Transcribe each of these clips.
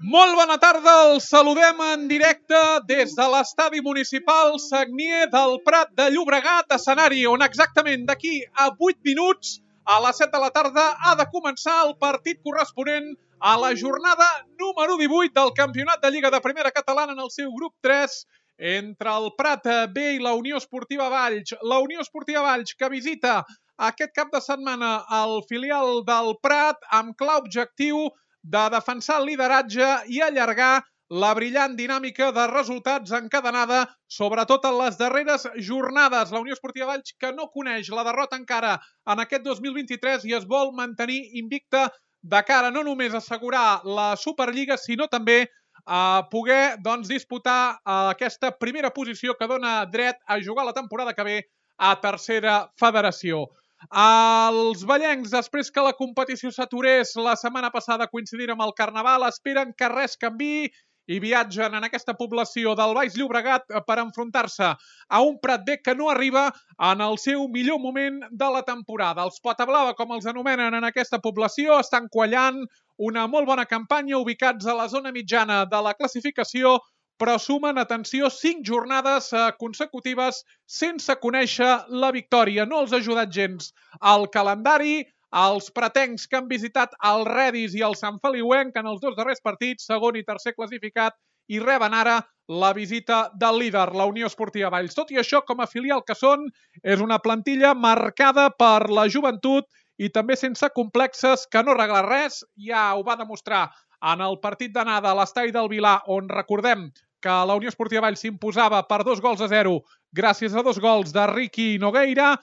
Molt bona tarda, els saludem en directe des de l'estadi municipal Sagnier del Prat de Llobregat, escenari on exactament d'aquí a 8 minuts, a les 7 de la tarda, ha de començar el partit corresponent a la jornada número 18 del Campionat de Lliga de Primera Catalana en el seu grup 3, entre el Prat B i la Unió Esportiva Valls. La Unió Esportiva Valls que visita aquest cap de setmana el filial del Prat amb clar objectiu de defensar el lideratge i allargar la brillant dinàmica de resultats encadenada, sobretot en les darreres jornades. La Unió Esportiva Valls que no coneix la derrota encara en aquest 2023 i es vol mantenir invicta de cara no només a assegurar la Superliga, sinó també a poder disputar aquesta primera posició que dona dret a jugar la temporada que ve a tercera federació. Els vallencs, després que la competició s'aturés la setmana passada coincidint amb el Carnaval, esperen que res canviï i viatgen en aquesta població del Baix Llobregat per enfrontar-se a un Prat B que no arriba en el seu millor moment de la temporada. Els Potablava, com els anomenen en aquesta població, estan quallant una molt bona campanya, ubicats a la zona mitjana de la classificació, però sumen, atenció, 5 jornades consecutives sense conèixer la victòria. No els ha ajudat gens el calendari. Els pratencs que han visitat el Redis i el Sant Feliuenc en els dos darrers partits, segon i tercer classificat, i reben ara la visita del líder, la Unió Esportiva Valls. Tot i això, com a filial que són, és una plantilla marcada per la joventut i també sense complexes, que no arregla res. Ja ho va demostrar en el partit d'anada a l'estadi del Vilar, on recordem que la Unió Esportiva Valls s'imposava per 2-0 gràcies a 2 gols de Ricky Nogueira,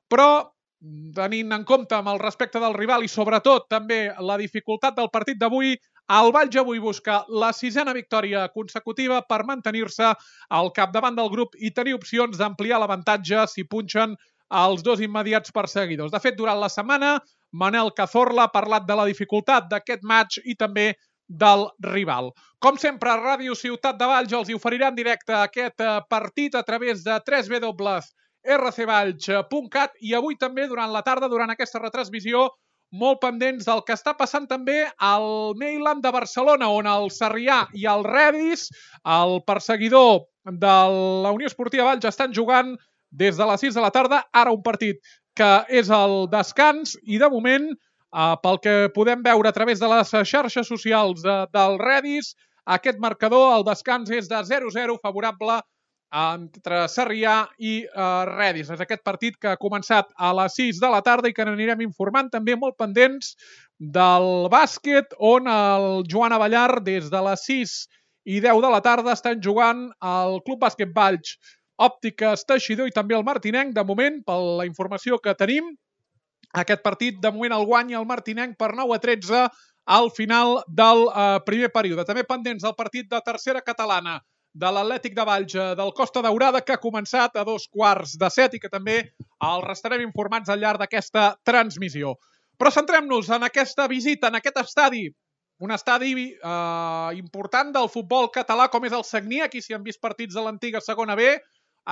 però tenint en compte amb el respecte del rival i sobretot també la dificultat del partit d'avui, el Valls avui busca la 6a victòria consecutiva per mantenir-se al capdavant del grup i tenir opcions d'ampliar l'avantatge si punxen els dos immediats perseguidors. De fet, durant la setmana, Manel Cazorla ha parlat de la dificultat d'aquest match i també del rival. Com sempre, a Ràdio Ciutat de Valls els hi oferirà en directe aquest partit a través de www.rcvalls.cat i avui també durant la tarda, durant aquesta retransmissió, molt pendents del que està passant també al Mailand de Barcelona, on el Sarrià i el Redis, el perseguidor de la Unió Esportiva Valls, estan jugant des de les 6 de la tarda, ara un partit que és el descans i de moment, pel que podem veure a través de les xarxes socials del Redis, aquest marcador, el descans és de 0-0 favorable entre Sarrià i Redis. És aquest partit que ha començat a les 6 de la tarda i que n'anirem informant també molt pendents del bàsquet, on el Joan Avellar des de les 6 i 10 de la tarda estan jugant al Club Bàsquet Valls, Òptiques Teixidor i també el Martinenc. De moment, per la informació que tenim, aquest partit de moment el guanya el Martinenc per 9-13 al final del primer període. També pendents del partit de tercera catalana de l'Atlètic de Valls del Costa Daurada, que ha començat a 2:45 i que també el restarem informats al llarg d'aquesta transmissió. Però centrem-nos en aquesta visita, en aquest estadi, un estadi important del futbol català com és el Sagnier. Aquí s'hi han vist partits de l'antiga segona B,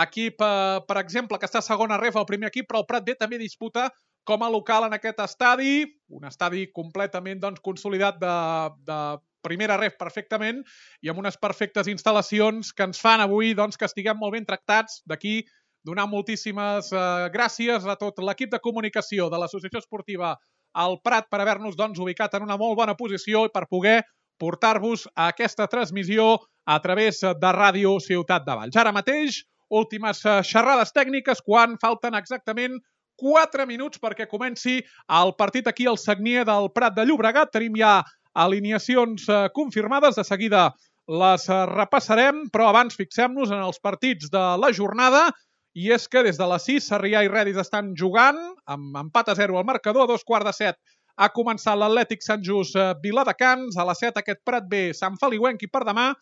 equip, per exemple, que està a segona ref, el primer equip, però el Prat B també disputa com a local en aquest estadi, un estadi completament consolidat de primera ref perfectament i amb unes perfectes instal·lacions que ens fan avui que estiguem molt ben tractats. D'aquí donar moltíssimes gràcies a tot l'equip de comunicació de l'Associació Esportiva al Prat per haver-nos ubicat en una molt bona posició i per poder portar-vos a aquesta transmissió a través de Ràdio Ciutat de Valls. Ara mateix, últimes xerrades tècniques quan falten exactament 4 minuts perquè comenci el partit aquí al Sagnier del Prat de Llobregat. Tenim ja alineacions confirmades, de seguida les repassarem, però abans fixem-nos en els partits de la jornada, i és que des de les 6 Sarrià i Redis estan jugant, amb empat a 0 al marcador. A 2:15 ha començat l'Atlètic Sant Just Viladecans, a les 7 aquest Prat B Sant Feliuenc i per demà,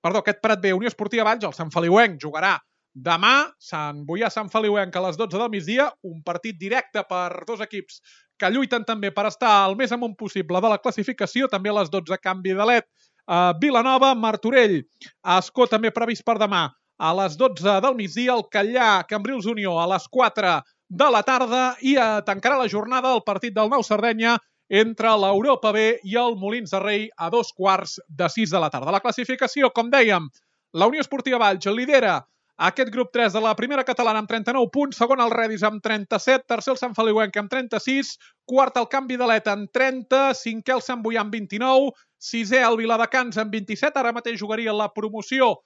aquest Prat B Unió Esportiva Valls, el Sant Feliuenc jugarà demà, Sant Boià Sant Feliuenc a les 12 del migdia, un partit directe per dos equips que lluiten també per estar el més amunt possible de la classificació. També a les 12 Canvi d'Alet, Vilanova, Martorell, Ascó també previst per demà a les 12 del migdia, el Catllà, Cambrils Unió a les 4 de la tarda i tancarà la jornada el partit del Nou Sardenya entre l'Europa B i el Molins de Rei a 5:15 de la tarda. La classificació, com dèiem, la Unió Esportiva Valls lidera aquest grup 3 de la primera catalana amb 39 punts, segon el Redis amb 37, tercer el Sant Feliuenc amb 36, quart el Canvi d'Aleta amb 30, cinquè el Sant Boià amb 29, sisè el Viladecans amb 27, ara mateix jugaria la promoció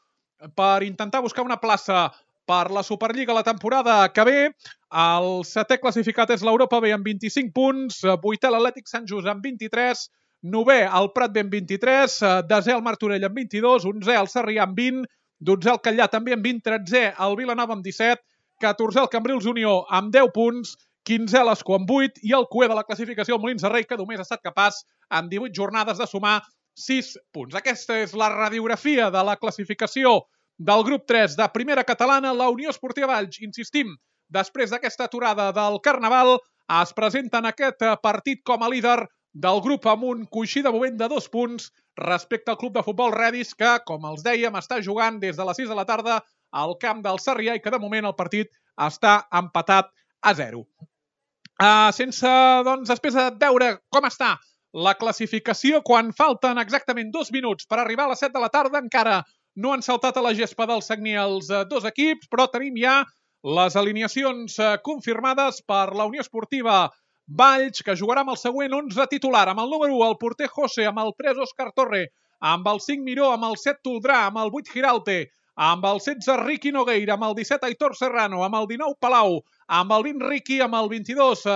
per intentar buscar una plaça per la Superliga la temporada que ve. El setè classificat és l'Europa B amb 25 punts, vuitè l'Atlètic Sant Just amb 23, novè el Prat B amb 23, desè el Martorell amb 22, 11è el Sarrià amb 20, 12è el Catllà també amb 20, 13è el Vilanova amb 17, 14è el Cambrils Unió amb 10 punts, 15è l'Escó amb 8 i el cuer de la classificació el Molins de Rei, que només ha estat capaç en 18 jornades de sumar 6 punts. Aquesta és la radiografia de la classificació del grup 3 de primera catalana. La Unió Esportiva Valls, insistim, després d'aquesta aturada del Carnaval, es presenta en aquest partit com a líder del grup amb un coixí de moment de 2 punts respecte al club de futbol Redis, que, com els dèiem, està jugant des de les 6 de la tarda al camp del Sarrià i que de moment el partit està empatat a 0. Després de veure com està la classificació, quan falten exactament 2 minuts per arribar a les 7 de la tarda, encara no han saltat a la gespa del Sagní els dos equips, però tenim ja les alineacions confirmades per la Unió Esportiva Valls, que jugarà amb el següent 11 titular, amb el número 1 el porter José, amb el 3 Òscar Torre, amb el 5 Miró, amb el 7 Toldrà, amb el 8 Giralte, amb el 16 Riqui Nogueira, amb el 17 Aitor Serrano, amb el 19 Palau, amb el 20 Riqui, amb el 22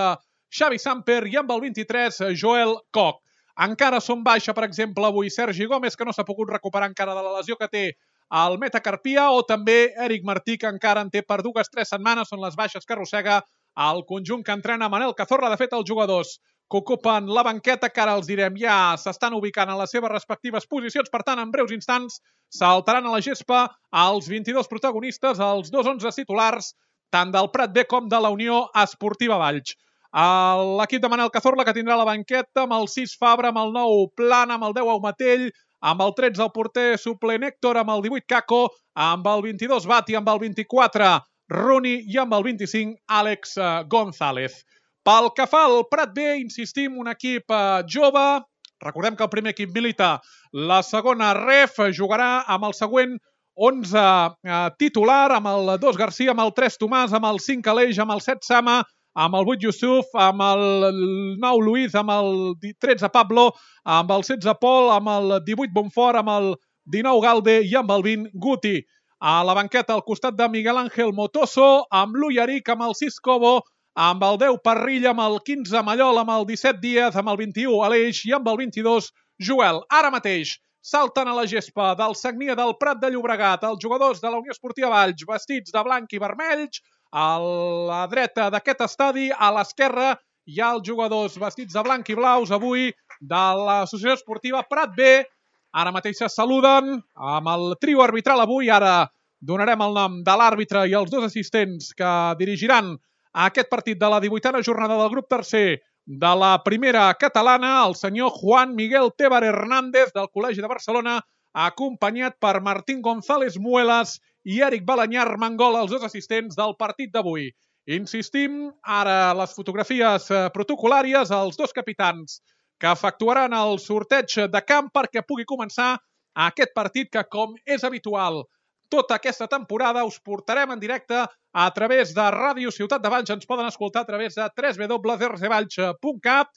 Xavi Samper i amb el 23 Joel Koch. Encara són baixa, per exemple, avui Sergi Gómez, que no s'ha pogut recuperar encara de la lesió que té al metacarpia, o també Eric Martí, que encara en té per 2-3 setmanes, són les baixes que arrossega el conjunt que entrena Manel Cazorla. De fet, els jugadors que ocupen la banqueta, que ara els direm, ja s'estan ubicant en les seves respectives posicions. Per tant, en breus instants saltaran a la gespa els 22 protagonistes, els 2 titulars, tant del Prat B com de la Unió Esportiva Valls. L'equip de Manel Cazorla, que tindrà la banqueta amb el 6 Fabra, amb el 9 Plana, amb el 10 Aumatell, amb el 13 el porter suplent Héctor, amb el 18 Caco, amb el 22 Bati, amb el 24 Runi i amb el 25 Àlex González. Pel que fa al Prat B, insistim, un equip jove. Recordem que el primer equip milita la segona ref, jugarà amb el següent 11 titular, amb el 2 Garcia, amb el 3 Tomàs, amb el 5 Aleix, amb el 7 Sama, amb el 8 Yusuf, amb el 9 Luis, amb el 13 Pablo, amb el 16 Pol, amb el 18 Bonfort, amb el 19 Galde i amb el 20 Guti. A la banqueta al costat de Miguel Ángel Motoso, amb l'Ullaric, amb el 6 Cobo, amb el 10 Parrilla, amb el 15 Mallol, amb el 17 Díaz, amb el 21 Aleix i amb el 22 Joel. Ara mateix salten a la gespa del Sagnia del Prat de Llobregat els jugadors de la Unió Esportiva Valls vestits de blanc i vermells. A la dreta d'aquest estadi, a l'esquerra, hi ha els jugadors vestits de blanc i blaus avui de l'Associació Esportiva Prat B. Ara mateix se saluden amb el trio arbitral avui. Ara donarem el nom de l'àrbitre i els 2 assistents que dirigiran aquest partit de la 18a jornada del grup tercer de la primera catalana, el senyor Juan Miguel Tebar Hernández del Col·legi de Barcelona, acompanyat per Martín González Muelas i Eric Balanyar Mangol, els 2 assistents del partit d'avui. Insistim, ara les fotografies protocolàries, els 2 capitans que efectuaran el sorteig de camp perquè pugui començar aquest partit que, com és habitual tota aquesta temporada, us portarem en directe a través de Ràdio Ciutat de Valls. Ens poden escoltar a través de www.rcvalls.cat.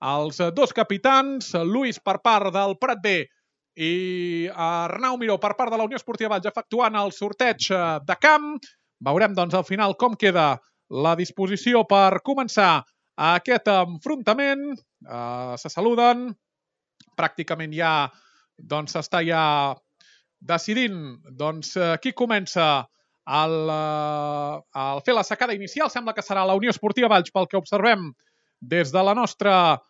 Els 2 capitans, Luis per part del Prat B i Arnau Miró per part de la Unió Esportiva Valls, efectuant el sorteig de camp. Veurem, doncs, al final com queda la disposició per començar aquest enfrontament. Se saluden. Pràcticament ja s'està decidint qui comença a fer la secada inicial. Sembla que serà la Unió Esportiva Valls, pel que observem des de la nostra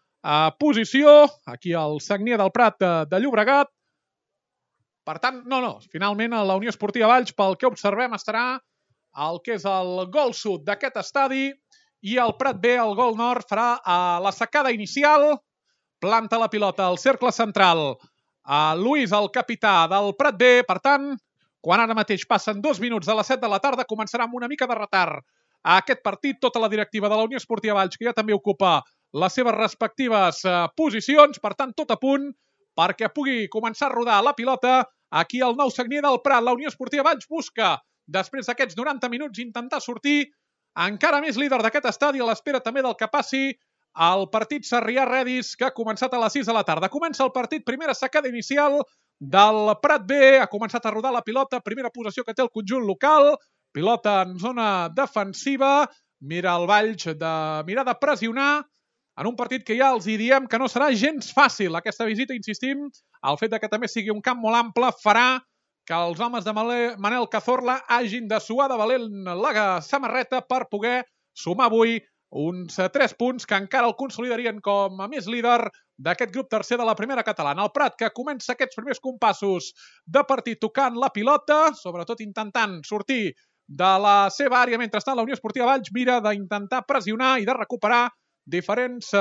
posició, aquí al Sagnia del Prat de Llobregat. Per tant, finalment la Unió Esportiva Valls, pel que observem, estarà al que és el gol sud d'aquest estadi i el Prat B, el gol nord, farà la secada inicial, planta la pilota al cercle central. Luis, el capità del Prat B. Per tant, quan ara mateix passen 2 minuts de les 7 de la tarda, començarà amb una mica de retard a aquest partit. Tota la directiva de la Unió Esportiva Valls, que ja també ocupa les seves respectives posicions, per tant, tot a punt perquè pugui començar a rodar la pilota. Aquí el Nou Sagnier del Prat, la Unió Esportiva Valls busca, després d'aquests 90 minuts, intentar sortir encara més líder d'aquest estadi, a l'espera també del que passi el partit Sarrià-Redis, que ha començat a les 6 de la tarda. Comença el partit, primera sacada inicial del Prat B, ha començat a rodar la pilota, primera possessió que té el conjunt local, pilota en zona defensiva, mira el Valls de mirar de pressionar, en un partit que ja els diem que no serà gens fàcil. Aquesta visita, insistim, el fet que també sigui un camp molt ample farà que els homes de Manel Cazorla hagin de suar de valent la samarreta per poder sumar avui uns 3 punts que encara el consolidarien com a més líder d'aquest grup tercer de la primera catalana. El Prat, que comença aquests primers compassos de partit tocant la pilota, sobretot intentant sortir de la seva àrea, mentrestant la Unió Esportiva Valls mira d'intentar pressionar i de recuperar diferents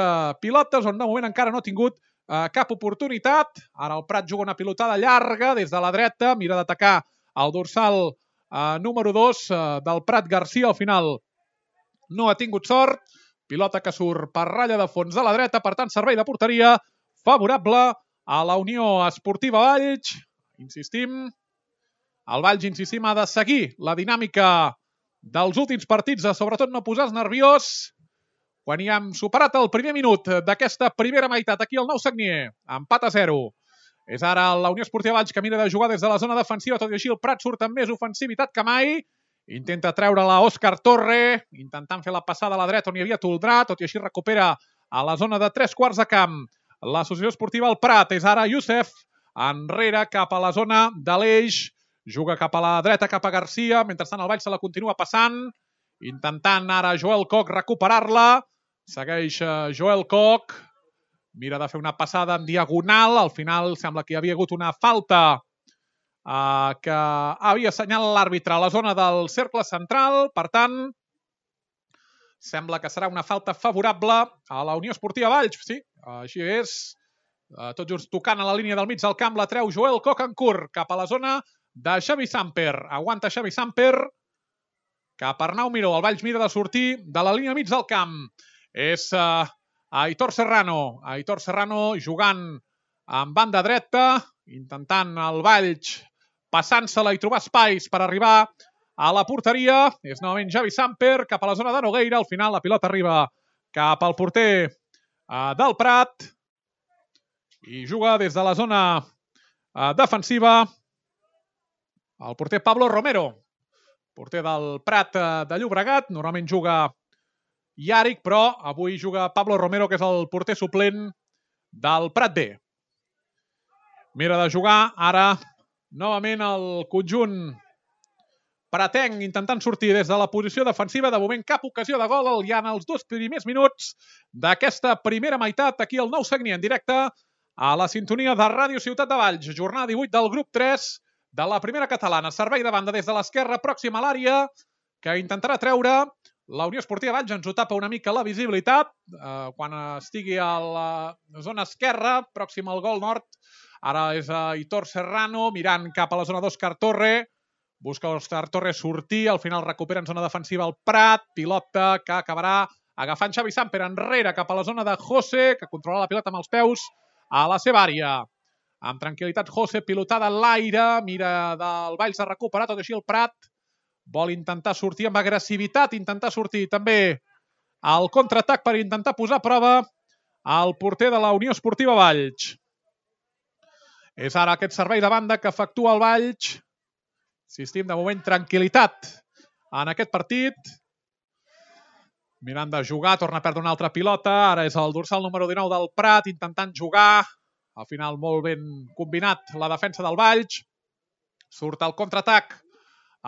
pilotes on de moment encara no ha tingut cap oportunitat. Ara el Prat juga una pilotada llarga des de la dreta, mira d'atacar el dorsal número 2 del Prat Garcia. Al final no ha tingut sort. Pilota que surt per ratlla de fons de la dreta, per tant servei de porteria favorable a la Unió Esportiva Valls. Insistim, el Valls, ha de seguir la dinàmica dels últims partits, de sobretot no posar-se nerviós. Quan hi hem superat el primer minut d'aquesta primera meitat, aquí el Nou Sagnier, empat a 0. És ara la Unió Esportiva Valls que mira de jugar des de la zona defensiva, tot i així el Prat surt amb més ofensivitat que mai. Intenta treure-la Òscar Torre, intentant fer la passada a la dreta on hi havia Toldrà, tot i així recupera a la zona de 3/4 de camp. L'Associació Esportiva El Prat és ara Youssef, enrere cap a la zona de l'Eix, juga cap a la dreta, cap a Garcia, mentrestant el Valls se la continua passant, intentant ara Joel Koch recuperar-la. Segueix Joel Koch, mira de fer una passada en diagonal, al final sembla que hi havia hagut una falta que havia assenyalat l'àrbitre a la zona del cercle central, per tant, sembla que serà una falta favorable a la Unió Esportiva Valls, sí, així és, tot just tocant a la línia del mig del camp, la treu Joel Koch en curt, cap a la zona de Xavi Samper, aguanta Xavi Samper, cap a Arnau Miró, el Valls mira de sortir de la línia mig del camp, és Aitor Serrano jugant en banda dreta, intentant el Valls passant-se-la i trobar espais per arribar a la porteria. És novament Xavi Samper cap a la zona de Nogueira. Al final la pilota arriba cap al porter del Prat i juga des de la zona defensiva el porter Pablo Romero, porter del Prat de Llobregat. Normalment juga Yaric, però avui juga Pablo Romero, que és el porter suplent del Prat B. Mira de jugar ara novament el conjunt pratenc, intentant sortir des de la posició defensiva. De moment cap ocasió de gol ja en els 2 primers minuts d'aquesta primera meitat. Aquí el Nou Sagnier en directe a la sintonia de Ràdio Ciutat de Valls. Jornada 18 del grup 3 de la primera catalana. Servei de banda des de l'esquerra, pròxima a l'àrea, que intentarà treure la Unió Esportiva Valls. Ens ho tapa una mica la visibilitat. Quan estigui a la zona esquerra, pròxima al gol nord, ara és Aitor Serrano, mirant cap a la zona d'Òscar Torre. Busca Òscar Torre sortir, al final recupera en zona defensiva el Prat. Pilota que acabarà agafant Xavi Samper enrere cap a la zona de José, que controla la pilota amb els peus a la seva àrea. Amb tranquil·litat José, pilotada en l'aire, mira del Valls a recuperar, tot així el Prat vol intentar sortir amb agressivitat, intentar sortir també al contraatac per intentar posar a prova el porter de la Unió Esportiva Valls. És ara aquest servei de banda que efectua el Valls. Insistim, de moment, tranquil·litat en aquest partit. Mirant de jugar, torna a perdre una altra pilota. Ara és el dorsal número 19 del Prat, intentant jugar. Al final, molt ben combinat la defensa del Valls. Surt al contraatac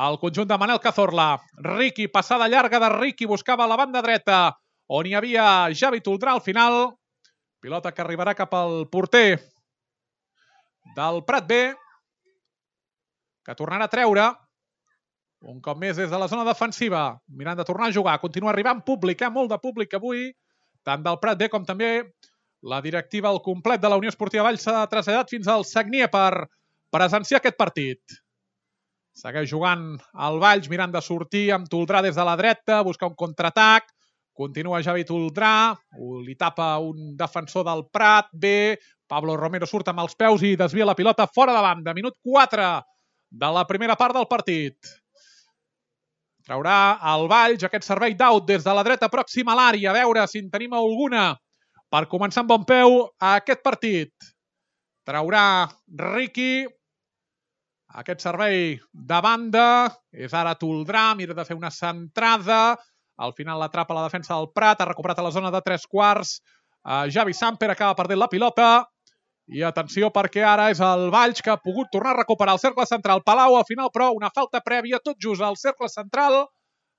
el conjunt de Manel Cazorla. Riqui, passada llarga de Riqui, buscava la banda dreta, on hi havia Javi Toldrà. Al final, pilota que arribarà cap al porter del Prat B, que tornarà a treure un cop més des de la zona defensiva, mirant de tornar a jugar. Continua arribant públic, molt de públic avui, tant del Prat B com també la directiva al complet de la Unió Esportiva Valls s'ha traslladat fins al Sagnier per presenciar aquest partit. Segueix jugant el Valls, mirant de sortir amb Toldrà des de la dreta, buscar un contraatac, Continua Javi Toldrà, li tapa un defensor del Prat, bé, Pablo Romero surt amb els peus i desvia la pilota fora de banda. Minut 4 de la primera part del partit. Traurà el Valls aquest servei d'out des de la dreta pròxima a l'àrea. A veure si en tenim alguna per començar amb bon peu a aquest partit. Traurà Riqui. Aquest servei de banda. És ara Toldrà, mira de fer una centrada. Al final l'atrapa la defensa del Prat, ha recuperat a la zona de 3/4. Javi Samper acaba perdent la pilota. I atenció perquè ara és el Valls que ha pogut tornar a recuperar el cercle central. Palau al final, però una falta prèvia tot just al cercle central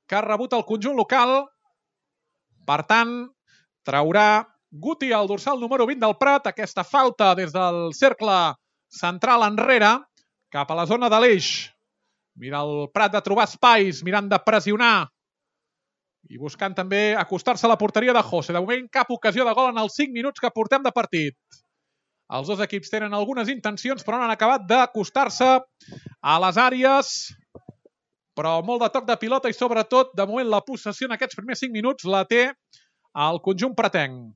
que ha rebut el conjunt local. Per tant, traurà Guti, el dorsal número 20 del Prat, aquesta falta des del cercle central enrere cap a la zona de l'eix. Mira el Prat de trobar espais, mirant de pressionar i buscant també acostar-se a la porteria de José. De moment, cap ocasió de gol en els 5 minuts que portem de partit. Els dos equips tenen algunes intencions, però no han acabat d'acostar-se a les àrees. Però molt de toc de pilota i, sobretot, de moment, la possessió en aquests primers 5 minuts la té el conjunt pratenc.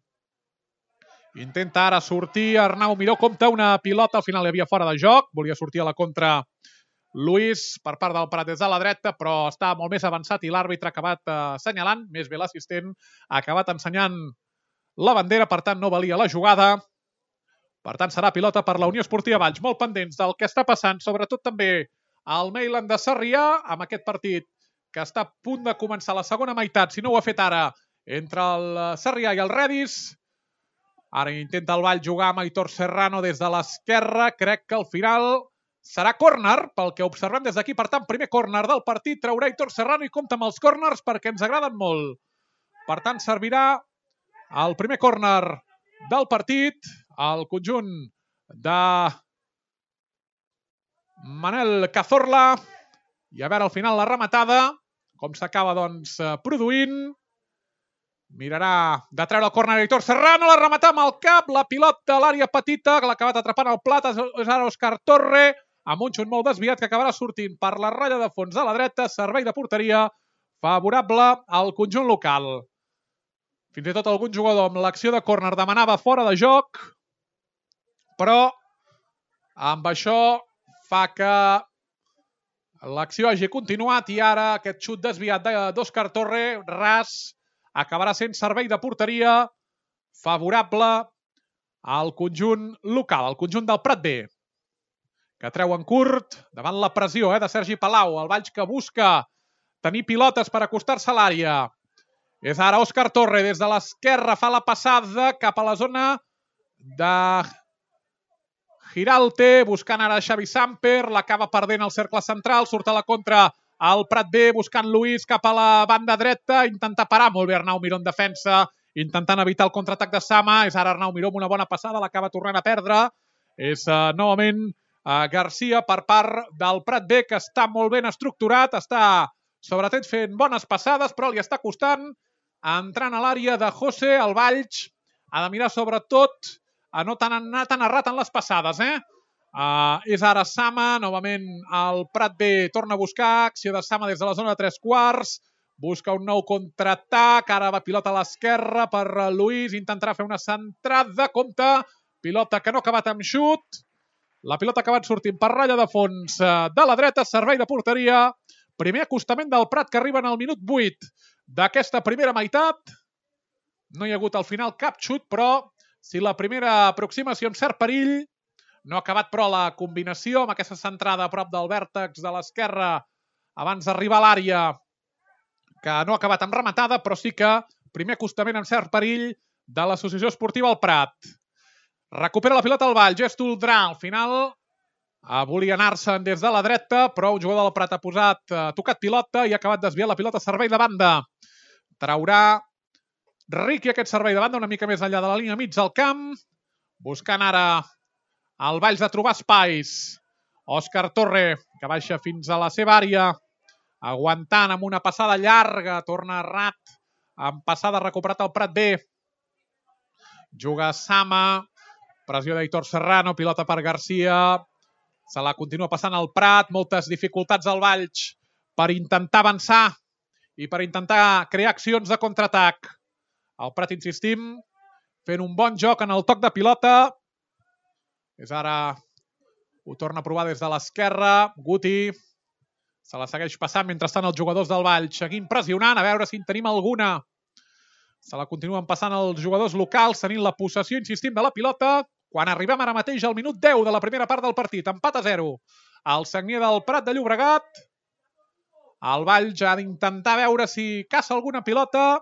Intenta ara sortir Arnau Miró, compta una pilota, al final hi havia fora de joc. Volia sortir a la contra Luis per part del Prat des de la dreta, però està molt més avançat i l'àrbitre ha acabat assenyalant, més bé l'assistent, ha acabat ensenyant la bandera, per tant no valia la jugada. Per tant serà pilota per la Unió Esportiva Valls, molt pendents del que està passant, sobretot també al Mailand de Sarrià, amb aquest partit que està a punt de començar la segona meitat, si no ho ha fet ara, entre el Sarrià i el Redis. Ara intenta el Valls jugar amb Aitor Serrano des de l'esquerra, crec que al final serà córner, pel que observem des d'aquí. Per tant, primer córner del partit, traurà Aitor Serrano i compta amb els córners perquè ens agraden molt. Per tant, servirà el primer córner del partit al conjunt de Manel Cazorla. I a veure al final la rematada, com s'acaba produint. Mirarà de treure el córner Aitor Serrano, la remata amb el cap, la pilota a l'àrea petita, que l'ha acabat atrapant el Plat, és ara Òscar Torre, amb un xut molt desviat que acabarà sortint per la ratlla de fons de la dreta, servei de porteria favorable al conjunt local. Fins i tot algun jugador amb l'acció de córner demanava fora de joc, però amb això fa que l'acció hagi continuat i ara aquest xut desviat d'Òscar Torre, ras, acabarà sent servei de porteria favorable al conjunt local, al conjunt del Prat B, que treu en curt davant la pressió de Sergi Palau. El Valls que busca tenir pilotes per acostar-se a l'àrea. És ara Òscar Torre des de l'esquerra, fa la passada cap a la zona de Giralte, buscant ara Xavi Samper, l'acaba perdent al cercle central, surt a la contra el Prat B, buscant Luis cap a la banda dreta, intenta parar molt bé Arnau Miró en defensa, intentant evitar el contraatac de Sama. És ara Arnau Miró amb una bona passada, l'acaba tornant a perdre. És novament Garcia per part del Prat B, que està molt ben estructurat, està sobretot fent bones passades, però li està costant entrant a l'àrea de José. El Valls ha de mirar sobretot a no anar tan errat en les passades. És ara Sama, novament el Prat B torna a buscar, acció de Sama des de la zona de 3/4, busca un nou contraatac, ara va pilota a l'esquerra per Luis, intentarà fer una centrada, compte, pilota que no ha acabat amb xut, la pilota ha acabat sortint per ratlla de fons de la dreta, servei de porteria, primer acostament del Prat que arriba en el minut 8 d'aquesta primera meitat. No hi ha hagut al final cap xut, però si la primera aproximació amb cert perill, no ha acabat però la combinació amb aquesta centrada a prop del vèrtex de l'esquerra abans d'arribar a l'àrea, que no ha acabat amb rematada, però sí que primer acostament amb cert perill de l'Associació Esportiva al Prat. Recupera la pilota al Valls, és Toldrà, al final volia anar-se'n des de la dreta, però un jugador del Prat ha tocat pilota i ha acabat desviant la pilota a servei de banda. Traurà Riqui aquest servei de banda una mica més enllà de la línia mig del camp, buscant ara el Valls de trobar espais. Òscar Torre, que baixa fins a la seva àrea, aguantant amb una passada llarga, torna rat, amb passada recuperat el Prat B. Juga Sama, pressió d'Aitor Serrano, pilota per Garcia, se la continua passant al Prat, moltes dificultats al Valls per intentar avançar i per intentar crear accions de contraatac. El Prat, insistim, fent un bon joc en el toc de pilota. És ara, ho torna a provar des de l'esquerra. Guti se la segueix passant. Mentrestant, els jugadors del Valls seguint pressionant, a veure si en tenim alguna. Se la continuen passant els jugadors locals, tenint la possessió, insistim, de la pilota. Quan arribem ara mateix al minut 10 de la primera part del partit, empat a 0. El Sagnier del Prat de Llobregat. El Valls ha d'intentar veure si caça alguna pilota,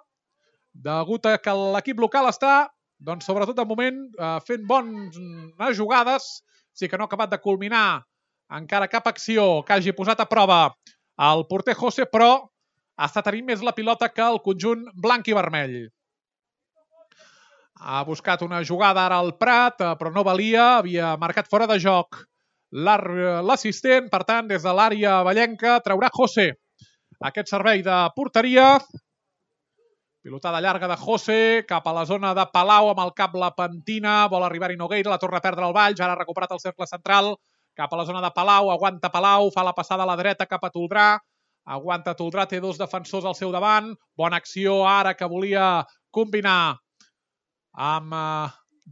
degut a que l'equip local està, doncs, sobretot de moment, fent bones jugades. Sí que no ha acabat de culminar encara cap acció que hagi posat a prova el porter José, però està tenint més la pilota que el conjunt blanc i vermell. Ha buscat una jugada ara al Prat, però no valia, havia marcat fora de joc l'assistent. Per tant, des de l'àrea vallenca traurà José aquest servei de porteria. Pilotada llarga de José cap a la zona de Palau, amb el cap la pentina, vol arribar-hi Nogueira, la torna a perdre el Valls, ara ha recuperat el cercle central, cap a la zona de Palau, aguanta Palau, fa la passada a la dreta cap a Toldrà, aguanta Toldrà, té dos defensors al seu davant, bona acció ara que volia combinar amb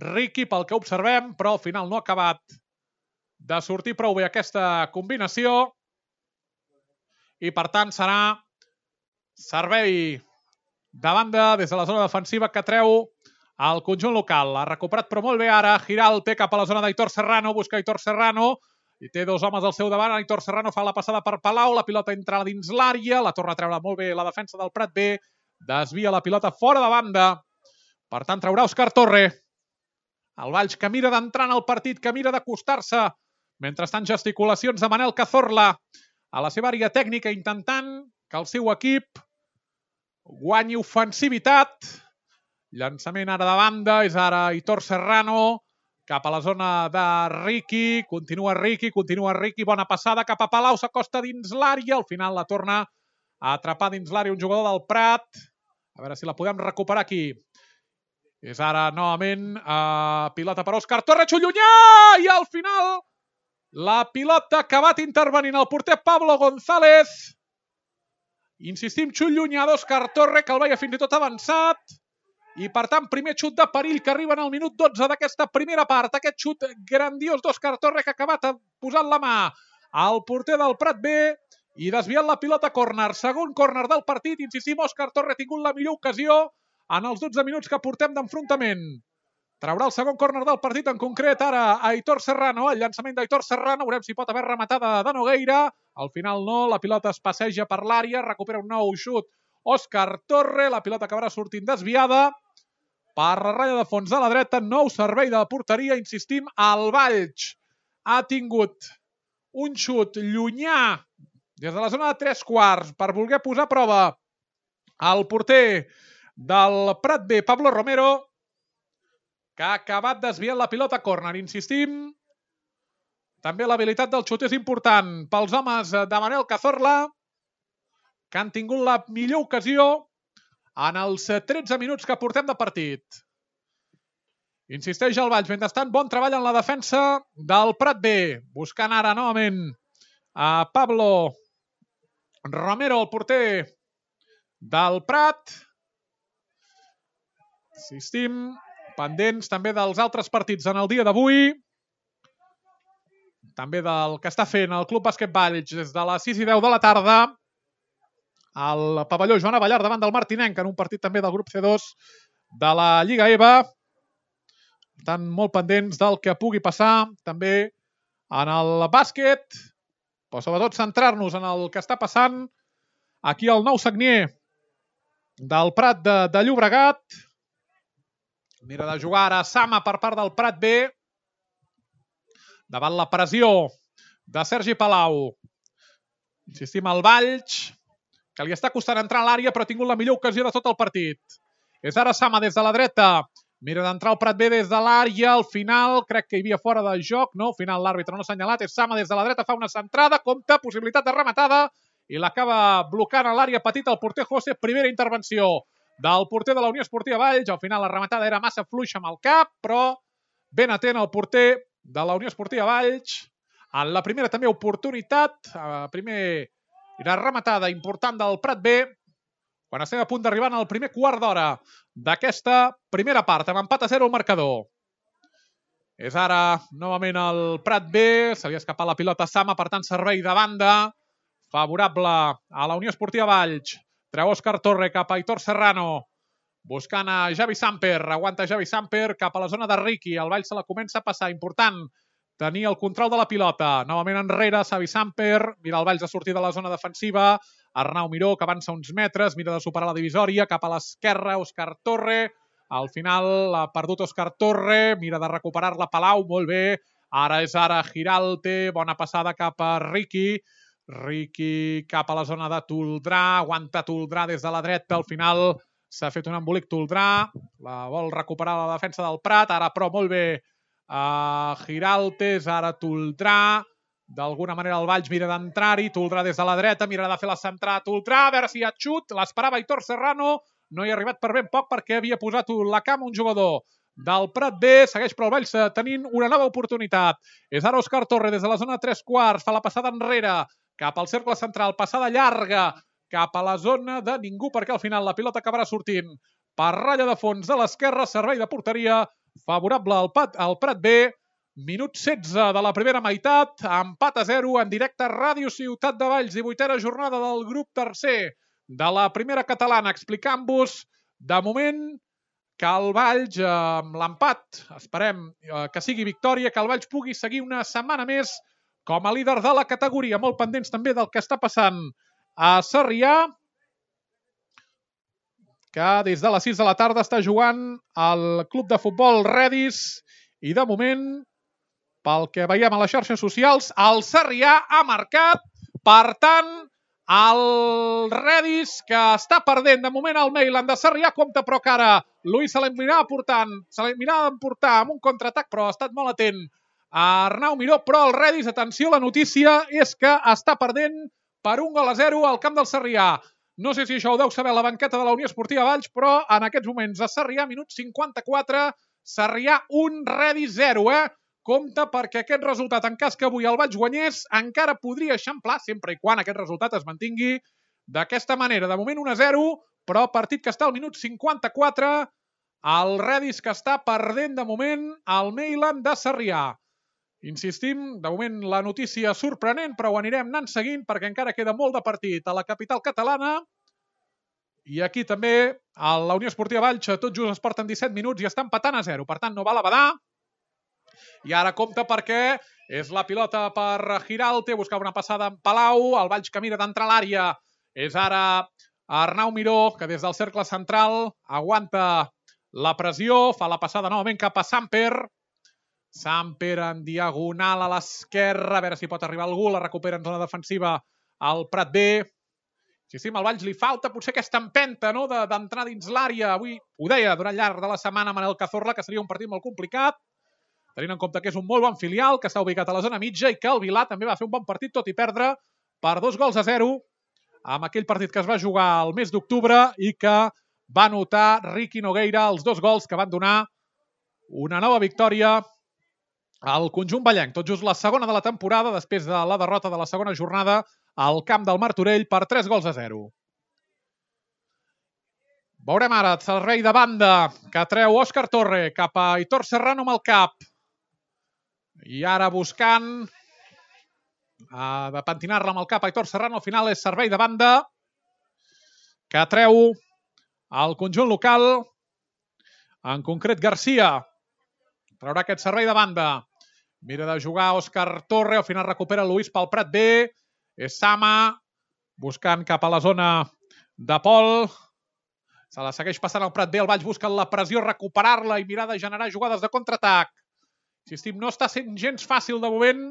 Riqui pel que observem, però al final no ha acabat de sortir prou bé aquesta combinació i per tant serà servei de banda des de la zona defensiva que treu el conjunt local. Ha recuperat però molt bé ara Giralt, cap a la zona d'Aitor Serrano, busca Aitor Serrano i té dos homes al seu davant. Aitor Serrano fa la passada per Palau, la pilota entra dins l'àrea, la torna a treure molt bé la defensa del Prat B, desvia la pilota fora de banda. Per tant, traurà Òscar Torre. El Valls que mira d'entrar en el partit, que mira d'acostar-se. Mentrestant, gesticulacions de Manel Cazorla a la seva àrea tècnica, intentant que el seu equip guanyi ofensivitat. Llançament ara de banda, és ara Aitor Serrano, cap a la zona de Riqui, continua Riqui, bona passada cap a Palau, s'acosta dins l'àrea, al final la torna a atrapar dins l'àrea un jugador del Prat. A veure si la podem recuperar aquí. És ara, novament, pilota per Òscar Torre, xut llunyà! I al final, la pilota ha acabat intervenint el porter Pablo González. Insistim, xut llunyà d'Òscar Torre, que el veia fins i tot avançat. I, per tant, primer xut de perill que arriba en el minut 12 d'aquesta primera part. Aquest xut grandiós d'Òscar Torre que ha acabat posant la mà al porter del Prat B i desviant la pilota a córner. Segon córner del partit. Insistim, Òscar Torre ha tingut la millor ocasió en els 12 minuts que portem d'enfrontament. Traurà el segon córner del partit, en concret ara Aitor Serrano. El llançament d'Aitor Serrano, veurem si pot haver rematada de Nogueira. Al final no, la pilota es passeja per l'àrea, recupera un nou xut Òscar Torre, la pilota acabarà sortint desviada per la ratlla de fons de la dreta. Nou servei de porteria, insistim, el Valls ha tingut un xut llunyà des de la zona de 3/4 per voler posar a prova el porter del Prat B, Pablo Romero, que ha acabat desviant la pilota a córner. Insistim, també l'habilitat del xut és important pels homes de Manel Cazorla, que han tingut la millor ocasió en els 13 minuts que portem de partit. Insisteix el Valls, mentrestant, bon treball en la defensa del Prat B, buscant ara novament a Pablo Romero, el porter del Prat. Insistim, pendents també dels altres partits en el dia d'avui, també del que està fent el Club Bàsquet Valls des de les 6:10 de la tarda al pavelló Joan Abellar davant del Martinenc, en un partit també del grup C2 de la Lliga EVA. Per tant, molt pendents del que pugui passar també en el bàsquet, però sobretot centrar-nos en el que està passant aquí al nou Sagnier del Prat de Llobregat. Mira de jugar ara Sama per part del Prat B, davant la pressió de Sergi Palau. Insistim, al Valls, que li està costant entrar a l'àrea, però ha tingut la millor ocasió de tot el partit. És ara Sama des de la dreta. Mira d'entrar el Prat B des de l'àrea. Al final, crec que hi havia fora de joc. No, al final l'àrbitre no ha assenyalat. És Sama des de la dreta, fa una centrada, compta, possibilitat de rematada, i l'acaba blocant a l'àrea petita el porter José. Primera intervenció del porter de la Unió Esportiva Valls. Al final la rematada era massa fluixa amb el cap, però ben atent el porter de la Unió Esportiva Valls. En la primera també oportunitat, primera rematada important del Prat B, quan estem a punt d'arribar al primer quart d'hora d'aquesta primera part, amb empat a 0 al marcador. És ara, novament, el Prat B, se li ha escapat la pilota a Sama, per tant, servei de banda, favorable a la Unió Esportiva Valls. Treu Òscar Torre cap a Aitor Serrano, buscant a Javi Samper, aguanta Javi Samper cap a la zona de Riqui, el Valls se la comença a passar, important tenir el control de la pilota, novament enrere, Javi Samper, mira el Valls a sortir de la zona defensiva, Arnau Miró, que avança uns metres, mira de superar la divisòria, cap a l'esquerra, Òscar Torre, al final ha perdut Òscar Torre, mira de recuperar-la Palau, molt bé, ara és ara Giralte, bona passada cap a Riqui, Riqui cap a la zona de Toldrà, aguanta Toldrà des de la dreta, al final s'ha fet un embolic Toldrà, la vol recuperar la defensa del Prat, ara però molt bé Giraltes, ara Toldrà, d'alguna manera el Valls mira d'entrar-hi, Toldrà des de la dreta, mira de fer la centrada Toldrà, a veure si hi ha xut, l'esperava Aitor Serrano, no hi ha arribat per ben poc perquè havia posat la cama un jugador del Prat B, segueix però el Valls tenint una nova oportunitat. És ara Òscar Torre des de la zona 3/4, fa la passada enrere, cap al cercle central, passada llarga, cap a la zona de ningú, perquè al final la pilota acabarà sortint per ratlla de fons de l'esquerra, servei de porteria favorable al Prat B, minut 16 de la primera meitat, empat a 0 en directe a Ràdio Ciutat de Valls, 18a jornada del grup tercer de la primera catalana, explicant-vos de moment que el Valls, amb l'empat, esperem que sigui victòria, que el Valls pugui seguir una setmana més com a líder de la categoria, molt pendents també del que està passant a Sarrià, que des de les 6 de la tarda està jugant al club de futbol Redis i de moment, pel que veiem a les xarxes socials, el Sarrià ha marcat, per tant, el Redis, que està perdent de moment el Mailand de Sarrià, compta però que ara Luis se l'anirà emportar amb un contraatac, però ha estat molt atent a Arnau Miró, però el Redis, atenció, la notícia és que està perdent per 1-0 al camp del Sarrià. No sé si això ho deu saber la banqueta de la Unió Esportiva Valls, però en aquests moments a Sarrià, minut 54, Sarrià 1, Redis 0, Compte perquè aquest resultat, en cas que avui el Valls guanyés, encara podria eixamplar, sempre i quan aquest resultat es mantingui d'aquesta manera. De moment 1-0, però partit que està al minut 54, el Redis que està perdent de moment el Mailand de Sarrià. Insistim, de moment la notícia sorprenent, però ho anirem anant seguint perquè encara queda molt de partit a la capital catalana. I aquí també a la Unió Esportiva Valls tot just es porten 17 minuts i està empatant a 0. Per tant, no val a badar. I ara compta perquè és la pilota per Giralte, buscava una passada en Palau, el Valls que mira d'entrar a l'àrea. És ara Arnau Miró, que des del cercle central aguanta la pressió, fa la passada novament cap a Samper. Samper en diagonal a l'esquerra, a veure si pot arribar algú, la recupera en zona defensiva al Prat B. Sí, al Valls li falta potser aquesta empenta, no?, d'entrar dins l'àrea. Avui ho deia durant llarg de la setmana Manel Cazorla, que seria un partit molt complicat, tenint en compte que és un molt bon filial, que està ubicat a la zona mitja i que el Vilà també va fer un bon partit, tot i perdre per 2-0 amb aquell partit que es va jugar el mes d'octubre i que va anotar Riqui Nogueira els 2 gols que van donar una nova victòria al conjunt vallenc. Tot just la segona de la temporada, després de la derrota de la segona jornada al camp del Martorell per 3-0. Veurem ara el servei de banda que treu Òscar Torre cap a Aitor Serrano amb el cap. I ara buscant de pentinar-la amb el cap Aitor Serrano, al final és servei de banda que treu el conjunt local, en concret Garcia. Traurà aquest servei de banda. Mira de jugar Òscar Torre, al final recupera Luis pel Prat B. És Sama, buscant cap a la zona de Pol. Se la segueix passant al Prat B, el Valls busca la pressió, recuperar-la i mirar de generar jugades de contraatac. Insistim, no està sent gens fàcil de moment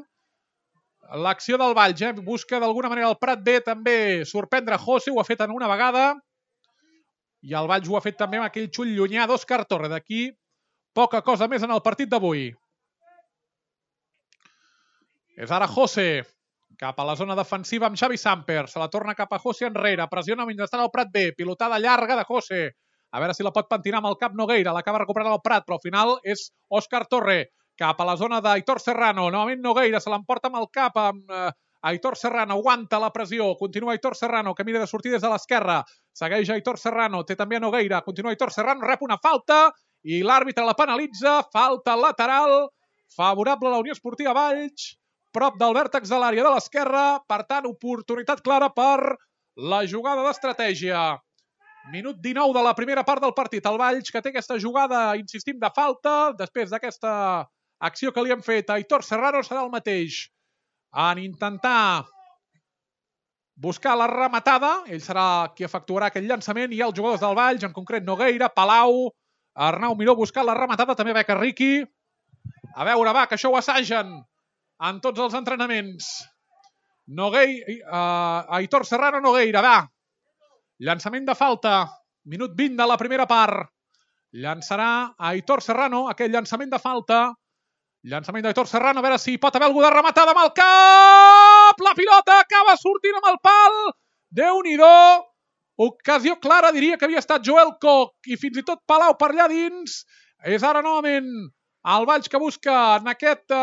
l'acció del Valls. Busca d'alguna manera el Prat B també sorprendre José, ho ha fet en una vegada. I el Valls ho ha fet també amb aquell xull llunyà d'Òscar Torre. D'aquí poca cosa més en el partit d'avui. És ara José, cap a la zona defensiva amb Xavi Samper. Se la torna cap a José enrere. Pressiona mentrestant el Prat B. Pilotada llarga de José. A veure si la pot pentinar amb el cap Nogueira. L'acaba recuperant el Prat, però al final és Òscar Torre cap a la zona d'Aitor Serrano. Novament Nogueira se l'emporta amb el cap amb Aitor Serrano aguanta la pressió, continua Aitor Serrano, que mira de sortir des de l'esquerra, segueix Aitor Serrano, té també Nogueira, continua Aitor Serrano, rep una falta i l'àrbitre la penalitza, falta lateral, favorable a la Unió Esportiva Valls, prop del vèrtex de l'àrea de l'esquerra, per tant, oportunitat clara per la jugada d'estratègia. Minut 19 de la primera part del partit. El Valls, que té aquesta jugada, insistim, de falta, després d'aquesta acció que li han fet a Aitor Serrano, serà el mateix. En intentar buscar la rematada, ell serà qui efectuarà aquell llançament, i els jugadors del Valls, en concret Nogueira, Palau, Arnau Miró buscant la rematada, també Beca Riqui. A veure, va, que això ho assagen en tots els entrenaments. Aitor Serrano, Nogueira, va. Llançament de falta, minut 20 de la primera part. Llançarà Aitor Serrano, aquell llançament de falta. Llançament d'Aitor Serrano, a veure si pot haver algú de rematada amb el cap. La pilota acaba sortint amb el pal. Déu-n'hi-do. Ocasió clara, diria que havia estat Joel Koch i fins i tot Palau per allà dins. És ara novament el Valls que busca en aquest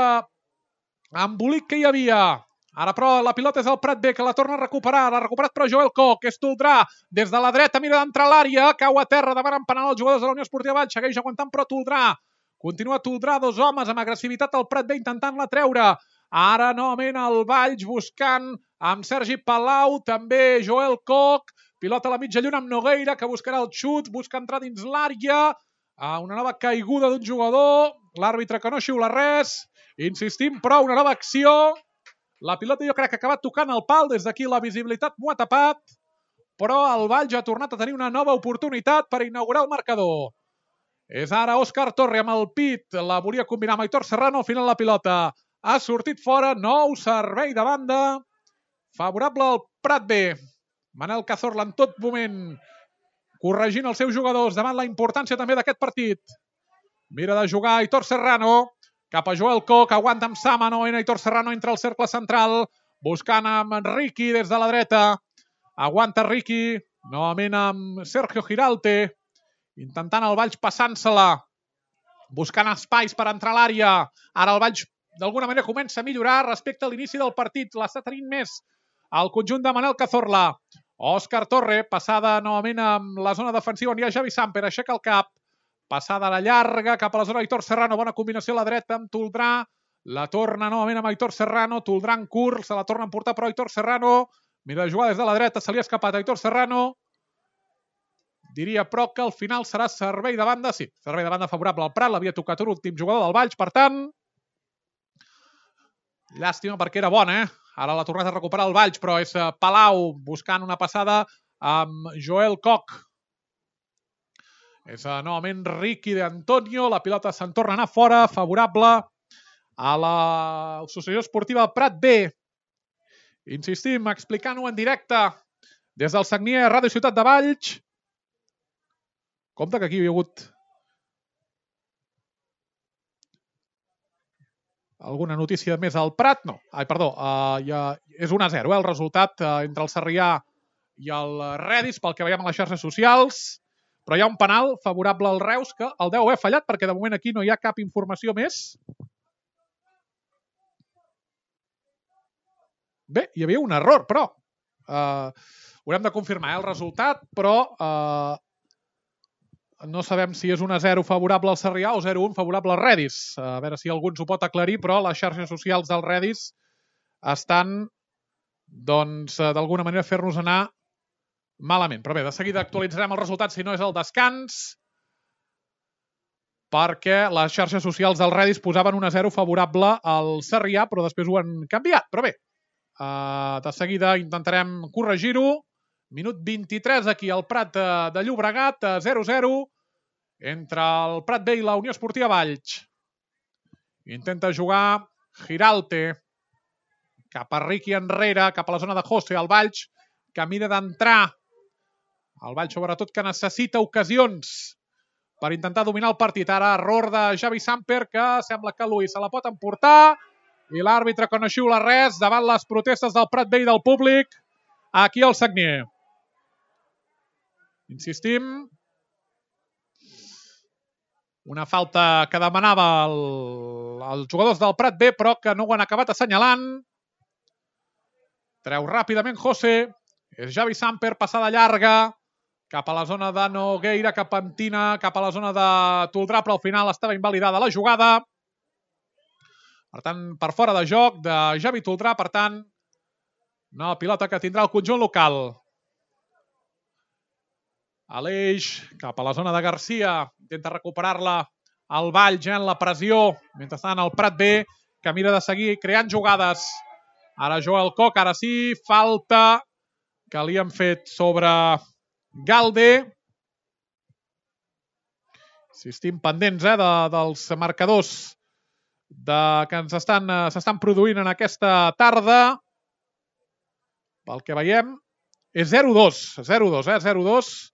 embolic que hi havia. Ara, però, la pilota és el Prat B, que la torna a recuperar. L'ha recuperat, però, Joel Koch. És Toldrà. Des de la dreta mira d'entrar a l'àrea. Cau a terra, demanen penal els jugadors de la Unió Esportiva Valls. Segueix aguantant, però, Toldrà. Continua Toldrà, dos homes amb agressivitat al Prat B, intentant-la treure. Ara, novament, el Valls buscant amb Sergi Palau, també Joel Koch. Pilota a la mitja lluna amb Nogueira, que buscarà el xut, busca entrar dins l'àrea. Una nova caiguda d'un jugador. L'àrbitre que no xiula res. Insistim, però, una nova acció. La pilota jo crec que ha acabat tocant el pal, des d'aquí la visibilitat m'ho ha tapat, però el Valls ha tornat a tenir una nova oportunitat per inaugurar el marcador. És ara Òscar Torre amb el pit, la volia combinar amb Aitor Serrano, al final la pilota ha sortit fora, nou servei de banda, favorable al Prat B. Manel Cazorla en tot moment corregint els seus jugadors davant la importància també d'aquest partit. Mira de jugar Aitor Serrano, cap a Joel Koch, aguanta amb Sama, novament Aitor Serrano entra al cercle central, buscant amb Riqui des de la dreta. Aguanta Riqui, novament amb Sergio Giralte, intentant el Valls passant-se-la, buscant espais per entrar a l'àrea. Ara el Valls d'alguna manera comença a millorar respecte a l'inici del partit. L'està tenint més el conjunt de Manel Cazorla. Òscar Torre, passada novament amb la zona defensiva on hi ha Javi Samper, aixeca el cap. Passada a la llarga, cap a la zona Aitor Serrano, bona combinació a la dreta amb Toldrà, la torna novament amb Aitor Serrano, Toldrà en curt, se la torna a emportar però Aitor Serrano, mira de jugar des de la dreta, se li ha escapat Aitor Serrano, diria però que al final serà servei de banda, sí, servei de banda favorable al Prat, l'havia tocat un últim jugador del Valls, per tant, llàstima perquè era bona, ara l'ha tornat a recuperar el Valls, però és Palau buscant una passada amb Joel Koch. És novament Riqui d'Antonio, la pilota se'n torna a anar fora, favorable a l'Associació Esportiva Prat B. Insistim, explicant-ho en directe des del Sagnier Ràdio Ciutat de Valls. Compte que aquí hi havia hagut alguna notícia més al Prat. No, perdó, és 1-0 el resultat entre el Sarrià i el Redis, pel que veiem a les xarxes socials. Però hi ha un penal favorable al Reus que el deu haver fallat perquè de moment aquí no hi ha cap informació més. Bé, hi havia un error, però haurem de confirmar el resultat, però no sabem si és 1-0 favorable al Sarrià o 0-1 favorable al Redis. A veure si algú ens ho pot aclarir, però les xarxes socials del Redis estan, doncs, d'alguna manera fer-nos anar malament, però bé, de seguida actualitzarem el resultat si no és el descans, perquè les xarxes socials del Redis posaven 1-0 favorable al Sarrià, però després ho han canviat. Però bé, de seguida intentarem corregir-ho. Minut 23 aquí al Prat de Llobregat, 0-0 entre el Prat B i la Unió Esportiva Valls. Intenta jugar Giralte cap a Riqui enrere, cap a la zona de José, el Valls, que mira d'entrar. El Valls, sobretot, que necessita ocasions per intentar dominar el partit. Ara, error de Javi Samper, que sembla que Luis se la pot emportar. I l'àrbitre que no xiula res davant les protestes del Prat B i del públic aquí al Sagnier. Insistim. Una falta que demanava els jugadors del Prat B, però que no ho han acabat assenyalant. Treu ràpidament José. És Javi Samper, passada llarga. Cap a la zona de Nogueira, cap a Antina, cap a la zona de Toldrà, però al final estava invalidada la jugada. Per tant, per fora de joc de Javi Toldrà, per tant, nova pilota que tindrà el conjunt local. Aleix, cap a la zona de Garcia, intenta recuperar-la al Vall, gent la pressió, mentrestant el Prat B, que mira de seguir creant jugades. Ara Joel Koch, ara sí, falta que li han fet sobre Galde. Insistim pendents dels marcadors que s'estan produint en aquesta tarda. Pel que veiem, és 0-2. 0-2.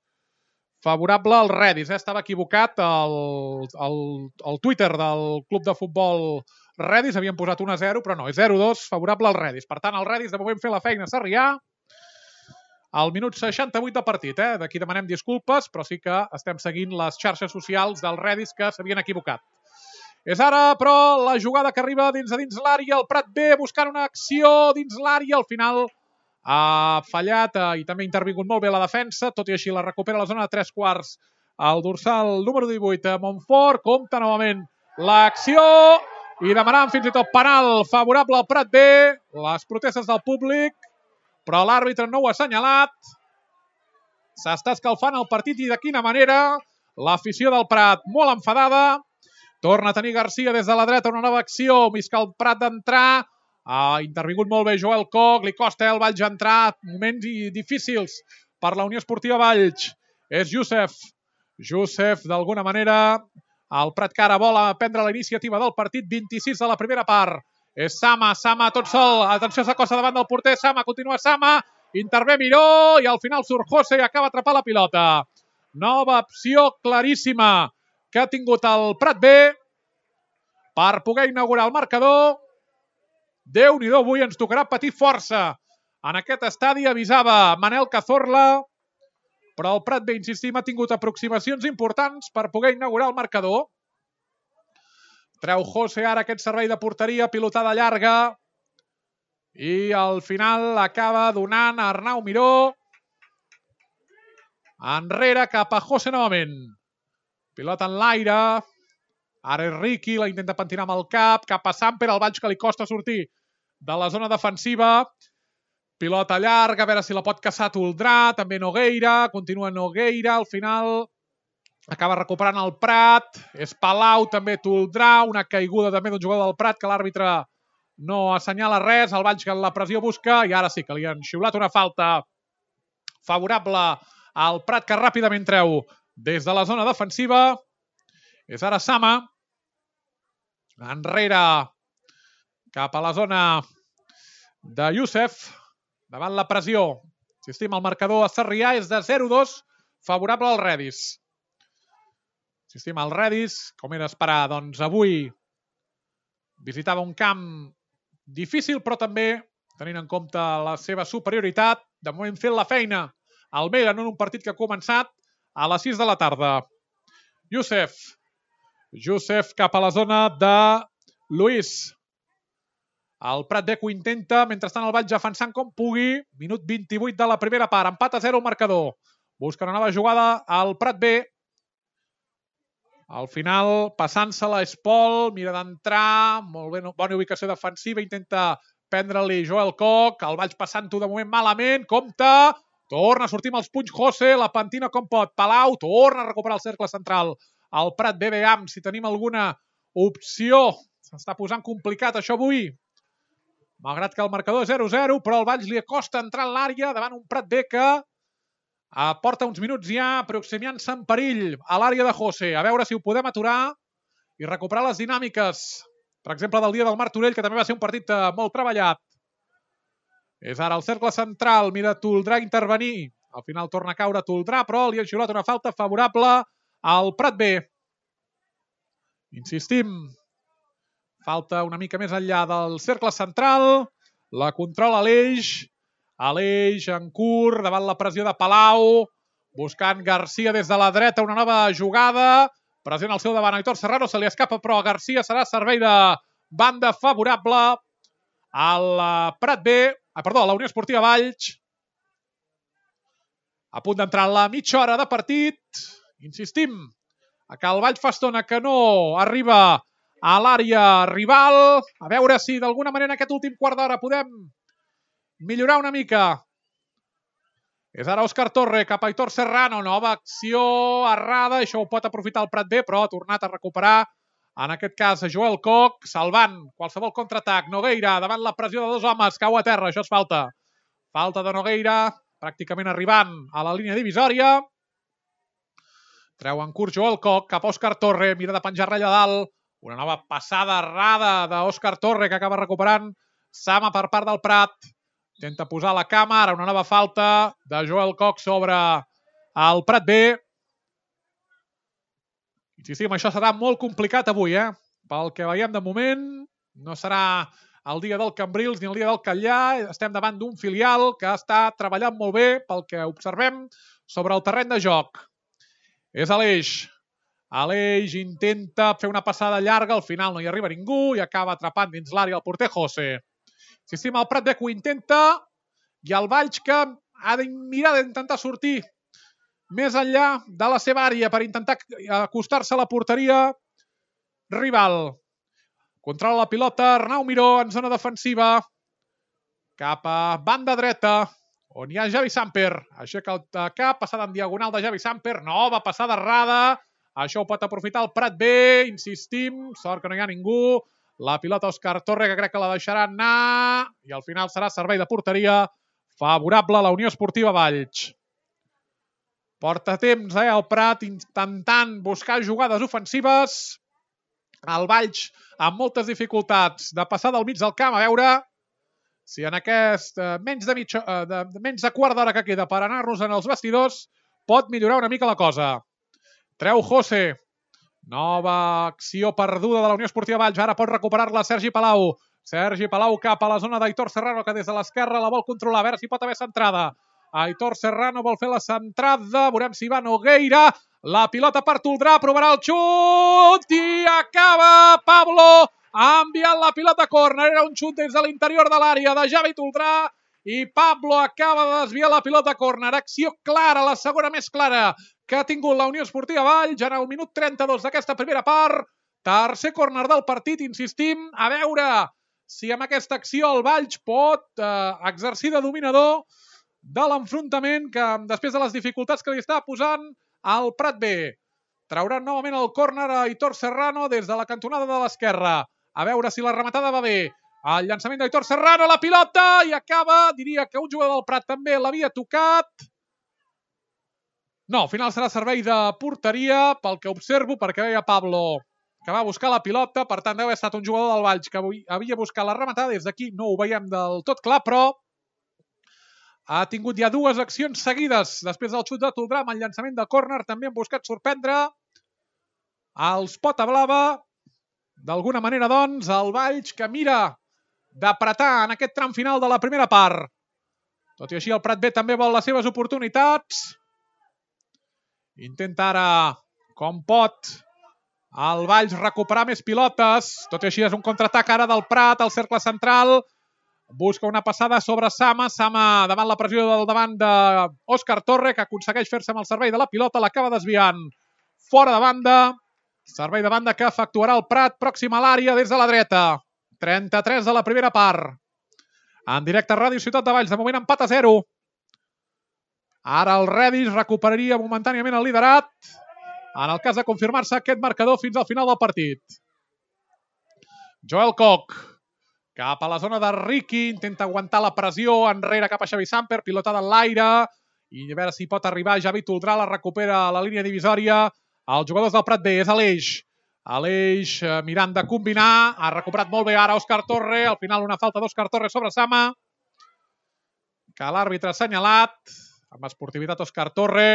Favorable al Redis. Estava equivocat el Twitter del club de futbol Redis. Havien posat 1-0, però no, és 0-2 favorable al Redis. Per tant, el Redis de moment fer la feina a Sarrià. Al minut 68 de partit. D'aquí demanem disculpes, però sí que estem seguint les xarxes socials del Redis que s'havien equivocat. És ara, però, la jugada que arriba dins l'àrea. El Prat B buscant una acció dins l'àrea. Al final ha fallat i també ha intervingut molt bé la defensa. Tot i així la recupera a la zona de 3/4. El dorsal número 18, Montfort. Compta novament l'acció i demanant fins i tot penal favorable al Prat B. Les protestes del públic, però l'àrbitre no ho ha assenyalat. S'està escalfant el partit i de quina manera. L'afició del Prat molt enfadada. Torna a tenir Garcia des de la dreta una nova acció. Visca el Prat d'entrar. Ha intervingut molt bé Joel Koch. Li costa el Valls entrar. Moments difícils per la Unió Esportiva Valls. És Youssef. Youssef, d'alguna manera. El Prat que ara vol prendre la iniciativa del partit. 26 de la primera part. És Sama. Sama tot sol. Atenció, s'acosta davant del porter. Sama, continua Sama. Intervé Miró i al final surt José i acaba atrapant la pilota. Nova opció claríssima que ha tingut el Prat B per poder inaugurar el marcador. Déu-n'hi-do, avui ens tocarà patir força. En aquest estadi avisava Manel Cazorla, però el Prat B, insistim, ha tingut aproximacions importants per poder inaugurar el marcador. Treu José ara aquest servei de porteria, pilotada llarga, i al final acaba donant a Arnau Miró. Enrere cap a José novament. Pilota en l'aire. Ara és Riqui, la intenta pentinar amb el cap. Cap a Samper, el Valls que li costa sortir de la zona defensiva. Pilota llarga, a veure si la pot caçar Toldrà. També Nogueira, continua Nogueira. Al final acaba recuperant el Prat. És Palau, també Toldrà. Una caiguda també d'un jugador del Prat que l'àrbitre no assenyala res. El Valls que la pressió busca i ara sí que li han xiulat una falta favorable al Prat que ràpidament treu des de la zona defensiva. És ara Sama. Enrere cap a la zona de Youssef. Davant la pressió. Insistim, el marcador a Sarrià és de 0-2 favorable al Redis. Insistim, el Redis, com era esperar, doncs avui visitava un camp difícil, però també tenint en compte la seva superioritat. De moment fent la feina al Mera en un partit que ha començat a les 6 de la tarda. Youssef cap a la zona de Luis. El Prat B que ho intenta, mentrestant el Valls defensant com pugui. Minut 28 de la primera part. Empat a 0 el marcador. Busca una nova jugada al Prat B. Al final, passant-se-la és Pol. Mira d'entrar. Molt bé, bona ubicació defensiva. Intenta prendre-li Joel Koch. El Valls passant-ho de moment malament. Compte. Torna a sortir amb els punys José. La pentina com pot. Palau torna a recuperar el cercle central. El Prat B, veiem si tenim alguna opció. S'està posant complicat això avui. Malgrat que el marcador és 0-0, però el Valls li acosta entrar en l'àrea davant un Prat B que porta uns minuts ja aproximant-se en perill a l'àrea de José. A veure si ho podem aturar i recuperar les dinàmiques, per exemple, del dia del Martorell, que també va ser un partit molt treballat. És ara el cercle central, mira Toldrà intervenir. Al final torna a caure Toldrà, però li ha xiulat una falta favorable al Prat B. Insistim, falta una mica més enllà del cercle central. La controla Aleix. Aleix en curt, davant la pressió de Palau. Buscant Garcia des de la dreta, una nova jugada. Pressió al seu davant, Aitor Serrano se li escapa, però a Garcia serà servei de banda favorable al Prat B. Perdó, la Unió Esportiva Valls. A punt d'entrar en la mitja hora de partit. Insistim, que el Valls fa estona que no arriba a l'àrea rival. A veure si d'alguna manera en aquest últim quart d'hora podem millorar una mica. És ara Òscar Torre cap a Aitor Serrano. Nova acció errada. Això ho pot aprofitar el Prat B, però ha tornat a recuperar, en aquest cas, Joel Koch, salvant qualsevol contraatac. Nogueira, davant la pressió de dos homes, cau a terra. Això és falta. Falta de Nogueira, pràcticament arribant a la línia divisòria. Treu en curt Joel Koch cap a Òscar Torre. Mira de penjar ratlla dalt. Una nova passada errada d'Òscar Torre que acaba recuperant Sama per part del Prat. Intenta posar la cama. Ara una nova falta de Joel Koch sobre el Prat B. Insistim, això serà molt complicat avui, Pel que veiem de moment, no serà el dia del Cambrils ni el dia del Catllà. Estem davant d'un filial que està treballant molt bé, pel que observem, sobre el terreny de joc. És Aleix. Aleix intenta fer una passada llarga, al final no hi arriba ningú i acaba atrapant dins l'àrea el porter José. Insistim, el Prat B que ho intenta i el Valls que ha de mirar d'intentar sortir més enllà de la seva àrea per intentar acostar-se a la porteria rival. Controla la pilota Arnau Miró en zona defensiva cap a banda dreta on hi ha Javi Samper. Aixeca el cap, passada en diagonal de Javi Samper. Nova passada errada. Això ho pot aprofitar el Prat B. Insistim, sort que no hi ha ningú. La pilota Òscar Torre, que crec que la deixarà anar. I al final serà servei de porteria favorable a la Unió Esportiva Valls. Porta temps, el Prat, intentant buscar jugades ofensives. El Valls amb moltes dificultats de passar del mig del camp. A veure si en aquest menys de quart d'hora que queda per anar-nos en els vestidors pot millorar una mica la cosa. Treu José. Nova acció perduda de la Unió Esportiva Valls. Ara pot recuperar-la Sergi Palau. Sergi Palau cap a la zona d'Aitor Serrano, que des de l'esquerra la vol controlar. A veure si pot haver centrada. Aitor Serrano vol fer la centrada. Veurem si va Nogueira. La pilota per Toldrà. Provarà el xut. I acaba Pablo enviant la pilota a córner. Era un xut des de l'interior de l'àrea de Javi Toldrà. I Pablo acaba de desviar la pilota a córner. Acció clara, la segona més clara que ha tingut la Unió Esportiva Valls en el minut 32 d'aquesta primera part. Tercer córner del partit, insistim. A veure si amb aquesta acció el Valls pot exercir de dominador de l'enfrontament que després de les dificultats que li està posant el Prat B. Trauran novament el córner a Aitor Serrano des de la cantonada de l'esquerra. A veure si la rematada va bé. El llançament d'Aitor Serrano, la pilota, i acaba, diria que un jugador del Prat també l'havia tocat. No, al final serà servei de porteria, pel que observo, perquè veia Pablo que va buscar la pilota, per tant deu haver estat un jugador del Valls que havia buscat la rematada. Des d'aquí no ho veiem del tot clar, però ha tingut ja dues accions seguides després del xut de Toldrà amb el llançament de córner. També han buscat sorprendre els Pota Blava. D'alguna manera, doncs, el Valls que mira d'apretar en aquest tram final de la primera part. Tot i així, el Prat B també vol les seves oportunitats. Intenta ara, com pot, el Valls recuperar més pilotes. Tot i així, és un contraatac ara del Prat, al cercle central. Busca una passada sobre Sama. Sama davant la pressió del davant d'Òscar Torre, que aconsegueix fer-se amb el servei de la pilota. L'acaba desviant fora de banda. Servei de banda que efectuarà el Prat, pròxim a l'àrea des de la dreta. 33 de la primera part. En directe a Ràdio Ciutat de Valls. De moment empat a 0. Ara el Redis recuperaria momentàniament el liderat en el cas de confirmar-se aquest marcador fins al final del partit. Joel Koch cap a la zona de Riqui. Intenta aguantar la pressió enrere cap a Xavi Samper. Pilotada en l'aire. I a veure si pot arribar Javi Toldrà. La recupera a la línia divisòria. Els jugadors del Prat B. És Aleix. Aleix mirant de combinar. Ha recuperat molt bé ara Òscar Torre. Al final una falta d'Òscar Torre sobre Sama, que l'àrbitre ha assenyalat. Amb esportivitat Òscar Torre.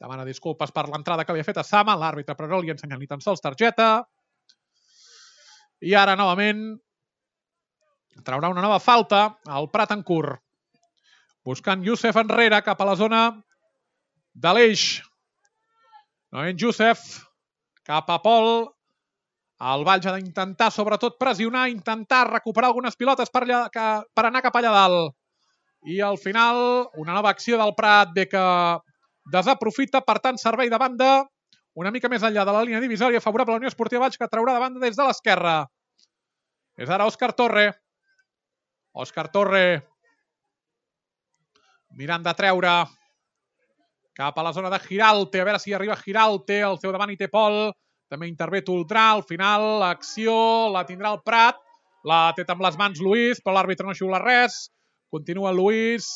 Demana disculpes per l'entrada que havia fet a Sama. L'àrbitre però no li ha ensenyat ni tan sols targeta. I ara novament traurà una nova falta al Prat en curt. Buscant Youssef enrere cap a la zona d'Aleix. Novament Youssef cap a Pol. El Valls ha d'intentar, sobretot, pressionar, intentar recuperar algunes pilotes per anar cap allà dalt. I al final, una nova acció del Prat bé que desaprofita, per tant, servei de banda una mica més enllà de la línia divisòria, favorable a la Unió Esportiva Valls, que traurà de banda des de l'esquerra. És ara Òscar Torre. Òscar Torre mirant de treure cap a la zona de Giralte, a veure si arriba Giralte, al seu davant hi té Pol, també intervé Toldrà, al final l'acció la tindrà el Prat, la té amb les mans Lluís, però l'àrbitre no xiula res, continua Lluís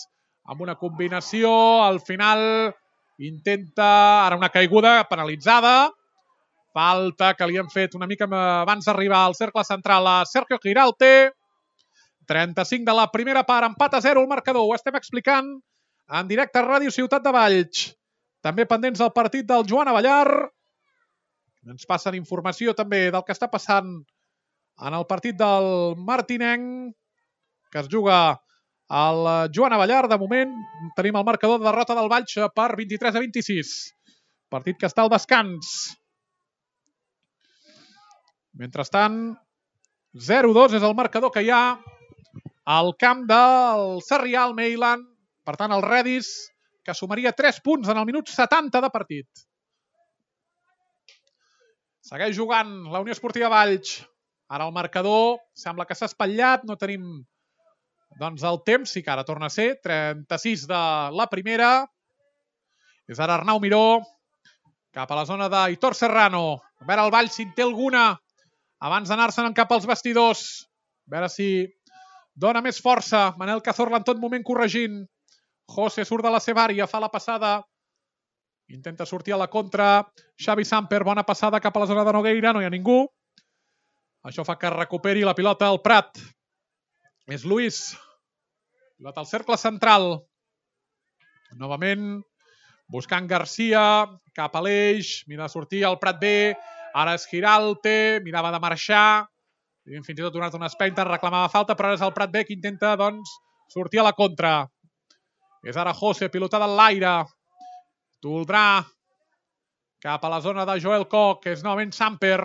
amb una combinació, al final intenta ara una caiguda penalitzada, falta que li han fet una mica abans d'arribar al cercle central a Sergio Giralte, 35 de la primera part, empat a 0 el marcador, ho estem explicant en directe a Ràdio Ciutat de Valls. També pendents del partit del Joan Avellar. Ens passen informació també del que està passant en el partit del Martinenc, que es juga al Joan Avellar. De moment tenim el marcador de derrota del Valls per 23-26. Partit que està al descans. Mentrestant, 0-2 és el marcador que hi ha al camp del Sarrià, al Meilan. Per tant, el Redis, que sumaria 3 punts en el minut 70 de partit. Segueix jugant la Unió Esportiva Valls. Ara el marcador sembla que s'ha espatllat. No tenim el temps. Sí que ara torna a ser. 36 de la primera. És ara Arnau Miró. Cap a la zona d'Aitor Serrano. A veure el Valls si en té alguna abans d'anar-se'n cap als vestidors. A veure si dona més força. Manel Cazorla en tot moment corregint. José surt de la seva àrea, fa la passada. Intenta sortir a la contra. Xavi Samper, bona passada cap a la zona de Nogueira. No hi ha ningú. Això fa que recuperi la pilota al Prat. És Lluís. Pilota al cercle central. Novament buscant Garcia. Cap a l'eix. Mira de sortir al Prat B. Ara és Giralte. Mirava de marxar. Fins i tot donat una espenta. Reclamava falta, però ara és el Prat B que intenta sortir a la contra. És ara José, pilotada en l'aire. Toldrà cap a la zona de Joel Koch, que és novament Samper.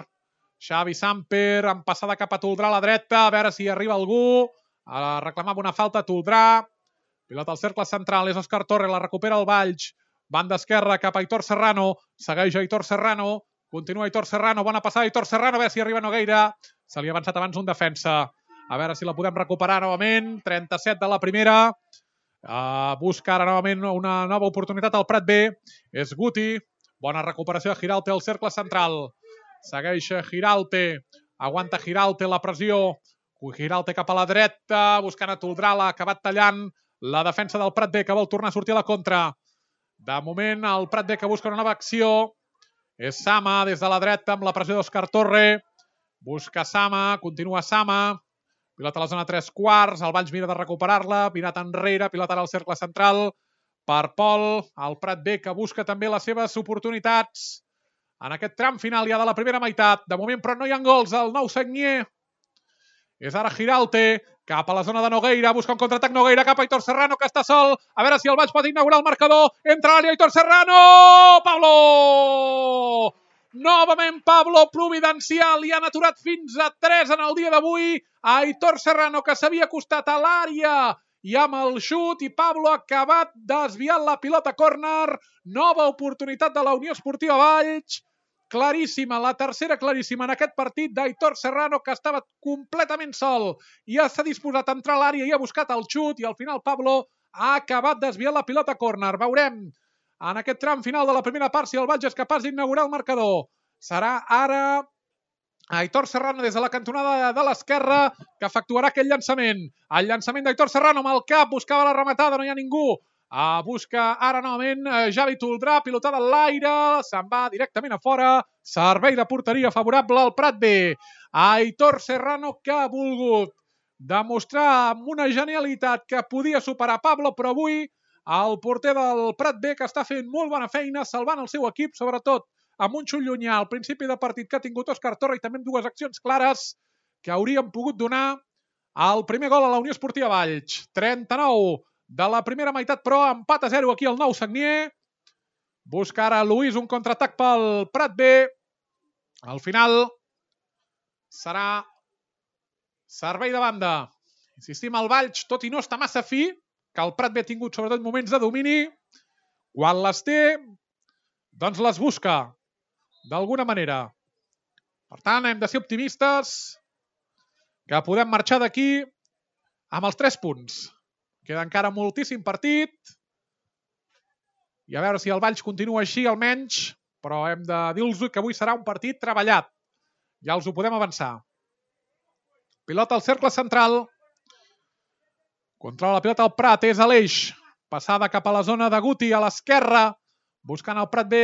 Xavi Samper, amb passada cap a Toldrà a la dreta, a veure si arriba algú. Reclamava una falta Toldrà. Pilota al cercle central, és Òscar Torre, la recupera el Valls. Banda esquerra cap a Aitor Serrano. Segueix Aitor Serrano. Continua Aitor Serrano, bona passada Aitor Serrano, a veure si arriba Nogueira. Se li ha avançat abans un defensa. A veure si la podem recuperar novament. 37 de la primera. Busca ara novament una nova oportunitat al Prat B. És Guti. Bona recuperació de Giralte al cercle central. Segueix Giralte. Aguanta Giralte la pressió. Giralte cap a la dreta. Buscant a Toldrà, l'ha acabat tallant la defensa del Prat B, que vol tornar a sortir a la contra. De moment el Prat B que busca una nova acció. És Sama des de la dreta amb la pressió d'Òscar Torre. Busca Sama. Continua Sama. Pilota a la zona 3/4, el Valls mira de recuperar-la, mirat enrere, pilota al cercle central per Pol, el Prat B que busca també les seves oportunitats en aquest tram final ja de la primera meitat. De moment, però no hi ha gols, el Nou Sagnier. És ara Giralte, cap a la zona de Nogueira, busca un contraatac Nogueira cap a Aitor Serrano, que està sol. A veure si el Valls pot inaugurar el marcador. Entra a l'àrea Aitor Serrano! Pablo! Novament Pablo providencial, i han aturat fins a 3 en el dia d'avui. Aitor Serrano, que s'havia acostat a l'àrea i amb el xut, i Pablo ha acabat desviant la pilota a córner. Nova oportunitat de la Unió Esportiva Valls. Claríssima, la tercera claríssima en aquest partit d'Aitor Serrano, que estava completament sol i s'ha disposat a entrar a l'àrea i ha buscat el xut, i al final Pablo ha acabat desviant la pilota a córner. Veurem en aquest tram final de la primera part si el Valls és capaç d'inaugurar el marcador. Serà ara Aitor Serrano des de la cantonada de l'esquerra que efectuarà aquest llançament. El llançament d'Aitor Serrano amb el cap, buscava la rematada, no hi ha ningú. Busca ara novament Javi Toldrà, pilotada en l'aire, se'n va directament a fora. Servei de porteria favorable al Prat B. Aitor Serrano, que ha volgut demostrar amb una genialitat que podia superar Pablo, però avui el porter del Prat B, que està fent molt bona feina, salvant el seu equip, sobretot amb un xut llunyà al principi de partit que ha tingut Òscar Torre, i també amb dues accions clares que haurien pogut donar el primer gol a la Unió Esportiva Valls. 39 de la primera meitat, però empat a 0 aquí al Nou Sagnier. Busca ara Lluís un contraatac pel Prat B. Al final serà servei de banda. Insistim, el Valls, tot i no està massa fi, que el Prat B ha tingut sobretot moments de domini, quan les té, doncs les busca, d'alguna manera. Per tant, hem de ser optimistes, que podem marxar d'aquí amb els 3 punts. Queda encara moltíssim partit, i a veure si el Valls continua així, almenys, però hem de dir-los que avui serà un partit treballat. Ja els ho podem avançar. Pilota al cercle central. Controla la pilota el Prat, és a l'eix. Passada cap a la zona de Guti, a l'esquerra, buscant el Prat B.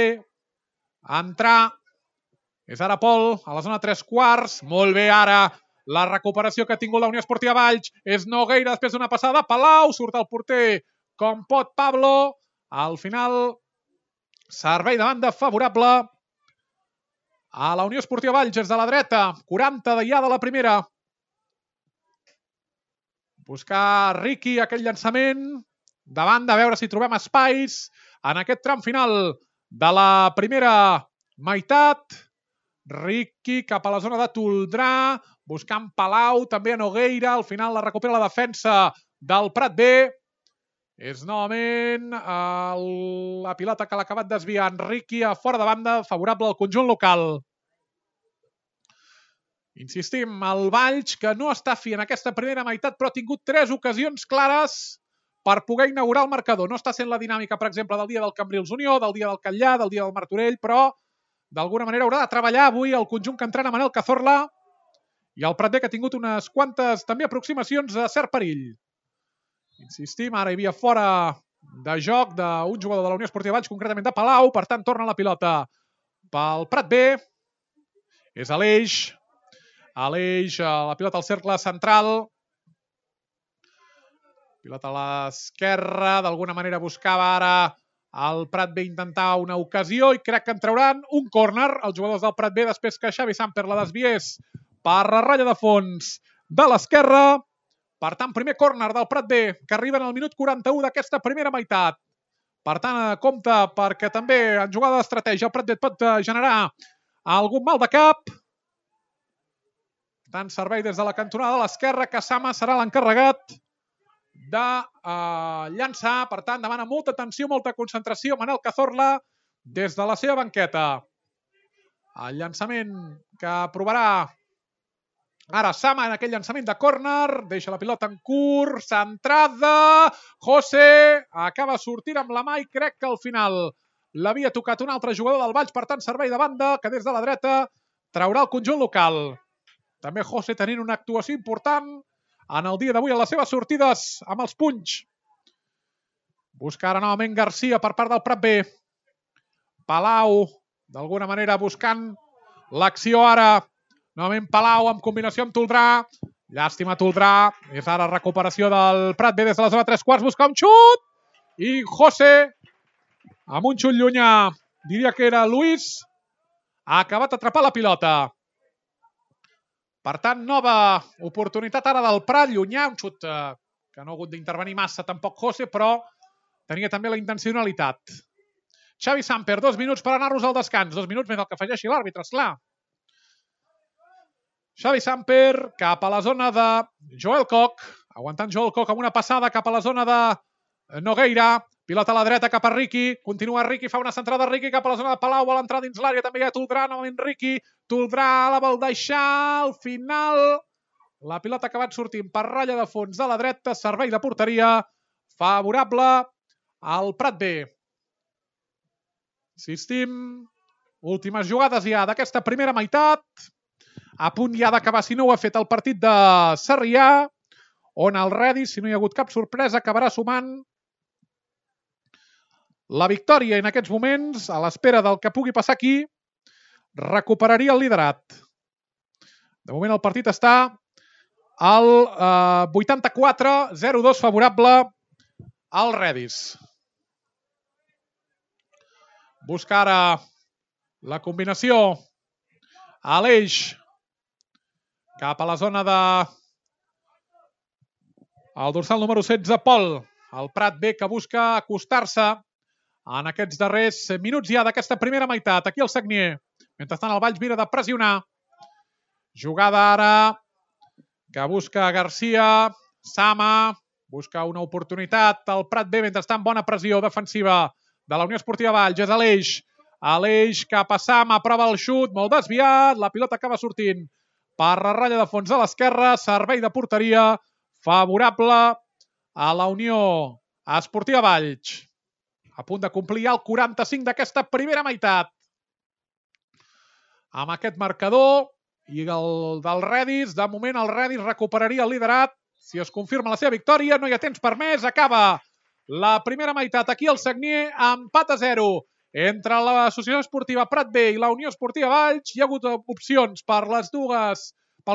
Entrar. És ara Pol, a la zona 3/4. Molt bé ara la recuperació que ha tingut la Unió Esportiva Valls. És Nogueira després d'una passada. Palau, surt el porter com pot Pablo. Al final, servei de banda favorable a la Unió Esportiva Valls des de la dreta. 40 ja de la primera. Buscar Riqui aquell llançament de banda, a veure si trobem espais en aquest tram final de la primera meitat. Riqui cap a la zona de Toldrà, buscant Palau, també a Nogueira. Al final la recupera la defensa del Prat B. És novament la pilota que l'ha acabat desviant Riqui a fora de banda, favorable al conjunt local. Insistim, el Valls, que no està fi en aquesta primera meitat, però ha tingut 3 ocasions clares per poder inaugurar el marcador. No està sent la dinàmica, per exemple, del dia del Cambrils Unió, del dia del Catllà, del dia del Martorell, però d'alguna manera haurà de treballar avui el conjunt que entrena Manel Cazorla i el Prat B, que ha tingut unes quantes també aproximacions a cert perill. Insistim, ara hi havia fora de joc d'un jugador de la Unió Esportiva Valls, concretament de Palau, per tant torna la pilota pel Prat B. És a l'eix. A l'eix, la pilota al cercle central. Pilota a l'esquerra, d'alguna manera buscava ara el Prat B intentar una ocasió i crec que en trauran un córner els jugadors del Prat B després que Xavi Samper la desviés per la ratlla de fons de l'esquerra. Per tant, primer córner del Prat B, que arriba en el minut 41 d'aquesta primera meitat. Per tant, compte perquè també en jugada d'estratègia el Prat B pot generar algun mal de cap. Per tant, servei des de la cantonada de l'esquerra, que Sama serà l'encarregat de llançar. Per tant, demana molta atenció, molta concentració Manel Cazorla des de la seva banqueta. El llançament que provarà ara Sama en aquell llançament de córner. Deixa la pilota en curt, centrada. José acaba sortint amb la mà i crec que al final l'havia tocat un altre jugador del Valls. Per tant, servei de banda que des de la dreta traurà el conjunt local. També José tenint una actuació important en el dia d'avui a les seves sortides amb els punys. Busca ara novament Garcia per part del Prat B. Palau, d'alguna manera buscant l'acció ara. Novament Palau amb combinació amb Toldrà. Llàstima Toldrà. És ara recuperació del Prat B des de la zona 3/4. Busca un xut. I José, amb un xut llunyà, diria que era Luis, ha acabat d'atrapar la pilota. Per tant, nova oportunitat ara del Prat, llunyà, un xut que no ha hagut d'intervenir massa tampoc José, però tenia també la intencionalitat. Xavi Samper, 2 minuts per anar-nos al descans. 2 minuts més el que afegeixi l'àrbitre, esclar. Xavi Samper cap a la zona de Joel Koch, aguantant Joel Koch amb una passada cap a la zona de Nogueira. Pilota a la dreta cap a Riqui. Continua Riqui, fa una centrada Riqui cap a la zona de Palau, vol entrar dins l'àrea, també hi ha Toldrà, novament Riqui. Toldrà la vol deixar, al final la pilota ha acabat sortint per ratlla de fons de la dreta, servei de porteria favorable al Prat B. Insistim, últimes jugades ja d'aquesta primera meitat, a punt ja d'acabar, si no ho ha fet, el partit de Sarrià, on el Redis, si no hi ha hagut cap sorpresa, acabarà sumant la victòria en aquests moments, a l'espera del que pugui passar aquí, recuperaria el liderat. De moment el partit està al 84-0-2 favorable al Redis. Busca ara la combinació a l'eix cap a la zona de el dorsal número 16, Pol. El Prat B que busca acostar-se en aquests darrers minuts ja d'aquesta primera meitat. Aquí el Sagnier. Mentrestant el Valls mira de pressionar. Jugada ara que busca Garcia, Sama, busca una oportunitat al Prat B, mentrestant bona pressió defensiva de la Unió Esportiva Valls, és Aleix cap a Sama, prova el xut, molt desviat, la pilota acaba sortint per la ratlla de fons a l'esquerra, servei de porteria favorable a la Unió Esportiva Valls. A punt de complir el 45 d'aquesta primera meitat. Amb aquest marcador i el del Redis, de moment el Redis recuperaria el liderat. Si es confirma la seva victòria, no hi ha temps per més, acaba la primera meitat. Aquí el Sagnier, empat a 0 entre l'Associació Esportiva Prat B i la Unió Esportiva Valls. Hi ha hagut opcions pels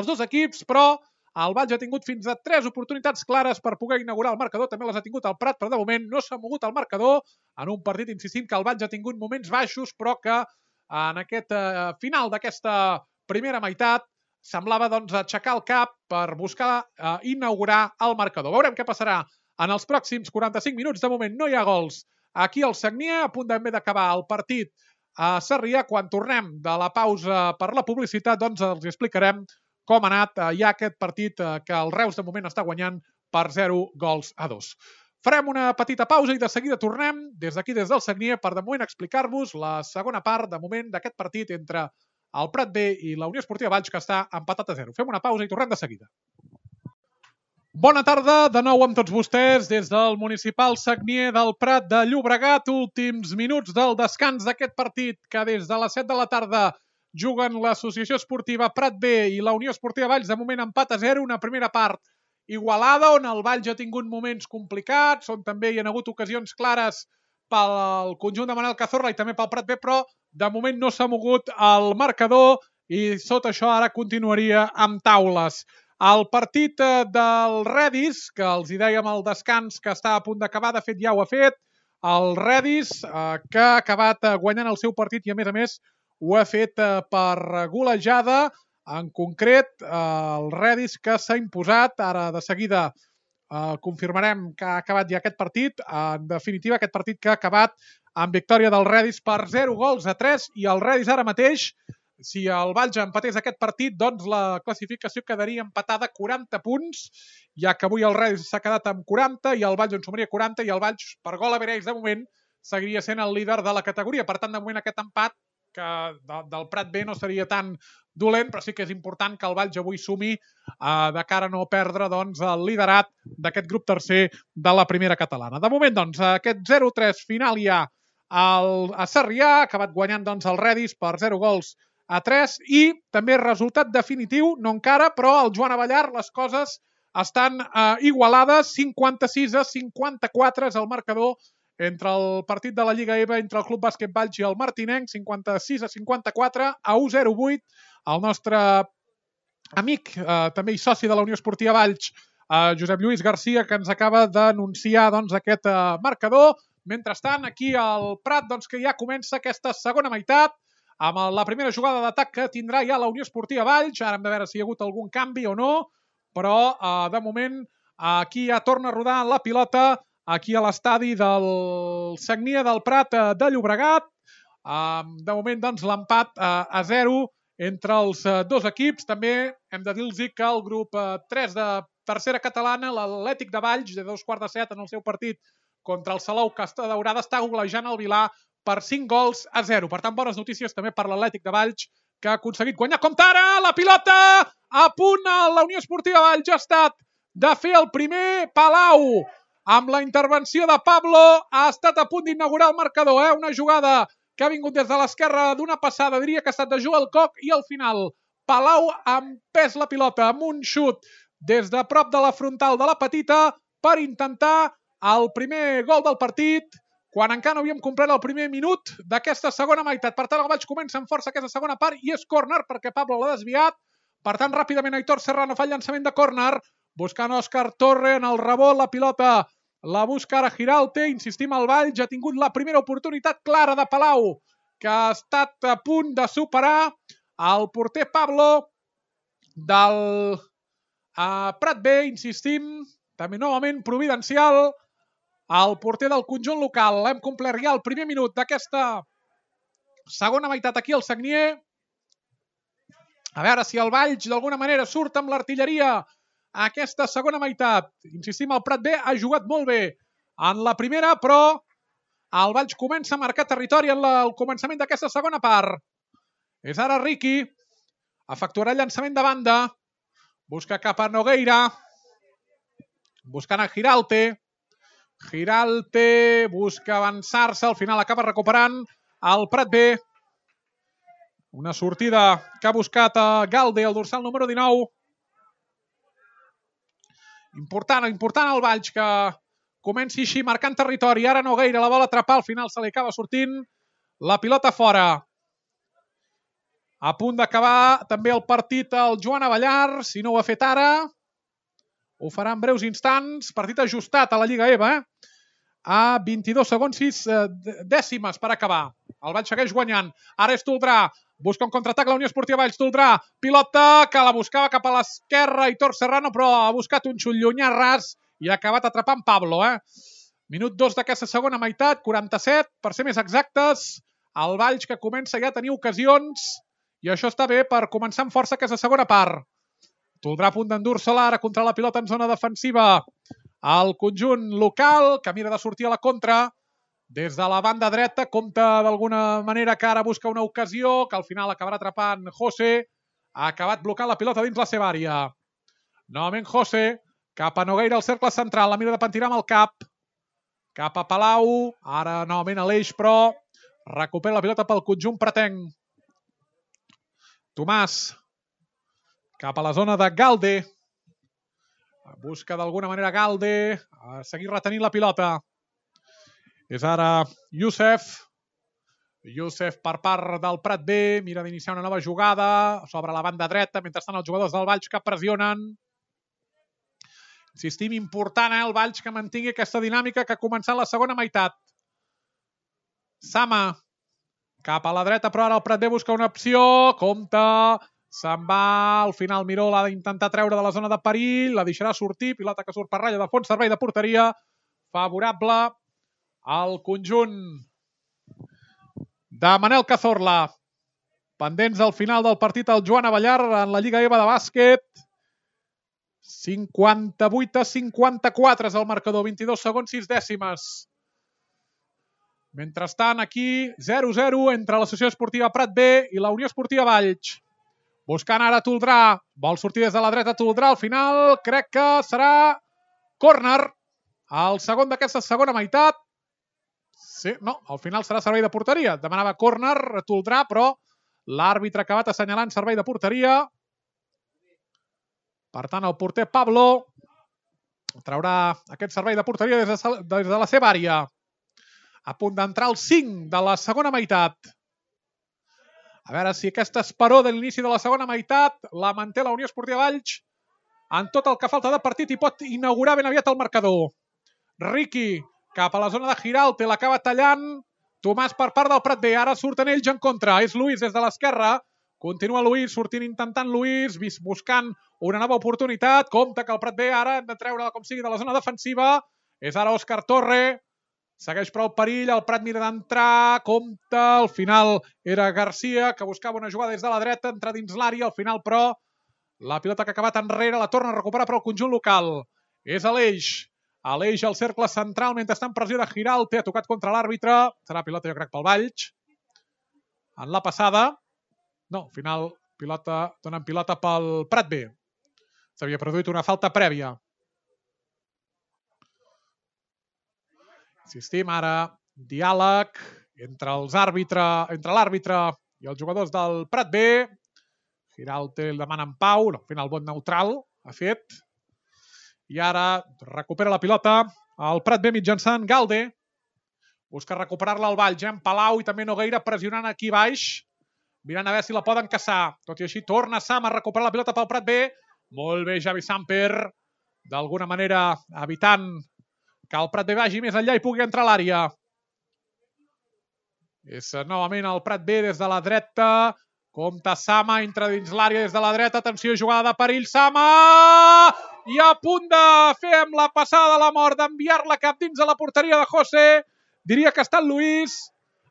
dos equips, però el Valls ha tingut fins a 3 oportunitats clares per poder inaugurar el marcador. També les ha tingut el Prat, però de moment no s'ha mogut el marcador en un partit, insistint, que el Valls ha tingut moments baixos, però que en aquest final d'aquesta primera meitat semblava aixecar el cap per buscar inaugurar el marcador. Veurem què passarà en els pròxims 45 minuts. De moment no hi ha gols aquí al Sagnier, a punt també d'acabar el partit a Sarrià. Quan tornem de la pausa per la publicitat, doncs els explicarem com ha anat ja aquest partit que el Reus de moment està guanyant per 0-2. Farem una petita pausa i de seguida tornem des d'aquí, des del Sagnier, per de moment explicar-vos la segona part de moment d'aquest partit entre el Prat B i la Unió Esportiva Valls, que està empatat a 0. Fem una pausa i tornem de seguida. Bona tarda, de nou amb tots vostès des del municipal Sagnier del Prat de Llobregat. Últims minuts del descans d'aquest partit que des de les 7 de la tarda juguen l'Associació Esportiva Prat B i la Unió Esportiva Valls. De moment empat a 0, una primera part igualada on el Valls ha tingut moments complicats, on també hi ha hagut ocasions clares pel conjunt de Manel Cazorla i també pel Prat B, però de moment no s'ha mogut el marcador i sota això ara continuaria amb taules. El partit del Redis, que els hi dèiem al descans que està a punt d'acabar, de fet ja ho ha fet, el Redis, que ha acabat guanyant el seu partit i a més ho ha fet per golejada. En concret, el Redis que s'ha imposat, ara de seguida confirmarem que ha acabat ja aquest partit. En definitiva, aquest partit que ha acabat amb victòria del Redis per 0-3 i el Redis ara mateix, si el Valls empatés aquest partit, doncs la classificació quedaria empatada 40 punts, ja que avui el Redis s'ha quedat amb 40 i el Valls en sumaria 40 i el Valls, per gol a Verells, de moment, seguiria sent el líder de la categoria. Per tant, de moment aquest empat que del Prat B no seria tan dolent, però sí que és important que el Valls avui sumi de cara a no perdre el liderat d'aquest grup tercer de la primera catalana. De moment, aquest 0-3 final ja a Sarrià, ha acabat guanyant el Redis per 0-3 i també resultat definitiu, no encara, però al Joan Avellar les coses estan igualades, 56-54 és el marcador entre el partit de la Lliga EVA entre el Club Bàsquet Valls i el Martinenc, 56-54, a 1-0-8. El nostre amic, també i soci de la Unió Esportiva Valls, Josep Lluís Garcia, que ens acaba d'anunciar aquest marcador. Mentrestant, aquí al Prat, que ja comença aquesta segona meitat, amb la primera jugada d'atac que tindrà ja la Unió Esportiva Valls. Ara hem de veure si hi ha hagut algun canvi o no, però de moment aquí ja torna a rodar la pilota aquí a l'estadi del Sagnier del Prat de Llobregat. De moment, l'empat a 0 entre els dos equips. També hem de dir-los que el grup 3 de tercera catalana, l'Atlètic de Valls, de 2:15 en el seu partit contra el Salou Casta Daurada, està golejant el Vilà per 5-0. Per tant, bones notícies també per l'Atlètic de Valls, que ha aconseguit guanyar. Compte ara, la pilota a punt, la Unió Esportiva Valls ha estat de fer el primer. Palau, amb la intervenció de Pablo, ha estat a punt d'inaugurar el marcador. Una jugada que ha vingut des de l'esquerra d'una passada, diria que ha estat de Joel Koch, i al final Palau ha empès la pilota amb un xut des de prop de la frontal de la petita per intentar el primer gol del partit, quan encara no havíem complert el primer minut d'aquesta segona meitat. Per tant, el Valls comença amb força aquesta segona part i és córner perquè Pablo l'ha desviat. Per tant, ràpidament Aitor Serrano fa el llançament de córner, buscant Òscar Torre en el rebot, la pilota la busca ara Giralte, insistim, el Valls ha tingut la primera oportunitat clara de Palau, que ha estat a punt de superar el porter Pablo del Prat B, insistim, també novament providencial, el porter del conjunt local. Hem complert ja el primer minut d'aquesta segona meitat aquí al Sagnier. A veure si el Valls d'alguna manera surt amb l'artilleria a aquesta segona meitat. Insistim, el Prat B ha jugat molt bé en la primera, però el Valls comença a marcar territori en el començament d'aquesta segona part. És ara Riqui. Efectuarà el llançament de banda. Busca cap a Nogueira. Buscant a Giralt. Giralt busca avançar-se. Al final acaba recuperant el Prat B. Una sortida que ha buscat a Galde, el dorsal número 19. Important el Valls que comenci així marcant territori. Ara Nogueira la vol atrapar, al final se li acaba sortint la pilota fora. A punt d'acabar també el partit el Joan Avellar, si no ho ha fet ara. Ho farà en breus instants. Partit ajustat a la Lliga EVA. A 22 segons 6 dècimes per acabar. El Valls segueix guanyant. Ara és Toldrà. Busca un contraatac la Unió Esportiva Valls. Toldrà. Pilota que la buscava cap a l'esquerra. Hitor Serrano, però ha buscat un xut llunyà ras i ha acabat atrapant Pablo. Minut 2 d'aquesta segona meitat. 47, per ser més exactes. El Valls que comença ja a tenir ocasions i això està bé per començar amb força aquesta segona part. Toldrà a punt d'endur-se-la ara contra la pilota en zona defensiva. El conjunt local que mira de sortir a la contra. Des de la banda dreta compta d'alguna manera que ara busca una ocasió que al final acabarà atrapant José. Ha acabat blocant la pilota dins la seva àrea. Novament José cap a Nogueira al cercle central. La mira de pentinar amb el cap. Cap a Palau. Ara novament a l'eix, però recupera la pilota pel conjunt pretenc. Tomàs cap a la zona de Galde. Busca d'alguna manera Galde a seguir retenint la pilota. És ara Youssef. Youssef per part del Prat B. Mira d'iniciar una nova jugada sobre la banda dreta. Mentrestant els jugadors del Valls que pressionen. Insistim, important el Valls que mantingui aquesta dinàmica que ha començat la segona meitat. Sama cap a la dreta, però ara el Prat B busca una opció. Compte. Se'n va, al final Miró l'ha d'intentar treure de la zona de perill, la deixarà sortir, pilota que surt per ratlla de fons, servei de porteria, favorable al conjunt de Manel Cazorla. Pendents al final del partit el Joan Avellar en la Lliga EVA de bàsquet. 58-54 és el marcador, 22 segons 6 dècimes. Mentrestant, aquí 0-0 entre l'Associació Esportiva Prat B i la Unió Esportiva Valls. Buscant ara Toldrà. Vol sortir des de la dreta Toldrà. Al final crec que serà córner. El segon d'aquesta segona meitat. Sí, no, al final serà servei de porteria. Demanava córner Toldrà, però l'àrbitre ha acabat assenyalant servei de porteria. Per tant, el porter Pablo traurà aquest servei de porteria des de la seva àrea. A punt d'entrar el 5 de la segona meitat. A veure si aquesta esperó de l'inici de la segona meitat la manté la Unió Esportiva Valls en tot el que falta de partit i pot inaugurar ben aviat el marcador. Riqui cap a la zona de Giralt, l'acaba tallant. Tomàs per part del Prat B. Ara surten ells en contra. És Luis des de l'esquerra. Continua Luis, sortint intentant Luis, buscant una nova oportunitat. Compte que el Prat B ara hem de treure com sigui de la zona defensiva. És ara Òscar Torre. Segueix prou perill, el Prat mira d'entrar, compte, al final era Garcia, que buscava una jugada des de la dreta, entrar dins l'àrea, al final però la pilota que ha acabat enrere la torna a recuperar per al conjunt local. És Aleix al cercle central, mentre està en pressió de Giralt, ha tocat contra l'àrbitre, serà pilota jo crec pel Valls. En la passada, no, al final donen pilota pel Prat B. S'havia produït una falta prèvia. Insistim, ara diàleg entre l'àrbitre i els jugadors del Prat B. Giralt el demana en pau, al final vot neutral ha fet. I ara recupera la pilota el Prat B mitjançant Galde. Busca recuperar-la al Valls, en Palau i també Nogueira pressionant aquí baix. Mirant a veure si la poden caçar. Tot i així torna Sam a recuperar la pilota pel Prat B. Molt bé Javi Samper, d'alguna manera evitant que el Prat B vagi més enllà i pugui entrar a l'àrea. És novament el Prat B des de la dreta. Compte Sama, entra dins l'àrea des de la dreta. Atenció, jugada de perill. Sama! I a punt de fer amb la passada de la mort, d'enviar-la cap dins de la porteria de José. Diria que ha estat Luis.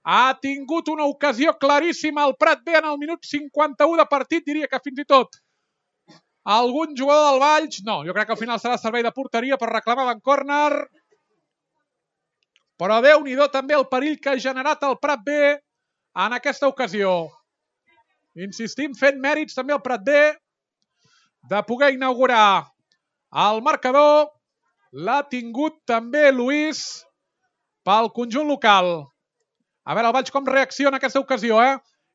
Ha tingut una ocasió claríssima el Prat B en el minut 51 de partit, diria que fins i tot algun jugador del Valls, no, jo crec que al final serà servei de porteria per reclamar en córner, però Déu-n'hi-do també el perill que ha generat el Prat B en aquesta ocasió. Insistim, fent mèrits també el Prat B de poder inaugurar el marcador. L'ha tingut també Lluís pel conjunt local. A veure el Valls com reacciona a aquesta ocasió,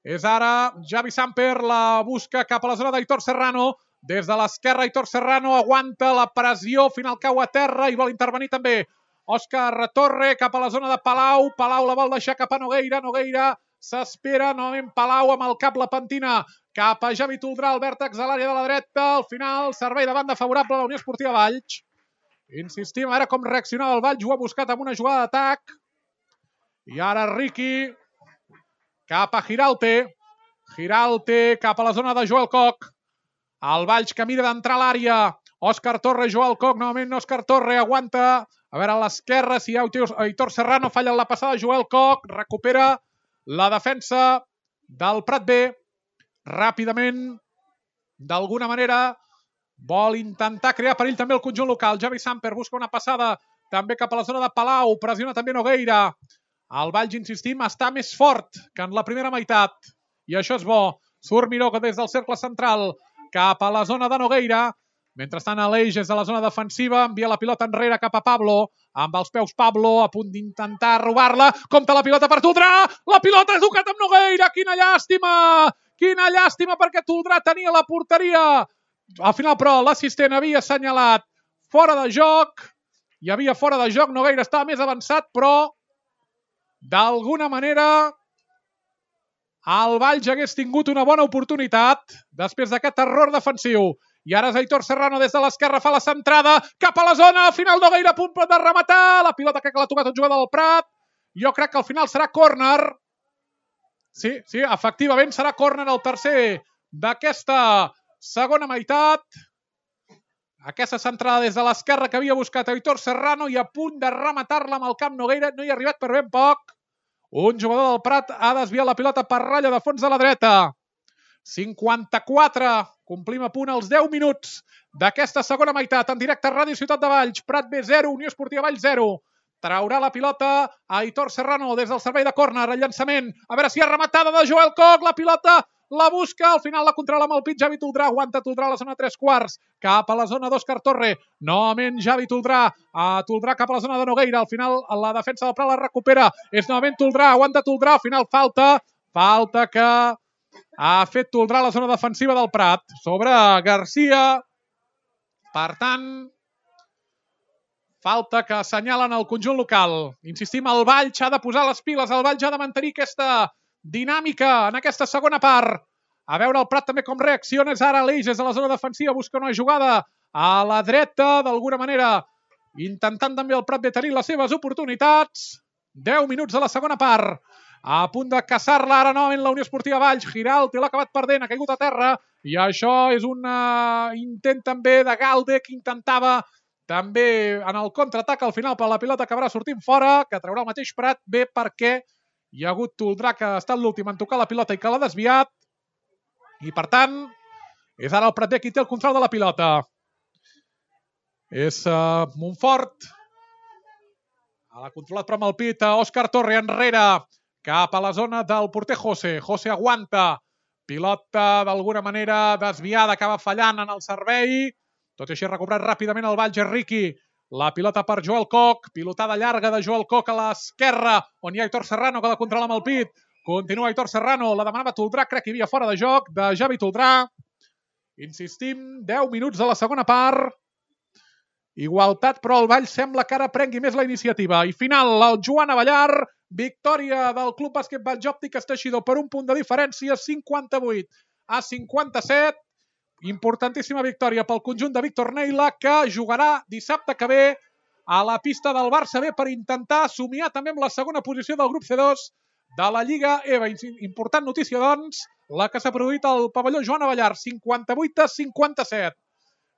És ara Javi Samper, la busca cap a la zona d'Aitor Serrano. Des de l'esquerra, Aitor Serrano aguanta la pressió, final cau a terra i vol intervenir també Òscar Torre cap a la zona de Palau. Palau la vol deixar cap a Nogueira. Nogueira s'espera, novament Palau amb el cap la pentina cap a Javi Toldrà, el vèrtex a l'àrea de la dreta. Al final, servei de banda favorable a la Unió Esportiva Valls. Insistim, a veure com reaccionava el Valls. Ho ha buscat amb una jugada d'atac. I ara Riqui cap a Giralte. Giralte cap a la zona de Joel Koch. El Valls que mira d'entrar a l'àrea. Òscar Torre, Joel Koch, novament Òscar Torre aguanta. A veure a l'esquerra si hi ha Aitor Serrano, falla la passada Joel Koch. Recupera la defensa del Prat B. Ràpidament, d'alguna manera, vol intentar crear perill també el conjunt local. Javi Samper busca una passada també cap a la zona de Palau. Pressiona també Nogueira. El Valls, insistim, està més fort que en la primera meitat. I això és bo. Surt Miró des del cercle central cap a la zona de Nogueira. Mentrestant, Aleix és a la zona defensiva. Envia la pilota enrere cap a Pablo. Amb els peus Pablo a punt d'intentar robar-la. Compta la pilota per Toldrà. La pilota ha tocat amb Nogueira. Quina llàstima! Quina llàstima perquè Toldrà tenia la porteria. Al final, però, l'assistent havia assenyalat fora de joc. Hi havia fora de joc. Nogueira estava més avançat, però d'alguna manera el Valls hagués tingut una bona oportunitat després d'aquest error defensiu. I ara és Aitor Serrano des de l'esquerra, fa la centrada cap a la zona, al final Nogueira a punt de rematar, la pilota crec que l'ha tocat un jugador del Prat. Jo crec que al final serà córner. Sí, efectivament serà córner el tercer d'aquesta segona meitat. Aquesta centrada des de l'esquerra que havia buscat Aitor Serrano i a punt de rematar-la amb el camp Nogueira. No hi ha arribat per ben poc. Un jugador del Prat ha desviat la pilota per ratlla de fons de la dreta. 54. Complim a punt els 10 minuts d'aquesta segona meitat. En directe a Ràdio Ciutat de Valls. Prat B 0, Unió Esportiva Valls 0. Traurà la pilota a Aitor Serrano des del servei de córner. El llançament. A veure si hi ha rematada de Joel Koch. La pilota la busca, al final la controla amb el pit Javi Toldrà, aguanta Toldrà a la zona 3/4, cap a la zona d'Òscar Torre, novament Javi Toldrà, Toldrà cap a la zona de Nogueira, al final la defensa del Prat la recupera, és novament Toldrà, aguanta Toldrà, al final falta que ha fet Toldrà a la zona defensiva del Prat, sobre Garcia, per tant, falta que assenyalen el conjunt local. Insistim, el Valls ha de posar les piles, el Valls ha de mantenir aquesta dinàmica en aquesta segona part. A veure el Prat també com reacciona. És ara Aleix, és a la zona defensiva, busca una jugada a la dreta, d'alguna manera, intentant també el Prat de tenir les seves oportunitats. 10 minuts de la segona part. A punt de caçar-la ara novament la Unió Esportiva Valls. Giralte l'ha acabat perdent, ha caigut a terra. I això és un intent també de Galde que intentava també en el contraatac. Al final per la pilota acabarà sortint fora, que traurà el mateix Prat bé perquè hi ha hagut Toldrà que ha estat l'últim en tocar la pilota i que l'ha desviat. I per tant, és ara el Prat B qui té el control de la pilota. És Montfort. L'ha controlat però amb el pit Òscar Torre enrere cap a la zona del porter José. José aguanta. Pilota d'alguna manera desviada, acaba fallant en el servei. Tot i així ha recuperat ràpidament el Valls Riqui. La pilota per Joel Koch, pilotada llarga de Joel Koch a l'esquerra, on hi ha Aitor Serrano que la controla amb el pit. Continua Aitor Serrano, la demanava Toldrà, crec que hi havia fora de joc, de Javi Toldrà. Insistim, 10 minuts de la segona part. Igualtat, però el Valls sembla que ara prengui més la iniciativa. I final, el Joan Avellar, victòria del Club Bàsquet Valls Òptiques Teixidor per un punt de diferència, 58-57. Importantíssima victòria pel conjunt de Víctor Neila, que jugarà dissabte que ve a la pista del Barça B per intentar somiar també amb la segona posició del grup C2 de la Lliga EVA. Important notícia, doncs, la que s'ha produït al pavelló Joan Avellar, 58-57.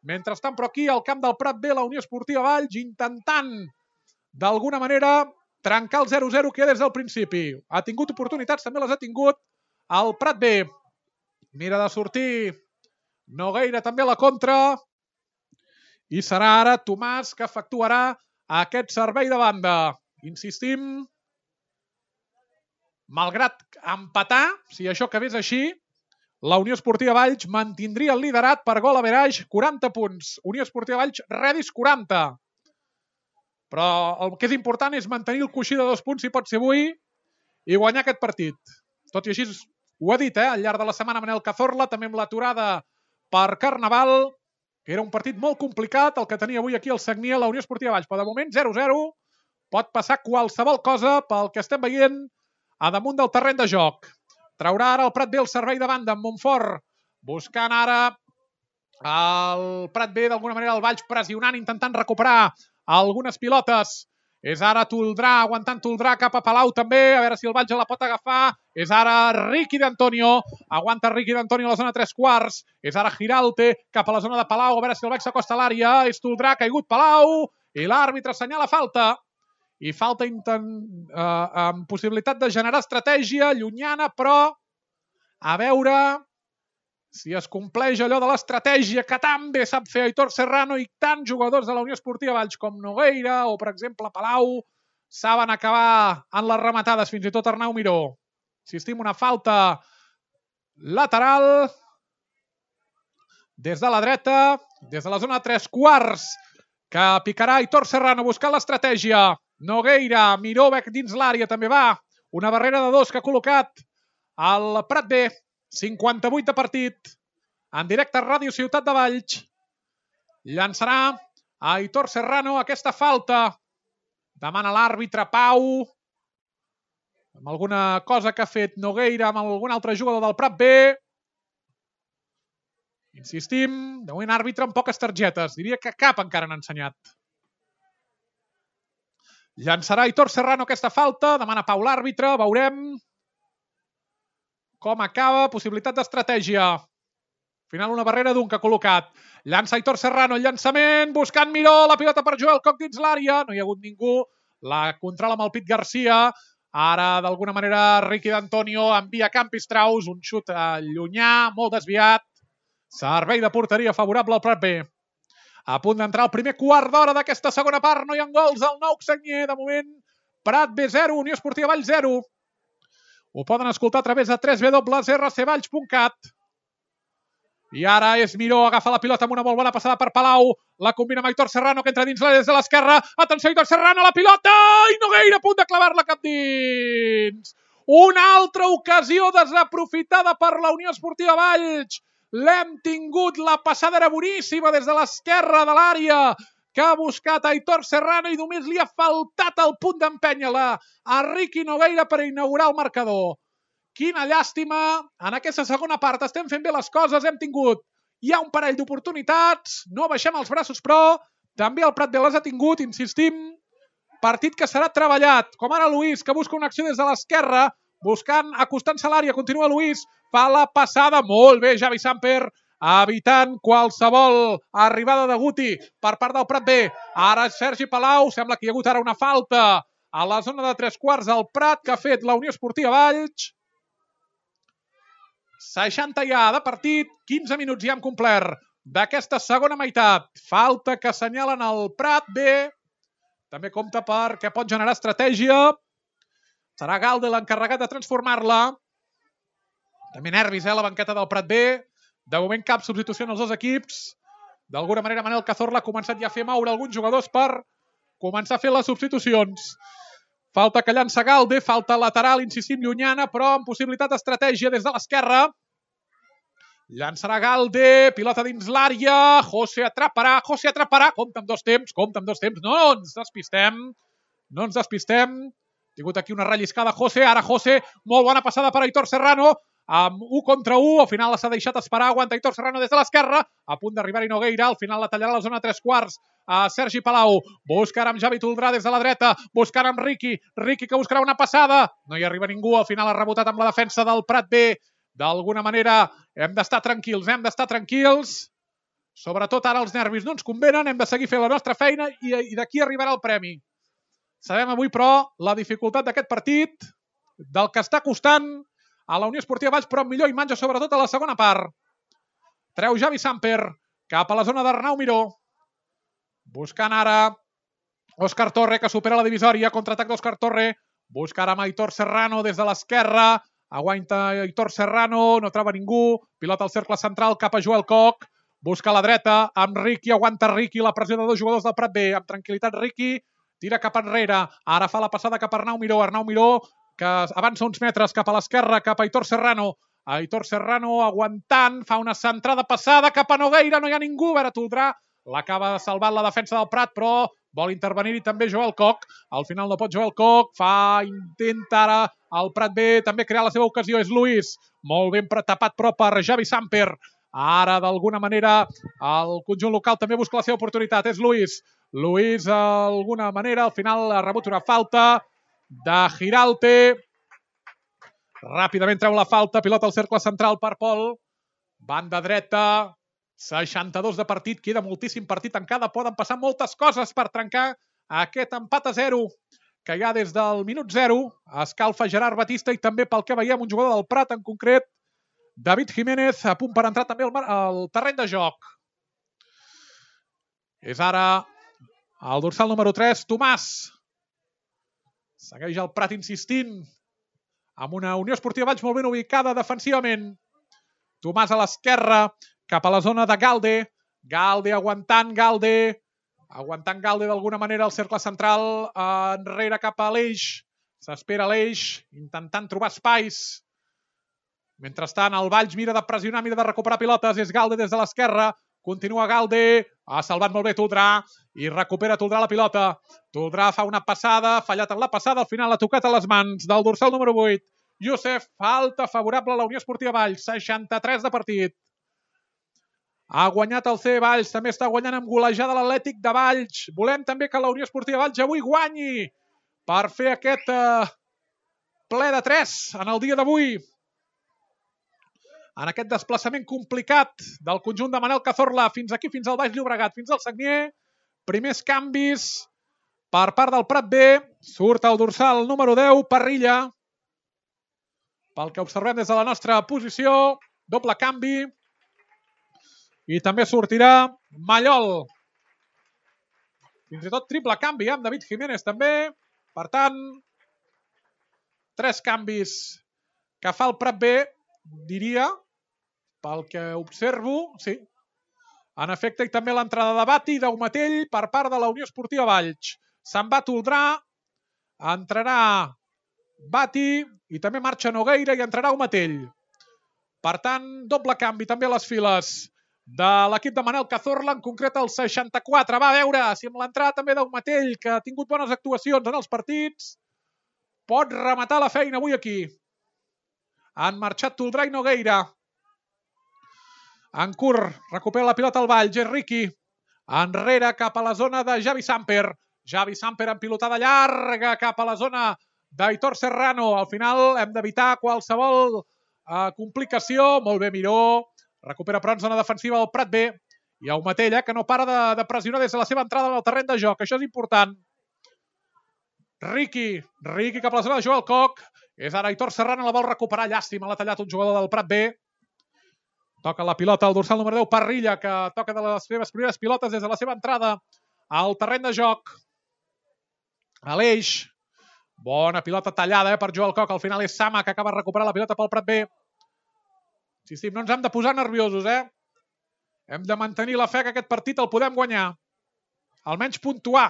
Mentrestant, però aquí, al camp del Prat B, la Unió Esportiva Valls, intentant, d'alguna manera, trencar el 0-0 que des del principi. Ha tingut oportunitats, també les ha tingut el Prat B. Mira de sortir Nogueira també a la contra. I serà ara Tomàs que efectuarà aquest servei de banda. Insistim, malgrat empatar, si això acabés així, la Unió Esportiva Valls mantindria el liderat per gol average 40 punts. Unió Esportiva Valls, Redis 40. Però el que és important és mantenir el coixí de 2 punts, si pot ser avui, i guanyar aquest partit. Tot i així, ho ha dit, al llarg de la setmana Manel Cazorla, també amb l'aturada per Carnaval, que era un partit molt complicat, el que tenia avui aquí el Sagnia, la Unió Esportiva Valls. Però de moment 0-0, pot passar qualsevol cosa pel que estem veient a damunt del terreny de joc. Traurà ara el Prat B el servei de banda amb Montfort, buscant ara el Prat B, d'alguna manera el Valls pressionant, intentant recuperar algunes pilotes. És ara Toldrà, aguantant Toldrà cap a Palau també, a veure si el Valls la pot agafar. És ara Riqui d'Antonio, aguanta Riqui d'Antonio a la zona 3/4. És ara Giralte cap a la zona de Palau, a veure si el Valls s'acosta a l'àrea. És Toldrà, caigut Palau, i l'àrbitre assenyala falta. I falta amb possibilitat de generar estratègia llunyana, però a veure si es compleix allò de l'estratègia que tan bé sap fer Aitor Serrano i tants jugadors de la Unió Esportiva Valls com Nogueira o, per exemple, Palau, saben acabar en les rematades, fins i tot Arnau Miró. Insistim, una falta lateral des de la dreta, des de la zona 3/4, que picarà Aitor Serrano buscant l'estratègia. Nogueira, Miró dins l'àrea, també va. Una barrera de 2 que ha col·locat el Prat B. 58 de partit. En directe a Ràdio Ciutat de Valls. Llançarà a Aitor Serrano aquesta falta. Demana l'àrbitre Pau. Amb alguna cosa que ha fet Nogueira amb algun altre jugador del Prat B. Insistim, de moment àrbitre amb poques targetes. Diria que cap encara n'ha ensenyat. Llançarà Aitor Serrano aquesta falta, demana Pau l'àrbitre, veurem com acaba, possibilitat d'estratègia. Al final una barrera d'un que ha col·locat. Llança Aitor Serrano, el llançament, buscant Miró, la pilota per Joel Coc dins l'àrea, no hi ha hagut ningú, la controla amb el Pit Garcia, ara d'alguna manera Riqui d'Antonio envia Campistraus, un xut llunyà, molt desviat, servei de porteria favorable al Prat B. A punt d'entrar el primer quart d'hora d'aquesta segona part. No hi ha gols al Nou Sagnier. De moment, Prat B 0, Unió Esportiva Valls 0. Ho poden escoltar a través de www.rcvalls.cat. I ara és Miró, agafa la pilota amb una molt bona passada per Palau. La combina amb Aitor Serrano, que entra dins l'àrea des de l'esquerra. Atenció, Aitor Serrano, la pilota! I Nogueira a punt de clavar-la cap dins. Una altra ocasió desaprofitada per la Unió Esportiva Valls. L'hem tingut, la passada era boníssima des de l'esquerra de l'àrea que ha buscat Aitor Serrano i només li ha faltat el punt d'empènyer-la a Riqui Nogueira per inaugurar el marcador. Quina llàstima, en aquesta segona part estem fent bé les coses, hem tingut ja un parell d'oportunitats, no baixem els braços però també el Prat B les ha tingut, insistim, partit que serà treballat, com ara Luis que busca una acció des de l'esquerra, buscant, acostant-se a l'àrea, continua Luis, fa la passada, molt bé Javi Samper, evitant qualsevol arribada de Guti per part del Prat B. Ara Sergi Palau, sembla que hi ha hagut ara una falta a la zona de 3/4 del Prat que ha fet la Unió Esportiva Valls. 60 ja de partit, 15 minuts ja hem complert d'aquesta segona meitat. Falta que assenyalen el Prat B. També compta perquè pot generar estratègia. Serà Galde l'encarregat de transformar-la. També nervis, la banqueta del Prat B. De moment cap substitució en els dos equips. D'alguna manera Manel Cazorla ha començat ja a fer moure alguns jugadors per començar a fer les substitucions. Falta que llança Galde, falta lateral, insistim, llunyana, però amb possibilitat d'estratègia des de l'esquerra. Llançarà Galde, pilota dins l'àrea, José atraparà, compta amb dos temps, no ens despistem. Ha tingut aquí una relliscada José, ara José, molt bona passada per Aitor Serrano, amb 1 contra 1, al final s'ha deixat esperar, aguanta Aitor Serrano des de l'esquerra, a punt d'arribar-hi Nogueira, al final la tallarà a la zona 3/4, a Sergi Palau, busca ara amb Javi Toldrà des de la dreta, buscant amb Riqui que buscarà una passada, no hi arriba ningú, al final ha rebotat amb la defensa del Prat B, d'alguna manera hem d'estar tranquils, sobretot ara els nervis no ens convenen, hem de seguir fent la nostra feina i d'aquí arribarà el premi. Sabem avui, però, la dificultat d'aquest partit, del que està costant a la Unió Esportiva Valls, però amb millor imatge, sobretot a la segona part. Treu Javi Samper cap a la zona d'Arnau Miró. Buscant ara Òscar Torre, que supera la divisòria. Contraatac d'Òscar Torre. Busca ara amb Aitor Serrano des de l'esquerra. Aguanta Aitor Serrano, no troba ningú. Pilota al cercle central cap a Joel Koch. Busca a la dreta amb Riqui. Aguanta Riqui, la pressió de dos jugadors del Prat B. Amb tranquil·litat Riqui. Tira cap enrere. Ara fa la passada cap a Arnau Miró. Arnau Miró, que avança uns metres cap a l'esquerra, cap a Aitor Serrano. Aitor Serrano aguantant, fa una centrada passada cap a Nogueira, no hi ha ningú, Vera Toldrà l'acaba salvant la defensa del Prat, però vol intervenir-hi també Joel Koch. Al final no pot Joel Koch, intenta ara el Prat B també crear la seva ocasió, és Luis, molt ben tapat però per Javi Samper. Ara d'alguna manera el conjunt local també busca la seva oportunitat, és Luis. Luis d'alguna manera al final ha rebut una falta de Giralte. Ràpidament treu la falta, pilota al cercle central per Pol. Banda dreta, 62 de partit, queda moltíssim partit encara, poden passar moltes coses per trencar aquest empat a 0, que ja des del minut 0 escalfa Gerard Batista i també pel que veiem un jugador del Prat, en concret David Jiménez, a punt per entrar també al terreny de joc. És ara el dorsal número 3, Tomàs. Segueix el Prat insistint amb una Unió Esportiva Valls molt ben ubicada defensivament. Tomàs a l'esquerra, cap a la zona de Galde. Galde aguantant d'alguna manera el cercle central, enrere cap a l'Eix. S'espera l'Eix, intentant trobar espais. Mentrestant, el Valls mira de pressionar, mira de recuperar pilotes. És Galde des de l'esquerra. Continua Galde, ha salvat molt bé Toldrà i recupera Toldrà la pilota. Toldrà fa una passada, fallat en la passada, al final ha tocat a les mans del dorsal número 8. Youssef, falta favorable a la Unió Esportiva Valls, 63 de partit. Ha guanyat el C Valls, també està guanyant amb golejada l'Atlètic de Valls. Volem també que la Unió Esportiva Valls avui guanyi per fer aquest ple de 3 en el dia d'avui. En aquest desplaçament complicat del conjunt de Manel Cazorla fins aquí, fins al Baix Llobregat, fins al Sagnier. Primers canvis per part del Prat B. Surt el dorsal número 10, Parrilla. Pel que observem des de la nostra posició, doble canvi. I també sortirà Mallol. Fins i tot triple canvi amb David Jiménez també. Per tant, 3 canvis que fa el Prat B, diria, pel que observo, sí. En efecte, i també l'entrada de Bati i d'Aumatell per part de la Unió Esportiva Valls. Se'n va Toldrà, entrarà Bati i també marxa Nogueira i entrarà Aumatell. Per tant, doble canvi també a les files de l'equip de Manel Cazorla, en concret el 64. Va a veure si amb l'entrada també d'Aumatell, que ha tingut bones actuacions en els partits, pot rematar la feina avui aquí. Han marxat Toldrà i Nogueira. En curt, recupera la pilota al Valls, és Riqui. Enrere cap a la zona de Javi Samper. Javi Samper en pilotada llarga cap a la zona d'Aitor Serrano. Al final hem d'evitar qualsevol complicació. Molt bé Miró. Recupera però en zona defensiva el Prat B. I Aumatell, que no para de pressionar des de la seva entrada en el terreny de joc. Això és important. Riqui cap a la zona de Joel Koch. És ara Aitor Serrano, la vol recuperar. Llàstima, l'ha tallat un jugador del Prat B. Toca la pilota al dorsal número 10, Parrilla, que toca de les seves primeres pilotes des de la seva entrada al terreny de joc. Aleix. Bona pilota tallada per Joel Koch. Al final és Sama, que acaba de recuperar la pilota pel Prat B. Insistim, no ens hem de posar nerviosos, Hem de mantenir la fe que aquest partit el podem guanyar. Almenys puntuar.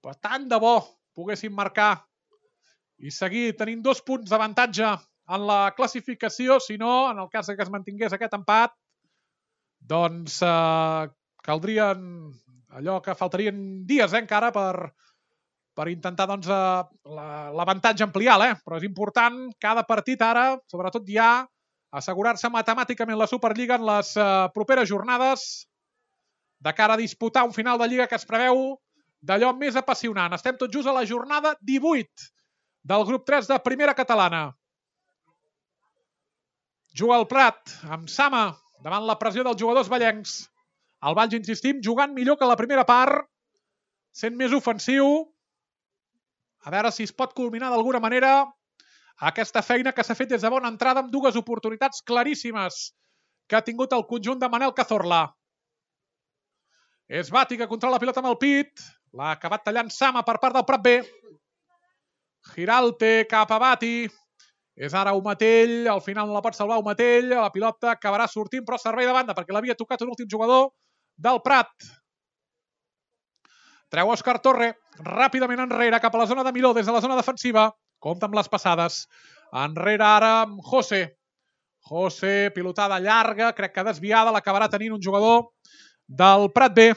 Però tant de bo poguéssim marcar i seguir tenint 2 punts d'avantatge en la classificació. Si no, en el cas que es mantingués aquest empat, doncs caldrien allò que faltarien dies encara per intentar l'avantatge ampliar, però és important cada partit ara, sobretot ja, assegurar-se matemàticament la Superliga en les properes jornades de cara a disputar un final de Lliga que es preveu d'allò més apassionant. Estem tot just a la jornada 18 del grup 3 de Primera Catalana. Juga el Prat amb Sama davant la pressió dels jugadors vallencs. El Valls, insistim, jugant millor que la primera part, sent més ofensiu. A veure si es pot culminar d'alguna manera aquesta feina que s'ha fet des de bona entrada amb dues oportunitats claríssimes que ha tingut el conjunt de Manel Cazorla. És Bati que controla la pilota amb el pit. L'ha acabat tallant Sama per part del Prat B. Giralte cap a Bati. És ara Umatell. Al final no la pot salvar Umatell. La pilota acabarà sortint, però servei de banda perquè l'havia tocat un últim jugador del Prat. Treu Òscar Torre ràpidament enrere cap a la zona de Miró des de la zona defensiva. Compta amb les passades. Enrere ara amb José. José, pilotada llarga, crec que desviada, l'acabarà tenint un jugador del Prat B.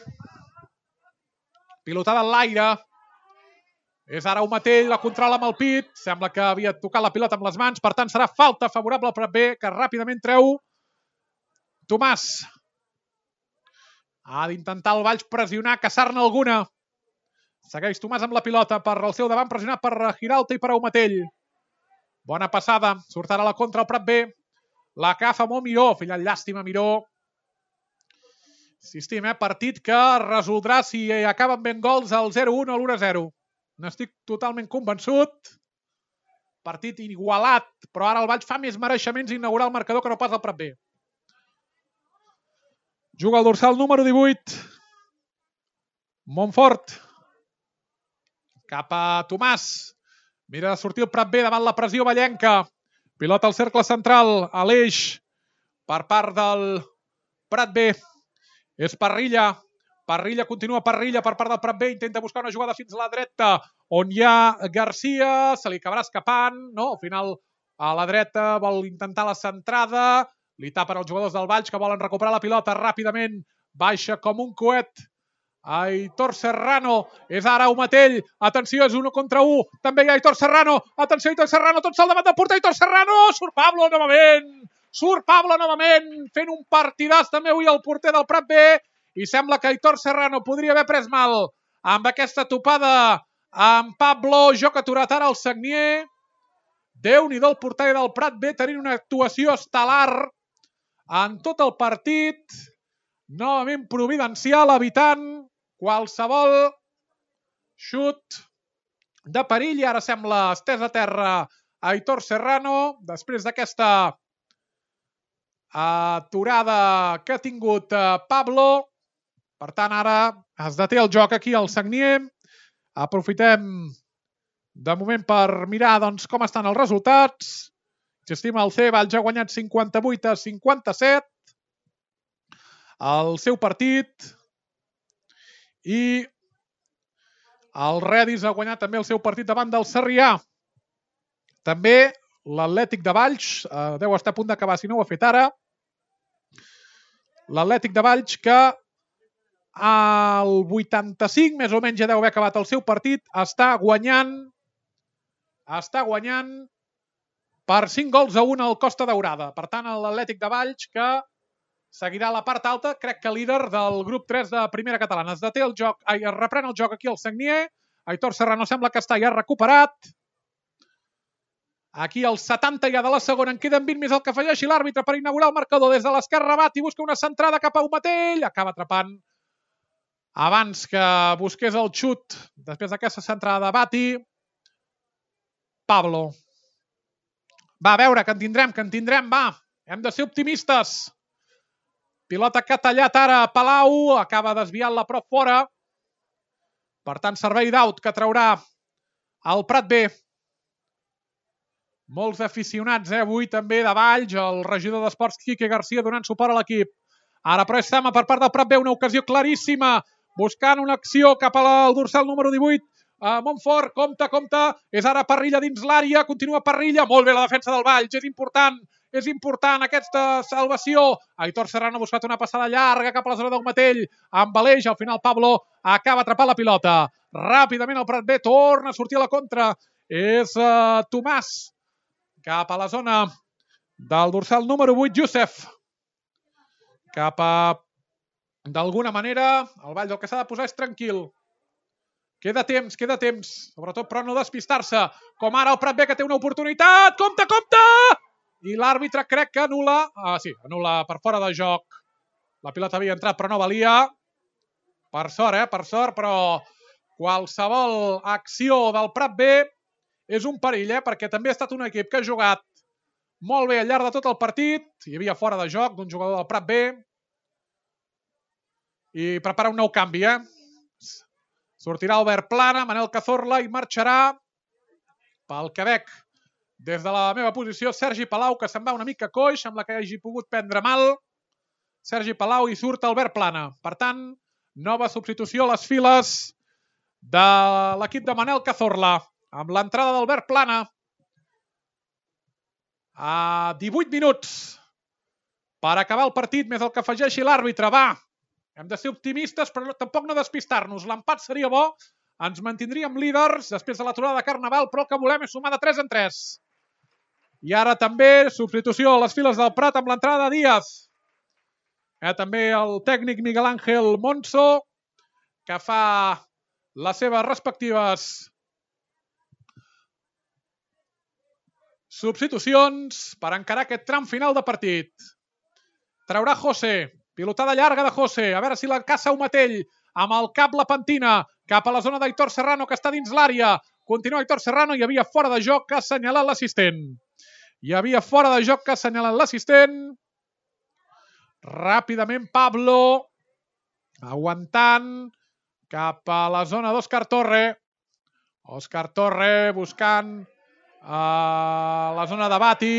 Pilotada en l'aire. És ara Umatell, la controla amb el pit. Sembla que havia tocat la pilota amb les mans. Per tant, serà falta favorable al Prat B, que ràpidament treu Tomàs. Ha d'intentar el Valls pressionar, caçar-ne alguna. Segueix Tomàs amb la pilota per al seu davant, pressionat per Giralte i per Umatell. Bona passada. Surt ara la contra al Prat B. La agafa molt Miró. Filla llàstima Miró. Insistim, partit que resoldrà si acaben ben gols al 0-1 o l'1-0. N'estic totalment convençut. Partit igualat, però ara el Valls fa més mereixements inaugurar el marcador que no pas el Prat B. Juga el dorsal número 18. Montfort. Cap a Tomàs. Mira de sortir el Prat B davant la pressió vallenca. Pilota al cercle central, a l'eix, per part del Prat B. És Parrilla. Parrilla, continua Parrilla per part del Prat B. Intenta buscar una jugada fins a la dreta, on hi ha Garcia. Se li acabarà escapant. No, al final a la dreta vol intentar la centrada. Li tapen els jugadors del Valls que volen recuperar la pilota ràpidament. Baixa com un coet. Aitor Serrano, és ara Umatell, atenció, és 1 contra 1, també hi ha Aitor Serrano, atenció Aitor Serrano, tot sol davant del porter, Aitor Serrano, surt Pablo novament, fent un partidàs també avui el porter del Prat B, i sembla que Aitor Serrano podria haver pres mal amb aquesta topada amb Pablo, joc aturat ara el Sagnier. Déu-n'hi-do el porter del Prat B tenint una actuació estel·lar en tot el partit, novament providencial, evitant qualsevol xut de perill, i ara sembla estès a terra Aitor Serrano, després d'aquesta aturada que ha tingut Pablo. Per tant, ara es deté el joc aquí al Sagnier. Aprofitem de moment per mirar com estan els resultats. Insistim, el C Valls ha guanyat 58-57 el seu partit, i el Redis ha guanyat també el seu partit davant del Sarrià. També l'Atlètic de Valls deu estar a punt d'acabar, si no ho ha fet ara. L'Atlètic de Valls que al 85 més o menys ja deu haver acabat el seu partit, està guanyant per 5-1 al Costa Daurada. Per tant, l'Atlètic de Valls que seguirà a la part alta, crec que líder del grup 3 de primera catalana. Es deté el joc, es reprèn el joc aquí al Sagnier. Aitor Serrano sembla que està ja recuperat. Aquí al 70 ja de la segona, en queden 20 més el que afegeixi l'àrbitre per inaugurar el marcador. Des de l'esquerra Bati busca una centrada cap a Umatell, acaba atrapant abans que busqués el xut. Després d'aquesta centrada de Bati, Pablo. Va, a veure, que en tindrem, va. Hem de ser optimistes. Pilota que ha tallat ara Palau, acaba desviant-la prop fora. Per tant, servei d'aut que traurà el Prat B. Molts aficionats avui també de Valls, el regidor d'Esports Quique Garcia donant suport a l'equip. Ara però és Sama per part del Prat B, una ocasió claríssima, buscant una acció cap al dorsal número 18. Montfort, compte, és ara Parrilla dins l'àrea, continua Parrilla, molt bé la defensa del Valls, és important aquesta salvació. Aitor Serrano ha buscat una passada llarga cap a la zona d'Umatell, amb Aleix, al final Pablo acaba atrapant la pilota. Ràpidament el Prat B torna a sortir a la contra, és Tomàs, cap a la zona del dorsal número 8, Youssef. D'alguna manera, el Valls el que s'ha de posar és tranquil. Queda temps, sobretot però no despistar-se, com ara el Prat B que té una oportunitat, compte! I l'àrbitre crec que anul·la, anul·la per fora de joc. La pilota havia entrat però no valia. Per sort, però qualsevol acció del Prat B és un perill, perquè també ha estat un equip que ha jugat molt bé al llarg de tot el partit. Hi havia fora de joc d'un jugador del Prat B. I prepara un nou canvi, Sortirà Albert Plana, Manel Cazorla i marxarà pel Quebec. Des de la meva posició, Sergi Palau, que se'n va una mica coix, amb la que hagi pogut prendre mal. Sergi Palau i surt Albert Plana. Per tant, nova substitució a les files de l'equip de Manel Cazorla, amb l'entrada d'Albert Plana. A 18 minuts per acabar el partit, més el que afegeixi l'àrbitre. Va, hem de ser optimistes, però tampoc no despistar-nos. L'empat seria bo, ens mantindríem líders després de l'aturada de Carnaval, però el que volem és sumar de 3 en 3. I ara també substitució a les files del Prat amb l'entrada de Díaz. També el tècnic Miguel Ángel Monso, que fa les seves respectives substitucions per encarar aquest tram final de partit. Traurà José, pilotada llarga de José, a veure si la caça Umatell, amb el cap la pentina, cap a la zona d'Aitor Serrano, que està dins l'àrea. Continua Aitor Serrano, hi havia fora de joc que ha assenyalat l'assistent. Hi havia fora de joc que ha assenyalat l'assistent. Ràpidament Pablo, aguantant, cap a la zona d'Òscar Torre. Òscar Torre buscant la zona de Bati.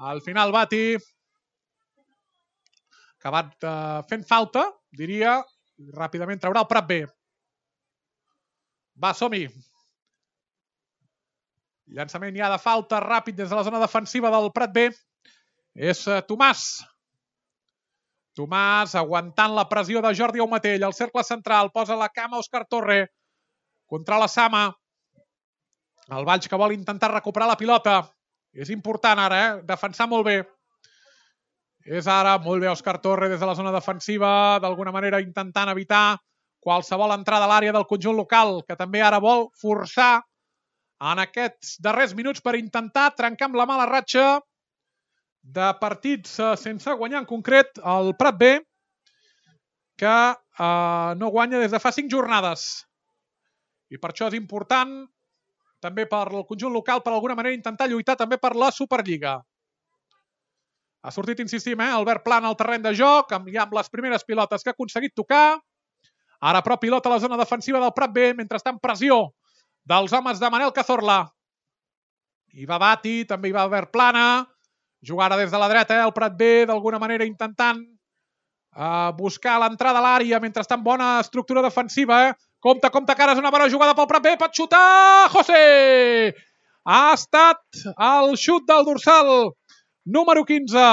Al final Bati, acabat fent falta, diria, ràpidament traurà el Prat B. Va, som-hi. Llançament ja de falta ràpid des de la zona defensiva del Prat B. És Tomàs. Tomàs aguantant la pressió de Jordi Aumatell. Al cercle central posa la cama Òscar Torre. Contra la Sama. El Valls que vol intentar recuperar la pilota. És important ara, defensar molt bé. És ara, molt bé Òscar Torre des de la zona defensiva, d'alguna manera intentant evitar qualsevol entrada a l'àrea del conjunt local, que també ara vol forçar en aquests darrers minuts per intentar trencar amb la mala ratxa de partits sense guanyar, en concret el Prat B, que no guanya des de fa 5 jornades. I per això és important, també per el conjunt local, per alguna manera intentar lluitar també per la Superliga. Ha sortit, insistim, Albert Plana al terreny de joc, ja amb les primeres pilotes que ha aconseguit tocar. Ara, però, pilota a la zona defensiva del Prat B, mentrestant pressió dels homes de Manel Cazorla. Hi va Bati, també hi va Albert Plana. Jugar ara des de la dreta, el Prat B, d'alguna manera intentant buscar l'entrada a l'àrea, mentrestant bona estructura defensiva. Compte, que ara és una bona jugada pel Prat B, pot xutar José! Ha estat el xut del dorsal número 15,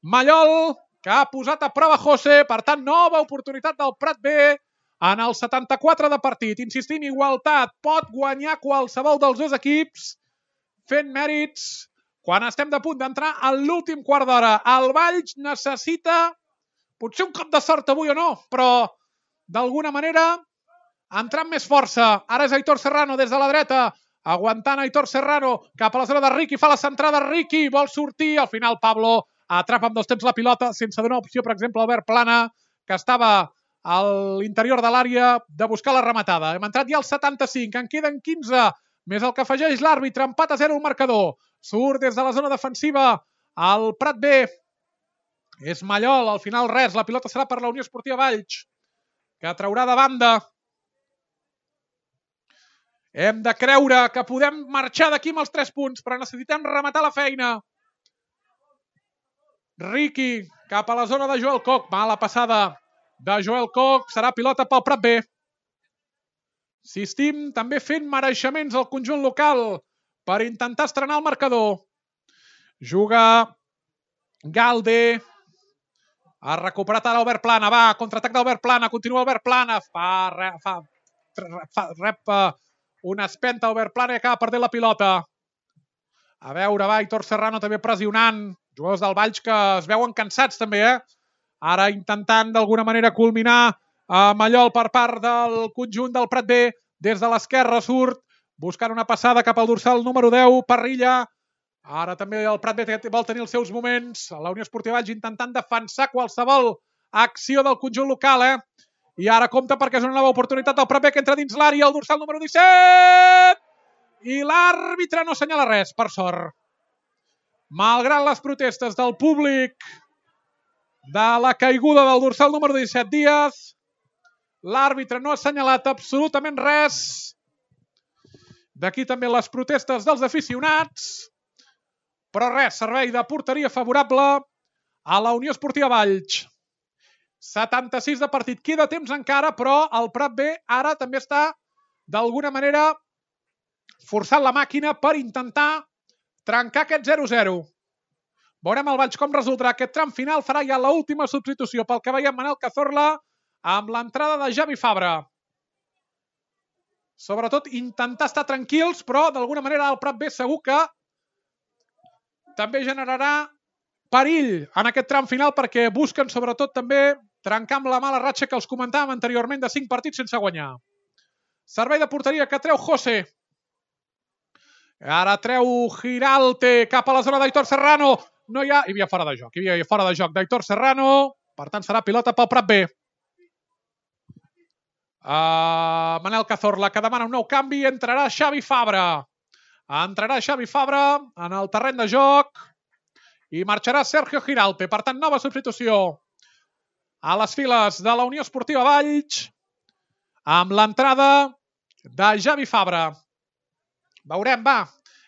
Mallol, que ha posat a prova José. Per tant, nova oportunitat del Prat B en el 74 de partit. Insistim, igualtat. Pot guanyar qualsevol dels dos equips fent mèrits quan estem de punt d'entrar a l'últim quart d'hora. El Valls necessita potser un cop de sort avui o no, però d'alguna manera entrar amb més força. Ara és Aitor Serrano des de la dreta, aguantant Aitor Serrano cap a la zona de Riqui, fa la centrada Riqui, vol sortir, al final Pablo atrapa amb 2 temps la pilota sense donar opció, per exemple, a Albert Plana, que estava a l'interior de l'àrea de buscar la rematada. Hem entrat ja al 75, en queden 15, més el que afegeix l'àrbitre, empat a 0 el marcador. Surt des de la zona defensiva el Prat B. És Mallol, al final res, la pilota serà per la Unió Esportiva Valls, que traurà de banda. Hem de creure que podem marxar d'aquí amb els 3 punts, però necessitem rematar la feina. Riqui cap a la zona de Joel Koch. Mala passada de Joel Koch. Serà pilota pel Prat B. Insistim també fent mereixements al conjunt local per intentar estrenar el marcador. Juga Galde. Ha recuperat ara Albert Plana. Va, contraatac d'Albert Plana. Continua Albert Plana. Rep una espenta Albert Plana i acaba perdent la pilota. A veure, va, Aitor Serrano també pressionant. Jugadors del Valls que es veuen cansats també, Ara intentant d'alguna manera culminar Mallol per part del conjunt del Prat B. Des de l'esquerra surt, buscant una passada cap al dorsal número 10, Parrilla. Ara també el Prat B vol tenir els seus moments. La Unió Esportiva Valls intentant defensar qualsevol acció del conjunt local, I ara compta perquè és una nova oportunitat del Prat B que entra dins l'àrea, el dorsal número 17. I l'àrbitre no assenyala res, per sort. Malgrat les protestes del públic de la caiguda del dorsal número 17 Díaz, l'àrbitre no ha assenyalat absolutament res. D'aquí també les protestes dels aficionats. Però res, servei de porteria favorable a la Unió Esportiva Valls. 76 de partit. Queda temps encara, però el Prat B ara també està, d'alguna manera, forçant la màquina per intentar trencar aquest 0-0. Veurem el Valls com resoldrà aquest tram final. Farà ja l'última substitució pel que veiem Manel Cazorla amb l'entrada de Javi Fabra. Sobretot intentar estar tranquils, però d'alguna manera el Prat B segur que també generarà perill en aquest tram final perquè busquen sobretot també trencar amb la mala ratxa que els comentàvem anteriorment de 5 partits sense guanyar. Servei de porteria que treu José. Ara treu Giralte cap a la zona d'Aitor Serrano. No hi havia fora de joc. Hi havia fora de joc d'Aitor Serrano. Per tant, serà pilota pel Prat B. Manel Cazorla, que demana un nou canvi. Entrarà Xavi Fabra. Entrarà Xavi Fabra en el terreny de joc i marxarà Sergio Giralte. Per tant, nova substitució a les files de la Unió Esportiva Valls amb l'entrada de Javi Fabra. Veurem, va,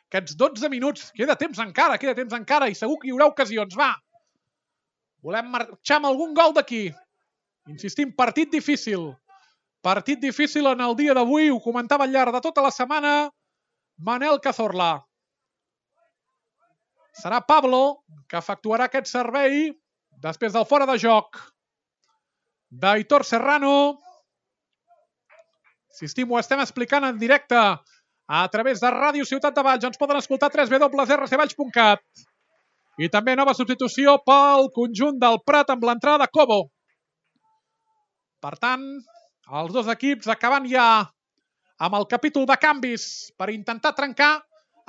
aquests 12 minuts. Queda temps encara i segur que hi haurà ocasions, va. Volem marxar amb algun gol d'aquí. Insistim, partit difícil. Partit difícil en el dia d'avui, ho comentava al llarg de tota la setmana Manel Cazorla. Serà Pablo que efectuarà aquest servei després del fora de joc d'Aitor Serrano. Insistim, ho estem explicant en directe a través de Ràdio Ciutat de Valls. Ens poden escoltar a www.rcvalls.cat. I també nova substitució pel conjunt del Prat amb l'entrada de Cobo. Per tant, els dos equips acabant ja amb el capítol de canvis per intentar trencar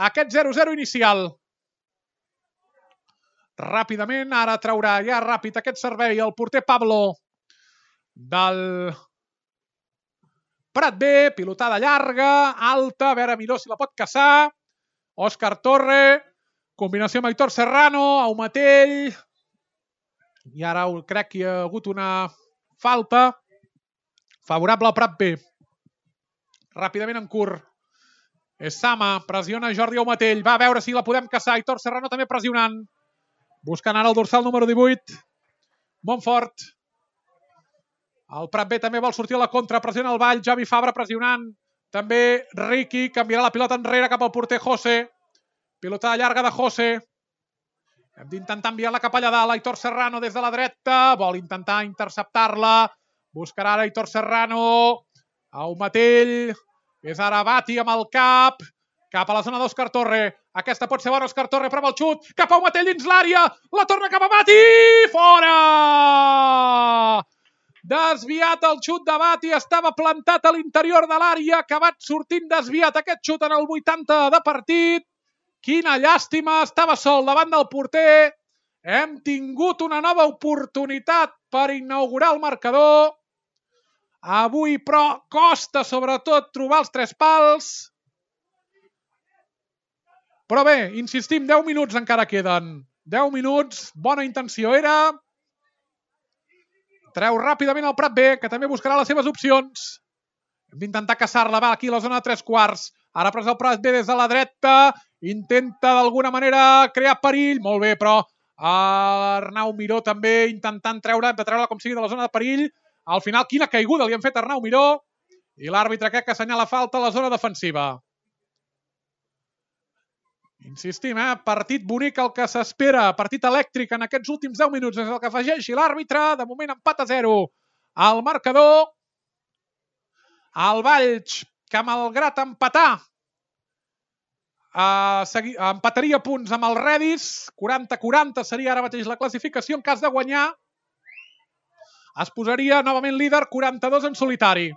aquest 0-0 inicial. Ràpidament, ara traurà ja ràpid aquest servei el porter Pablo del Prat B. Pilotada llarga, alta, a veure Miró si la pot caçar. Òscar Torre, combinació amb Aitor Serrano, Aumatell. I ara crec que hi ha hagut una falta favorable al Prat B. Ràpidament en curt. Sama, pressiona Jordi Aumatell. Va a veure si la podem caçar. Aitor Serrano també pressionant. Buscant ara el dorsal número 18. Montfort. El Prat B també vol sortir a la contra. Pressiona el Vall. Javi Fabra pressionant. També Riqui. Canviarà la pilota enrere cap al porter José. Pilotada llarga de José. Hem d'intentar enviar-la cap allà dalt. Aitor Serrano des de la dreta. Vol intentar interceptar-la. Buscarà ara Aitor Serrano. Aumatell, és ara Bati amb el cap a la zona d'Òscar Torre. Aquesta pot ser bona, Òscar Torre, prova el xut, cap a Aumatell dins l'àrea, la torna cap a Bati, fora! Desviat el xut de Bati, estava plantat a l'interior de l'àrea, acabat sortint desviat aquest xut en el 80 de partit. Quina llàstima, estava sol davant del porter. Hem tingut una nova oportunitat per inaugurar el marcador. Avui, però, costa sobretot trobar els 3 pals. Però bé, insistim, 10 minuts encara queden. 10 minuts, bona intenció era. Treu ràpidament el Prat B, que també buscarà les seves opcions. Hem d'intentar caçar-la, va, aquí a la zona de 3/4. Ara pres el Prat B des de la dreta. Intenta d'alguna manera crear perill. Molt bé, però Arnau Miró també intentant treure-la com sigui de la zona de perill. Al final, quina caiguda li han fet a Arnau Miró. I l'àrbitre crec que assenyala falta a la zona defensiva. Insistim, partit bonic el que s'espera. Partit elèctric en aquests últims 10 minuts. És el que afegeixi l'àrbitre. De moment empat a 0 al marcador. El Valls, que malgrat empatar, empataria punts amb el Redis. 40-40 seria ara mateix la classificació. En cas de guanyar, es posaria novament líder, 42 en solitari.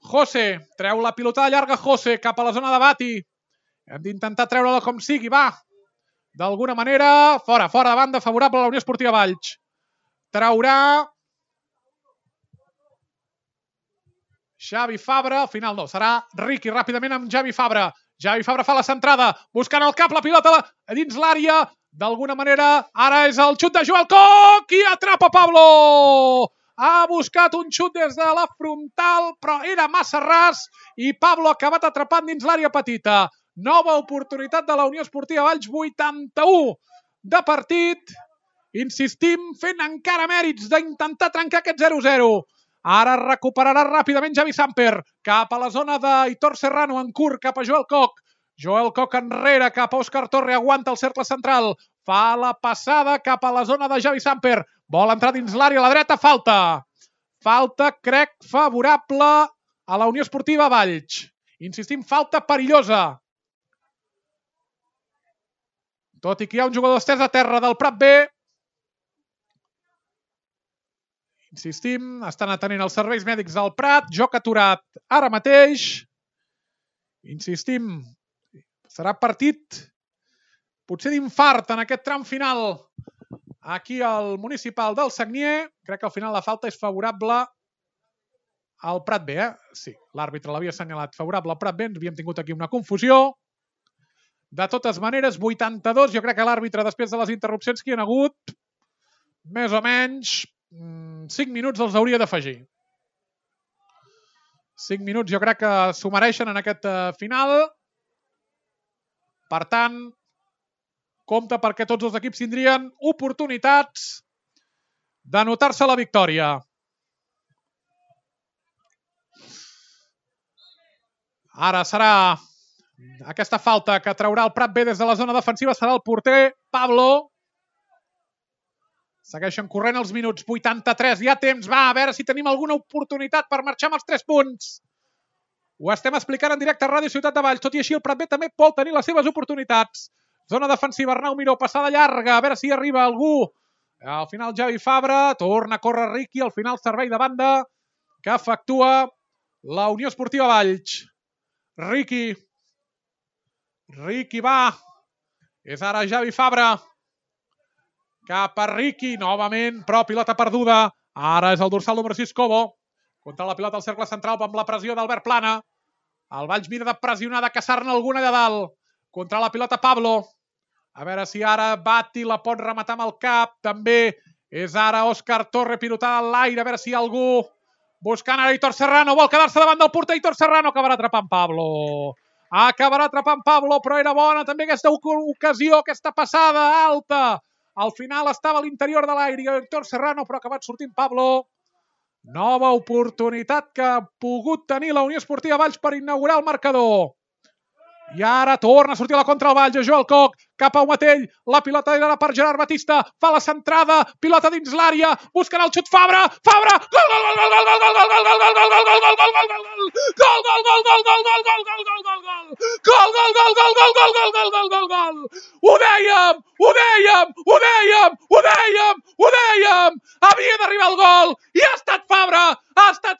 José, treu la pilotada llarga José cap a la zona de Bati. Hem d'intentar treure-la com sigui, va. D'alguna manera, fora de banda, favorable a la Unió Esportiva Valls. Traurà Xavi Fabra, al final no, serà Riqui ràpidament amb Xavi Fabra. Xavi Fabra fa la centrada, buscant el cap, la pilota dins l'àrea, d'alguna manera, ara és el xut de Joel Koch i atrapa Pablo! Ha buscat un xut des de la frontal, però era massa ras i Pablo ha acabat atrapant dins l'àrea petita. Nova oportunitat de la Unió Esportiva Valls, 81 de partit. Insistim, fent encara mèrits d'intentar trencar aquest 0-0. Ara recuperarà ràpidament Xavi Samper, cap a la zona d'Aitor Serrano, en curt, cap a Joel Koch. Joel Koch enrere, cap a Òscar Torre, aguanta el cercle central. Fa la passada cap a la zona de Xavi Samper. Vol entrar dins l'àrea a la dreta, falta. Falta, crec, favorable a la Unió Esportiva Valls. Insistim, falta perillosa. Tot i que hi ha un jugador estès a terra del Prat B. Insistim, estan atenent els serveis mèdics del Prat, joc aturat ara mateix. Insistim, serà partit potser d'infart en aquest tram final aquí al municipal del Sagnier. Crec que al final la falta és favorable al Prat B, Sí, l'àrbitre l'havia assenyalat favorable al Prat B, ens havíem tingut aquí una confusió. De totes maneres, 82, jo crec que l'àrbitre, després de les interrupcions que hi ha hagut, més o menys 5 minuts els hauria d'afegir. 5 minuts jo crec que s'ho mereixen en aquest final. Per tant, compte perquè tots els equips tindrien oportunitats d'anotar-se la victòria. Ara serà aquesta falta que traurà el Prat B des de la zona defensiva, serà el porter Pablo. Segueixen corrent els minuts, 83, hi ha temps, va, a veure si tenim alguna oportunitat per marxar amb els 3 punts. Ho estem explicant en directe a Ràdio Ciutat de Valls, tot i així el Prat B també pot tenir les seves oportunitats. Zona defensiva, Arnau Miró, passada llarga, a veure si arriba algú. Al final Xavi Fabra, torna a córrer Riqui, al final servei de banda que efectua la Unió Esportiva Valls. Riqui va, és ara Xavi Fabra. Cap a Riqui, novament, però pilota perduda. Ara és el dorsal número 6, Cobo. Contra la pilota al cercle central amb la pressió d'Albert Plana. El Valls mira de pressionar, de caçar-ne alguna allà dalt. Contra la pilota Pablo. A veure si ara Bati la pot rematar amb el cap. També és ara Òscar Torre pilotada en l'aire. A veure si algú buscant ara Aitor Serrano. Vol quedar-se davant del porter. Aitor Serrano acabarà atrapant Pablo. Acabarà atrapant Pablo, però era bona també aquesta ocasió, aquesta passada alta. Al final estava a l'interior de l'aire Aitor Serrano, però ha acabat sortint Pablo. Nova oportunitat que ha pogut tenir la Unió Esportiva Valls per inaugurar el marcador. I ara torna a sortir a la contra el Valls, Joel Koch, cap a Umatell, la pilota era per Gerard Batista, fa la centrada, pilota dins l'àrea, busquen el xut Fabra, Fabra, gol, gol, gol, gol, gol, gol, gol, gol, gol, gol, gol, gol, gol, gol, gol, gol, ho dèiem, havia d'arribar el gol i ha estat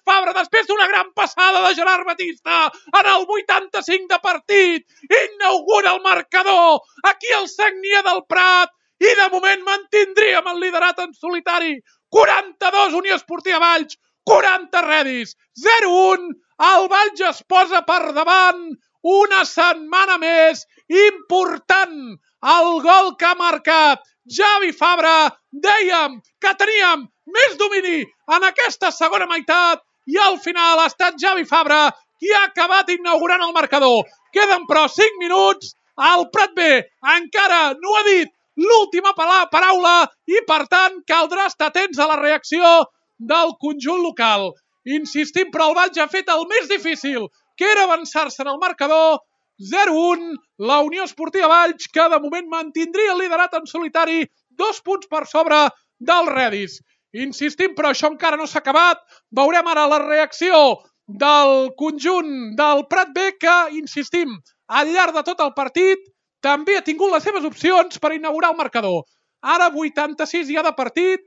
Fabra després d'una gran passada de Gerard Batista en el 85 de partit, inaugura el marcador aquí al Sagnier del Prat i de moment mantindríem el liderat en solitari. 42 Unió Esportiva Valls, 40 Redis, 0-1, el Valls es posa per davant una setmana més, important el gol que ha marcat Xavi Fabra. Dèiem que teníem més domini en aquesta segona meitat i al final ha estat Xavi Fabra qui ha acabat inaugurant el marcador. Queden però 5 minuts, el Prat B encara no ha dit l'última paraula i per tant caldrà estar atents a la reacció del conjunt local. Insistim, però el Valls ha fet el més difícil, que era avançar-se en el marcador. 0-1, la Unió Esportiva Valls, que de moment mantindria el liderat en solitari, 2 punts per sobre del Redis. Insistim, però això encara no s'ha acabat. Veurem ara la reacció del conjunt del Prat B, que, insistim, al llarg de tot el partit també ha tingut les seves opcions per inaugurar el marcador. Ara 86 ja de partit.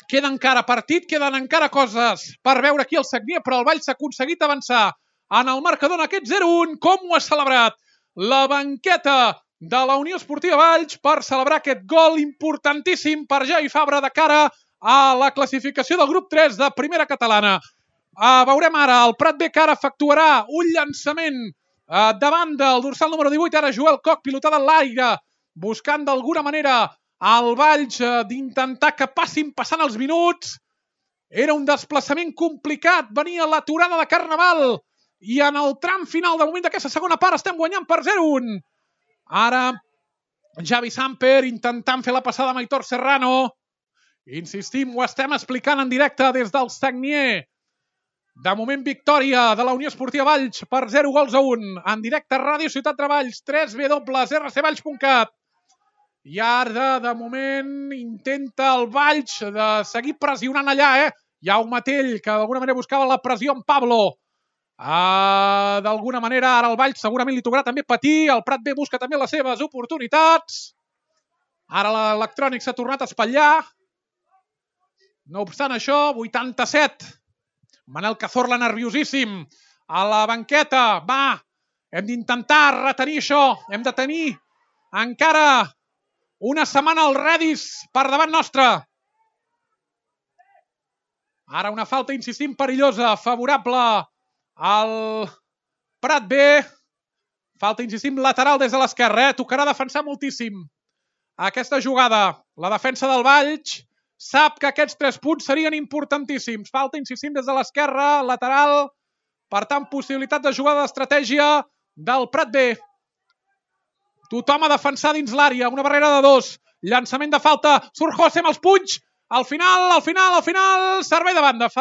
Queda encara partit, queden encara coses per veure aquí al Sagnier, però el Valls s'ha aconseguit avançar en el marcador en aquest 0-1. Com ho ha celebrat la banqueta de la Unió Esportiva Valls per celebrar aquest gol importantíssim per Xavi Fabra de cara a la classificació del grup 3 de Primera Catalana. Veurem ara el Prat B, que ara efectuarà un llançament davant del dorsal número 18. Ara Joel Koch, pilotada en l'aire, buscant d'alguna manera el Valls d'intentar que passant els minuts. Era un desplaçament complicat, venia l'aturada de Carnaval i en el tram final de moment d'aquesta segona part estem guanyant per 0-1. Ara Javi Samper intentant fer la passada amb Aitor Serrano. Insistim, ho estem explicant en directe des del Sagnier. De moment, victòria de la Unió Esportiva Valls per 0-1. En directe a Ràdio Ciutat de Valls, www.rcvalls.cat. I ara, de moment, intenta el Valls de seguir pressionant allà. Jaume Tell, que d'alguna manera buscava la pressió en Pablo. D'alguna manera, ara el Valls segurament li tocarà també patir. El Prat B busca també les seves oportunitats. Ara l'Electrònic s'ha tornat a espatllar. No obstant això, 87. Manel Cazorla nerviosíssim a la banqueta. Va, hem d'intentar retenir això. Hem de tenir encara una setmana al Redis per davant nostre. Ara una falta, insistim, perillosa, favorable al Prat B. Falta, insistim, lateral des de l'esquerra. Tocarà defensar moltíssim aquesta jugada. La defensa del Valls sap que aquests 3 punts serien importantíssims. Falta, insistim, des de l'esquerra, lateral. Per tant, possibilitat de jugada d'estratègia del Prat B. Tothom a defensar dins l'àrea. Una barrera de 2. Llançament de falta. Surt José amb els punys. Al final, servei de banda.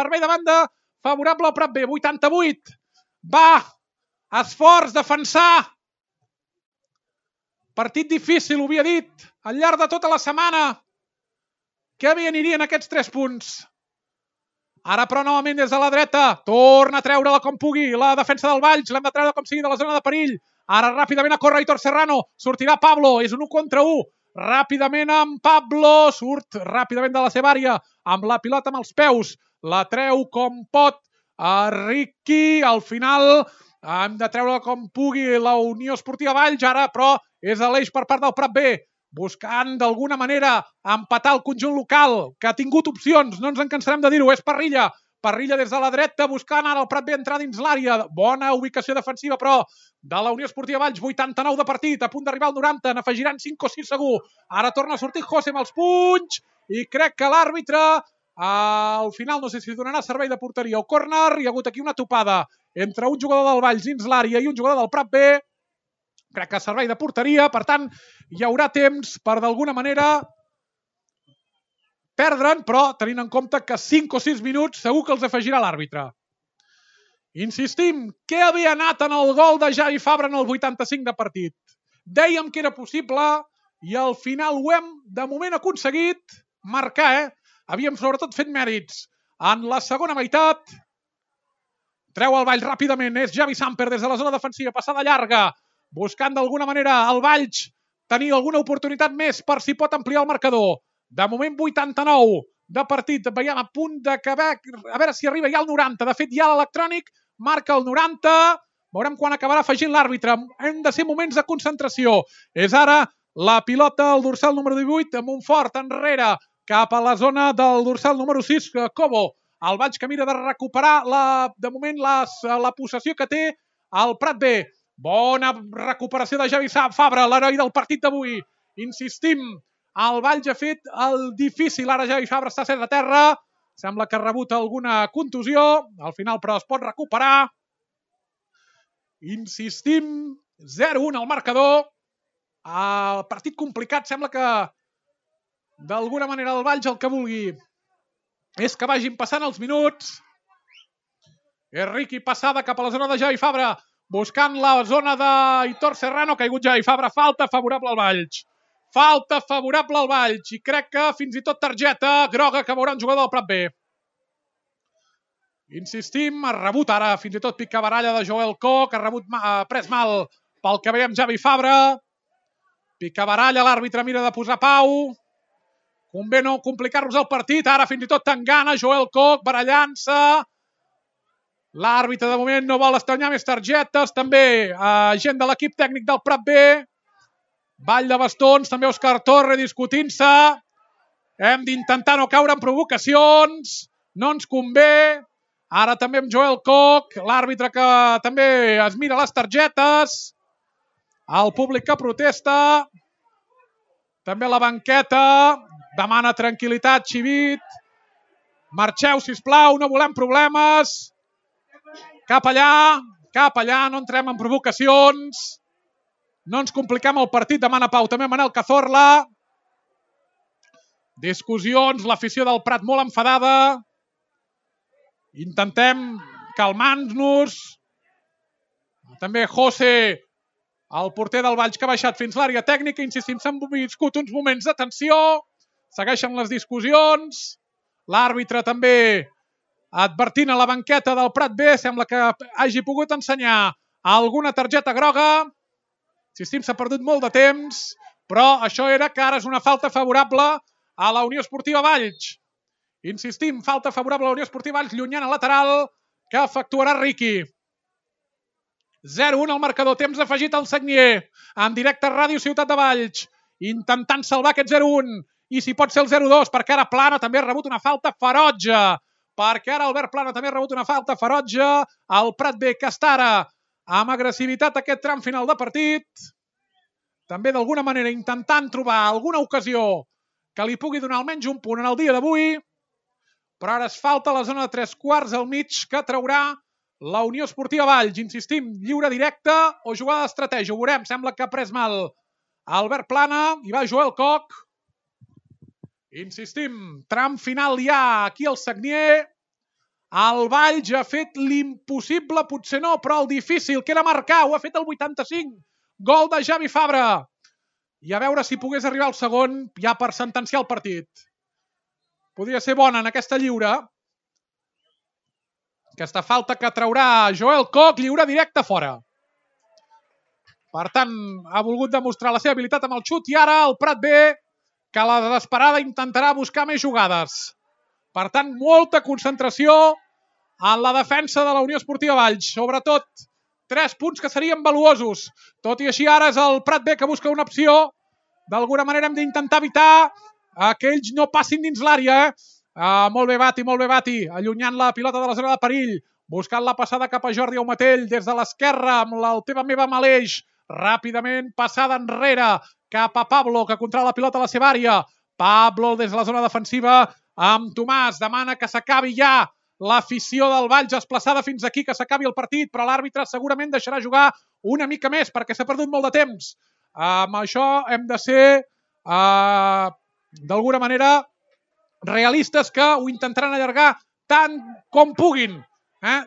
Favorable al Prat B. 88. Va. Esforç, defensar. Partit difícil, ho havia dit. Al llarg de tota la setmana. Que bé anirien aquests 3 punts. Ara, però, novament des de la dreta. Torna a treure-la com pugui. La defensa del Valls. L'hem de treure com sigui de la zona de perill. Ara ràpidament a córrer Aitor Serrano. Sortirà Pablo. És un 1 contra 1. Ràpidament amb Pablo. Surt ràpidament de la seva àrea. Amb la pilota amb els peus. La treu com pot. Ricky. Al final hem de treure com pugui la Unió Esportiva Valls. Ara, però, és a l'eix per part del Prat B. Buscant d'alguna manera empatar el conjunt local, que ha tingut opcions. No ens en cansarem de dir-ho. És Parrilla. Parrilla des de la dreta, buscant ara el Prat B entrar dins l'àrea. Bona ubicació defensiva, però, de la Unió Esportiva Valls. 89 de partit, a punt d'arribar al 90. N'afegiran 5 o 6 segur. Ara torna a sortir José amb els punys. I crec que l'àrbitre, al final, no sé si donarà servei de porteria o córner. Hi ha hagut aquí una topada entre un jugador del Valls dins l'àrea i un jugador del Prat B. Crec que servei de porteria. Per tant, hi haurà temps per, d'alguna manera, perdre'n, però tenint en compte que 5 o 6 minuts segur que els afegirà l'àrbitre. Insistim, què havia anat en el gol de Javi Fabra en el 85 de partit? Dèiem que era possible i al final ho hem, de moment, aconseguit marcar. Havíem sobretot fet mèrits. En la segona meitat, treu el Valls ràpidament. És Javi Samper des de la zona defensiva, passada llarga, buscant d'alguna manera el Valls tenir alguna oportunitat més per si pot ampliar el marcador. De moment, 89 de partit. Veiem a punt d'acabar. A veure si arriba ja al 90. De fet, ja l'Electrònic marca el 90. Veurem quan acabarà afegint l'àrbitre. Hem de ser moments de concentració. És ara la pilota al dorsal número 18, amb un fort enrere cap a la zona del dorsal número 6, Cobo. El Valls que mira de recuperar, de moment, la possessió que té el Prat B. Bona recuperació de Javi Fabra, l'heroi del partit d'avui. Insistim, el Valls ha fet el difícil. Ara Javi Fabra està a terra. Sembla que ha rebut alguna contusió. Al final, però, es pot recuperar. Insistim, 0-1 al marcador. El partit complicat. Sembla que, d'alguna manera, el Valls el que vulgui és que vagin passant els minuts. És Ricky passada cap a la zona de Javi Fabra, buscant la zona d'Aitor Serrano. Ha caigut Javi Fabra. Falta favorable al Valls. Falta favorable al Valls. I crec que fins i tot targeta groga que veurà un jugador del Prat B. Insistim, ha rebut ara fins i tot picabaralla de Joel Koch. Ha pres mal pel que veiem Javi Fabra. Picabaralla, l'àrbitre mira de posar pau. Convé no complicar-nos el partit. Ara fins i tot Tangana, Joel Koch barallant-se. L'àrbitre de moment no vol estranyar més targetes. També gent de l'equip tècnic del Prat B. Ball de bastons, també Òscar Torre discutint-se. Hem d'intentar no caure en provocacions. No ens convé. Ara també amb Joel Koch, l'àrbitre que també es mira les targetes. El públic que protesta. També la banqueta. Demana tranquil·litat, Xivit. Marxeu, sisplau, no volem problemes. Cap allà, no entrem en provocacions. No ens compliquem el partit, demana pau. També Manel Cazorla. Discussions, l'afició del Prat molt enfadada. Intentem calmar-nos. També José, el porter del Valls, que ha baixat fins l'àrea tècnica. Insistim, s'han viscut uns moments de tensió. Segueixen les discussions. L'àrbitre també advertint a la banqueta del Prat B. Sembla que hagi pogut ensenyar alguna targeta groga. Insistim, s'ha perdut molt de temps, però això era que ara és una falta favorable a la Unió Esportiva Valls. Insistim, falta favorable a la Unió Esportiva Valls, llunyana lateral, que efectuarà Riqui. 0-1 al marcador, temps afegit al Sagnier, en directe a Ràdio Ciutat de Valls, intentant salvar aquest 0-1, i si pot ser el 0-2, perquè ara Plana també ha rebut una falta ferotge, perquè ara Albert Plana també ha rebut una falta ferotge, el Prat B, que està ara amb agressivitat aquest tram final de partit, també d'alguna manera intentant trobar alguna ocasió que li pugui donar almenys un punt en el dia d'avui, però ara es falta la zona de 3/4 al mig que traurà la Unió Esportiva Valls. Insistim, lliure directe o jugada d'estratègia. Ho veurem, sembla que ha pres mal Albert Plana, i va Joel Koch. Insistim, tram final ja aquí al Sagnier. El Valls ha fet l'impossible, potser no, però el difícil, que era marcar, ho ha fet el 85. Gol de Javi Fabra. I a veure si pogués arribar al segon ja per sentenciar el partit. Podria ser bona en aquesta lliure. Aquesta falta que traurà Joel Koch, lliure directe fora. Per tant, ha volgut demostrar la seva habilitat amb el xut i ara el Prat B, que a la desesperada intentarà buscar més jugades. Per tant, molta concentració en la defensa de la Unió Esportiva Valls. Sobretot, 3 punts que serien valuosos. Tot i així, ara és el Prat B que busca una opció. D'alguna manera hem d'intentar evitar que ells no passin dins l'àrea. Molt bé, Bati, allunyant la pilota de la zona de perill. Buscant la passada cap a Jordi Aumatell des de l'esquerra amb el teva meva Maleix. Ràpidament, passada enrere cap a Pablo, que controla la pilota a la seva àrea. Pablo des de la zona defensiva amb Tomàs. Demana que s'acabi ja l'afició del Valls desplaçada fins aquí, que s'acabi el partit, però l'àrbitre segurament deixarà jugar una mica més perquè s'ha perdut molt de temps. Amb això hem de ser, d'alguna manera, realistes, que ho intentaran allargar tant com puguin.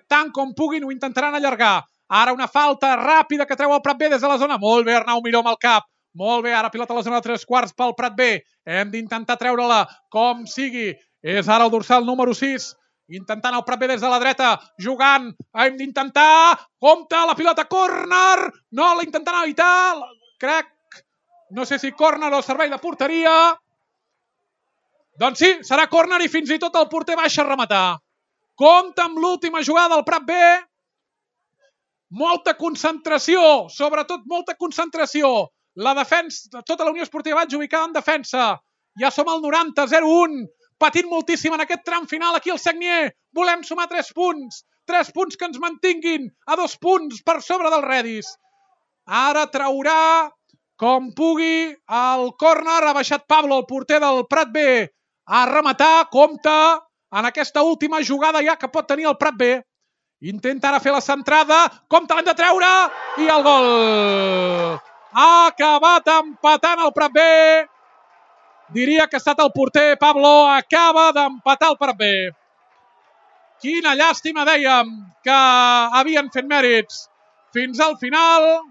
Tant com puguin ho intentaran allargar. Ara una falta ràpida que treu el Prat B des de la zona. Molt bé, Arnau Miró amb el cap. Molt bé, ara pilota a la zona de 3/4 pel Prat B. Hem d'intentar treure-la com sigui. És ara el dorsal número 6. Intentant el Prat B des de la dreta. Jugant. Hem d'intentar. Compte, la pilota, córner. No, la intentant evitar. Crec, no sé si córner o servei de porteria. Doncs sí, serà córner i fins i tot el porter baixa a rematar. Compte amb l'última jugada del Prat B. Molta concentració, sobretot molta concentració. La defensa, tota la Unió Esportiva Valls ubicada en defensa. Ja som al 90, 0-1. Patint moltíssim en aquest tram final aquí al Sagnier. Volem sumar 3 punts. 3 punts que ens mantinguin a 2 punts per sobre del Redis. Ara traurà, com pugui, el córner. Ha baixat Pablo, el porter del Prat B, a rematar. Compte en aquesta última jugada ja que pot tenir el Prat B. Intenta ara fer la centrada. Compte, l'hem de treure. I el gol. Ha acabat empatant el Prat B. Diria que ha estat el porter Pablo. Acaba d'empatar el Prat B. Quina llàstima, dèiem, que havien fet mèrits fins al final.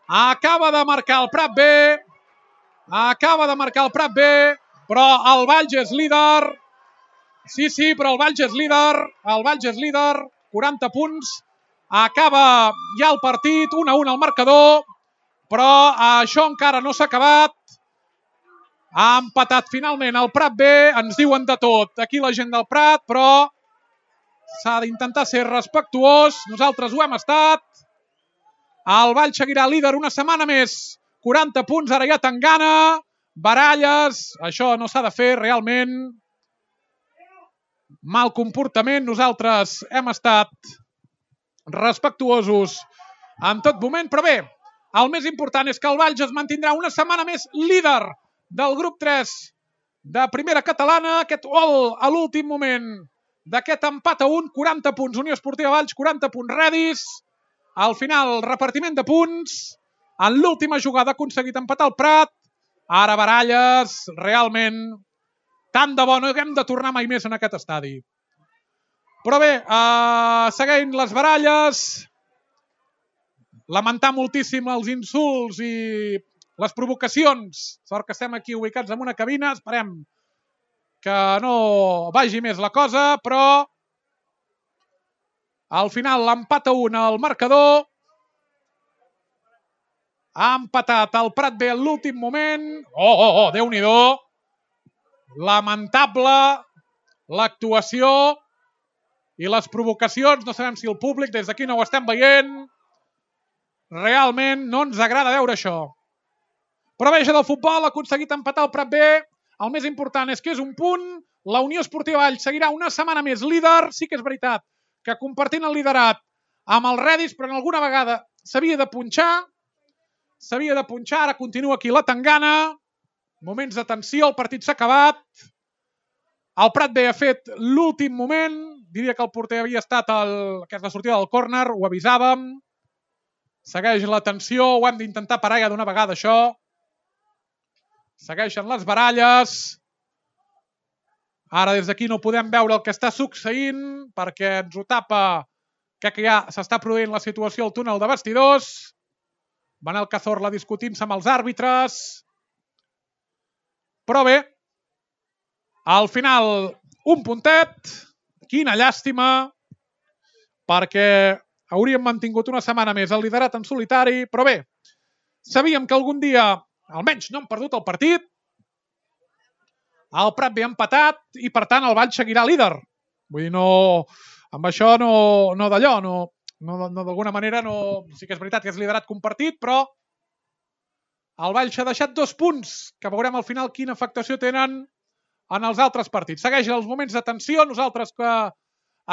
Acaba de marcar el Prat B. Però el Valls és líder. Sí, però el Valls és líder. 40 punts. Acaba ja el partit, 1-1 al marcador. Però això encara no s'ha acabat. Ha empatat finalment el Prat B. Ens diuen de tot aquí la gent del Prat, però s'ha d'intentar ser respectuós. Nosaltres ho hem estat. El Valls seguirà líder una setmana més. 40 punts, ara ja Tangana. Baralles. Això no s'ha de fer realment. mal comportament. Nosaltres hem estat respectuosos en tot moment, però bé, el més important és que el Valls es mantindrà una setmana més líder del grup 3 de primera catalana. Aquest gol a l'últim moment d'aquest empat a 1, 40 punts Unió Esportiva Valls, 40 punts Redis. Al final, repartiment de punts. En l'última jugada ha aconseguit empatar el Prat. Ara baralles, realment, tant de bo, no hem de tornar mai més en aquest estadi. Però bé, seguint les baralles, lamentar moltíssim els insults i les provocacions. Sort que estem aquí ubicats en una cabina, esperem que no vagi més la cosa, però al final l'empat a 1 al marcador. Ha empatat el Prat B en l'últim moment. Déu-n'hi-do. Lamentable l'actuació i les provocacions. No sabem si el públic des d'aquí no ho estem veient. Realment no ens agrada veure això. Però veja del futbol, ha aconseguit empatar el Prat B. El més important és que és un punt. La Unió Esportiva Valls seguirà una setmana més líder. Sí que és veritat que compartint el liderat amb el Redis, però en alguna vegada s'havia de punxar. Ara continua aquí la tangana. Moments de tensió, el partit s'ha acabat. El Prat B ha fet l'últim moment. Diria que el porter havia estat aquesta sortida del córner, ho avisàvem. Segueix la tensió, ho hem d'intentar parar ja d'una vegada, això. Segueixen les baralles. Ara des d'aquí no podem veure el que està succeint perquè ens ho tapa que ja s'està produint la situació al túnel de vestidors. Manel Cazorla discutint-se amb els àrbitres. Però bé, al final un puntet. Quina llàstima, perquè hauríem mantingut una setmana més el liderat en solitari. Però bé, sabíem que algun dia, almenys no hem perdut el partit. El Prat B ha empatat i, per tant, el Valls seguirà líder. Vull dir, no, amb això no d'allò, d'alguna manera sí que és veritat que és liderat compartit, però el Valls ha deixat 2 punts, que veurem al final quina afectació tenen en els altres partits. Segueixen els moments de tensió, nosaltres que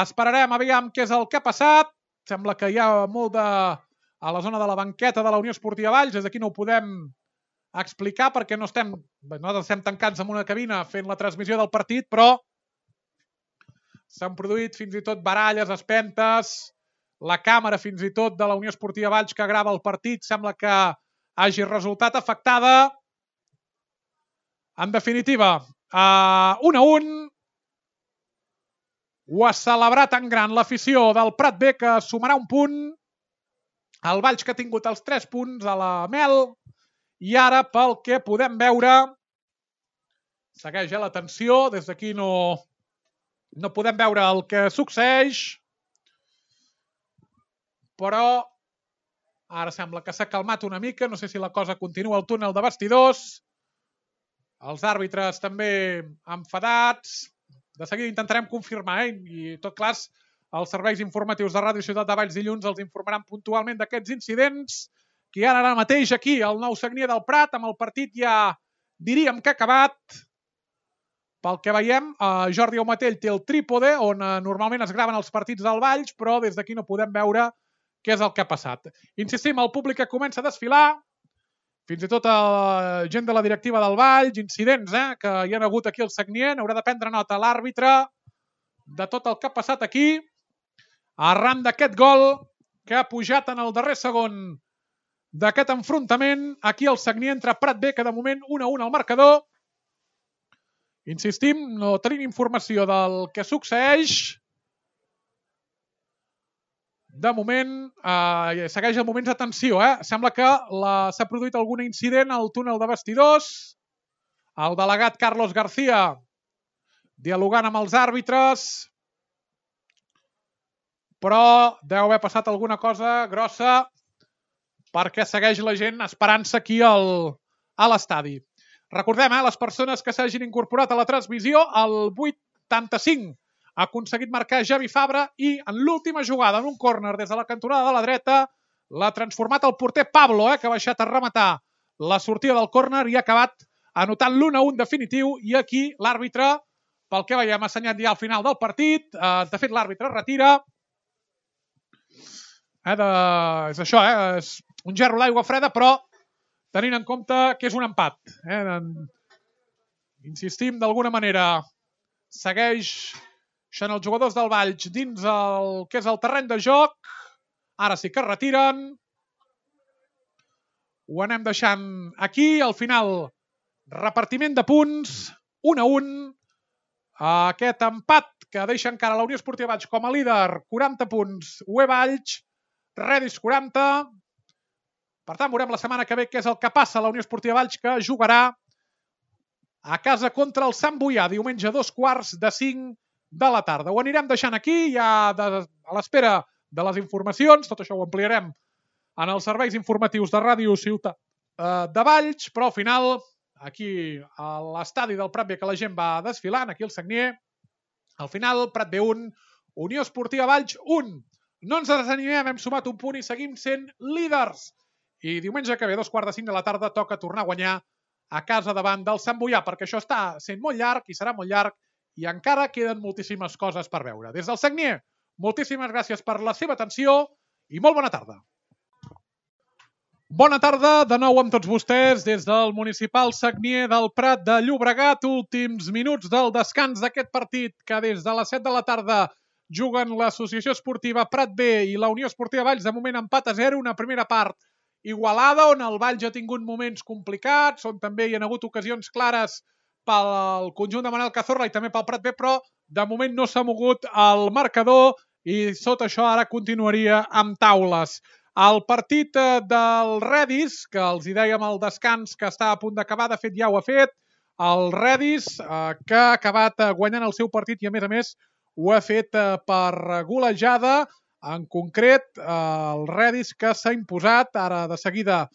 esperarem aviam què és el que ha passat. Sembla que hi ha molt a la zona de la banqueta de la Unió Esportiva Valls, des d'aquí no ho podem explicar perquè nosaltres estem tancats en una cabina fent la transmissió del partit, però s'han produït fins i tot baralles, espentes. La càmera fins i tot de la Unió Esportiva Valls que grava el partit sembla que hagi resultat afectada. En definitiva, 1-1. Ho ha celebrat en gran l'afició del Prat B, que sumarà un punt. El Valls, que ha tingut els 3 punts a la Mel. I ara, pel que podem veure, segueix la tensió. Des d'aquí no podem veure el que succeeix. Però ara sembla que s'ha calmat una mica. No sé si la cosa continua al túnel de vestidors. Els àrbitres també enfadats. De seguida intentarem confirmar, i tot clar, els serveis informatius de Ràdio Ciutat de Valls dilluns els informaran puntualment d'aquests incidents, que hi ha ara mateix aquí al Nou Sagnier del Prat, amb el partit ja diríem que ha acabat. Pel que veiem, Jordi Aumatell té el trípode on normalment es graven els partits del Valls, però des d'aquí no podem veure què és el que ha passat. Insistim, el públic que comença a desfilar, fins i tot gent de la directiva del Valls, incidents que hi ha hagut aquí al Sagnier, n'haurà de prendre nota l'àrbitre de tot el que ha passat aquí, arran d'aquest gol que ha pujat en el darrer segon d'aquest enfrontament aquí al Sagnier entre Prat B, que de moment 1-1 al marcador. Insistim, no tenim informació del que succeeix. De moment, segueix el moments de tensió. Sembla que s'ha produït algun incident al túnel de vestidors. El delegat Carlos García dialogant amb els àrbitres. Però deu haver passat alguna cosa grossa perquè segueix la gent esperant-se aquí a l'estadi. Recordem, les persones que s'hagin incorporat a la transmissió, el 85 ha aconseguit marcar Javi Fabra i en l'última jugada, en un córner des de la cantonada de la dreta, l'ha transformat el porter Pablo, que ha baixat a rematar la sortida del córner i ha acabat anotant l'1-1 definitiu. I aquí l'àrbitre pel que veiem assenyat ja al final del partit. De fet, l'àrbitre es retira. És això, és un gerro d'aigua freda, però tenint en compte que és un empat. Insistim, d'alguna manera, segueixen els jugadors del Valls dins el que és el terreny de joc. Ara sí que es retiren. Ho anem deixant aquí. Al final, repartiment de punts, 1-1. Aquest empat que deixa encara la Unió Esportiva Valls com a líder, 40 punts, UE Valls, Redis 40. Per tant, veurem la setmana que ve què és el que passa a la Unió Esportiva Valls, que jugarà a casa contra el Sant Boià, diumenge a 2:45 de la tarda. Ho anirem deixant aquí, ja a l'espera de les informacions. Tot això ho ampliarem en els serveis informatius de Ràdio Ciutat de Valls, però al final, aquí a l'estadi del Prat B, que la gent va desfilant, aquí al Sagnier, al final, Prat B 1, Unió Esportiva Valls 1. No ens desanimem, hem sumat un punt i seguim sent líders. I diumenge que ve, 2:45 de la tarda, toca tornar a guanyar a casa davant del Sant Boià, perquè això està sent molt llarg i serà molt llarg i encara queden moltíssimes coses per veure. Des del Sagnier, moltíssimes gràcies per la seva atenció i molt bona tarda. Bona tarda de nou amb tots vostès des del municipal Sagnier del Prat de Llobregat. Últims minuts del descans d'aquest partit que des de les 7 de la tarda juguen l'Associació Esportiva Prat B i la Unió Esportiva Valls. De moment empat a 0, una primera part igualada on el Valls ha tingut moments complicats, on també hi ha hagut ocasions clares pel conjunt de Manel Cazorla i també pel Prat B, però de moment no s'ha mogut el marcador i sota això ara continuaria amb taules. El partit del Redis, que els hi dèiem al descans que està a punt d'acabar, de fet ja ho ha fet, el Redis, que ha acabat guanyant el seu partit i a més ho ha fet per golejada. En concret, el Redis que s'ha imposat, ara de seguida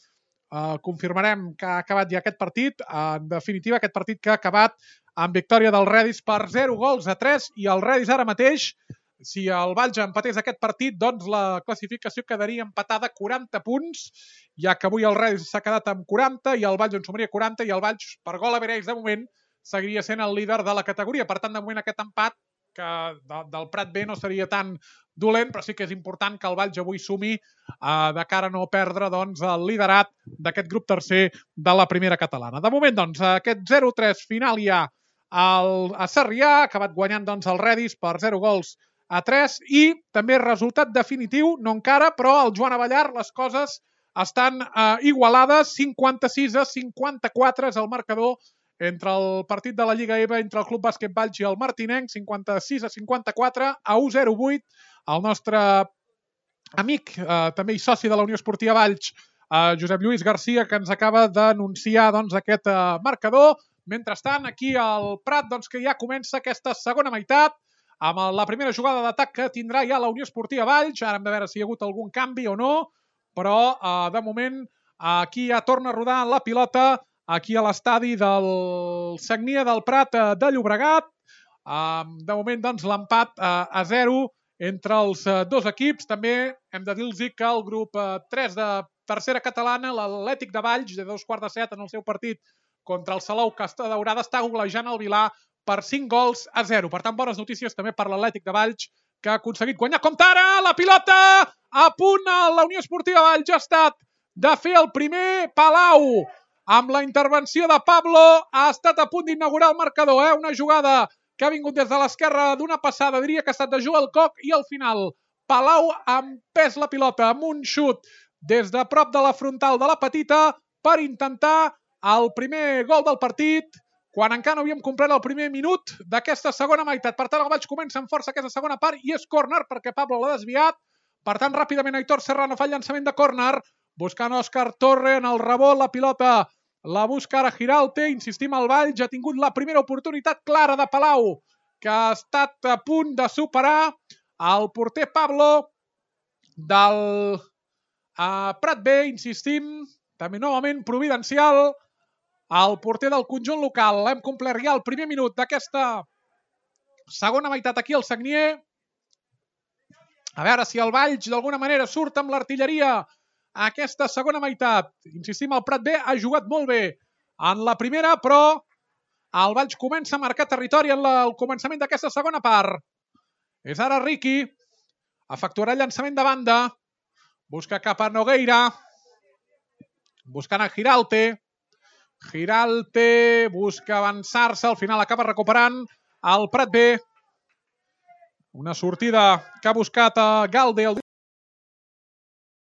confirmarem que ha acabat ja aquest partit. En definitiva, aquest partit que ha acabat amb victòria del Redis per 0-3 i el Redis ara mateix, si el Valls empatés aquest partit, doncs la classificació quedaria empatada 40 punts, ja que avui el Redis s'ha quedat amb 40 i el Valls en sumaria 40 i el Valls, per gol average de moment, seguiria sent el líder de la categoria. Per tant, de moment aquest empat que del Prat B no seria tan dolent, però sí que és important que el Valls avui sumi de cara a no perdre doncs, el liderat d'aquest grup tercer de la primera catalana. De moment, doncs, aquest 0-3 final ja a Sarrià, ha acabat guanyant doncs, el Redis per 0-3 i també resultat definitiu, no encara, però al Joan Avellar les coses estan igualades, 56-54 és el marcador entre el partit de la Lliga EVA, entre el Club Bàsquet Valls i el Martinenc, 56-54, a 1-0-8. El nostre amic, també i soci de la Unió Esportiva Valls, Josep Lluís Garcia, que ens acaba d'anunciar doncs, aquest marcador. Mentrestant, aquí al Prat, doncs, que ja comença aquesta segona meitat, amb la primera jugada d'atac que tindrà ja la Unió Esportiva Valls. Ara hem de veure si hi ha hagut algun canvi o no, però de moment aquí ja torna a rodar la pilota aquí a l'estadi del Sagnier del Prat de Llobregat. De moment, doncs, l'empat a 0 entre els dos equips. També hem de dir-los que el grup 3 de tercera catalana, l'Atlètic de Valls, de 2:15 en el seu partit contra el Salou Costa Daurada, està golejant el Vilar per 5-0. Per tant, bones notícies també per l'Atlètic de Valls, que ha aconseguit guanyar. Compte ara, la pilota a punt, la Unió Esportiva Valls ha estat de fer el primer. Palau, amb la intervenció de Pablo, ha estat a punt d'inaugurar el marcador. Una jugada que ha vingut des de l'esquerra d'una passada, diria que ha estat de Joel Koch, i al final Palau ha empès la pilota amb un xut des de prop de la frontal de la petita per intentar el primer gol del partit, quan encara no havíem complert el primer minut d'aquesta segona meitat. Per tant, el Valls comença amb força aquesta segona part i és córner perquè Pablo l'ha desviat. Per tant, ràpidament Aitor Serrano fa el llançament de córner, buscant Òscar Torre en el rebot, la pilota la busca ara Giralte, insistim, el Valls ha tingut la primera oportunitat clara de Palau, que ha estat a punt de superar el porter Pablo del Prat B, insistim, també novament providencial, el porter del conjunt local. Hem complert ja el primer minut d'aquesta segona meitat aquí al Sagnier. A veure si el Valls d'alguna manera surt amb l'artilleria a aquesta segona meitat. Insistim, el Prat B ha jugat molt bé en la primera, però El Valls comença a marcar territori en el començament d'aquesta segona part. És ara Riqui. Efectuarà llançament de banda. Busca cap a Nogueira. Buscant a Giralte. Giralte busca avançar-se. Al final acaba recuperant el Prat B. Una sortida que ha buscat a Galde.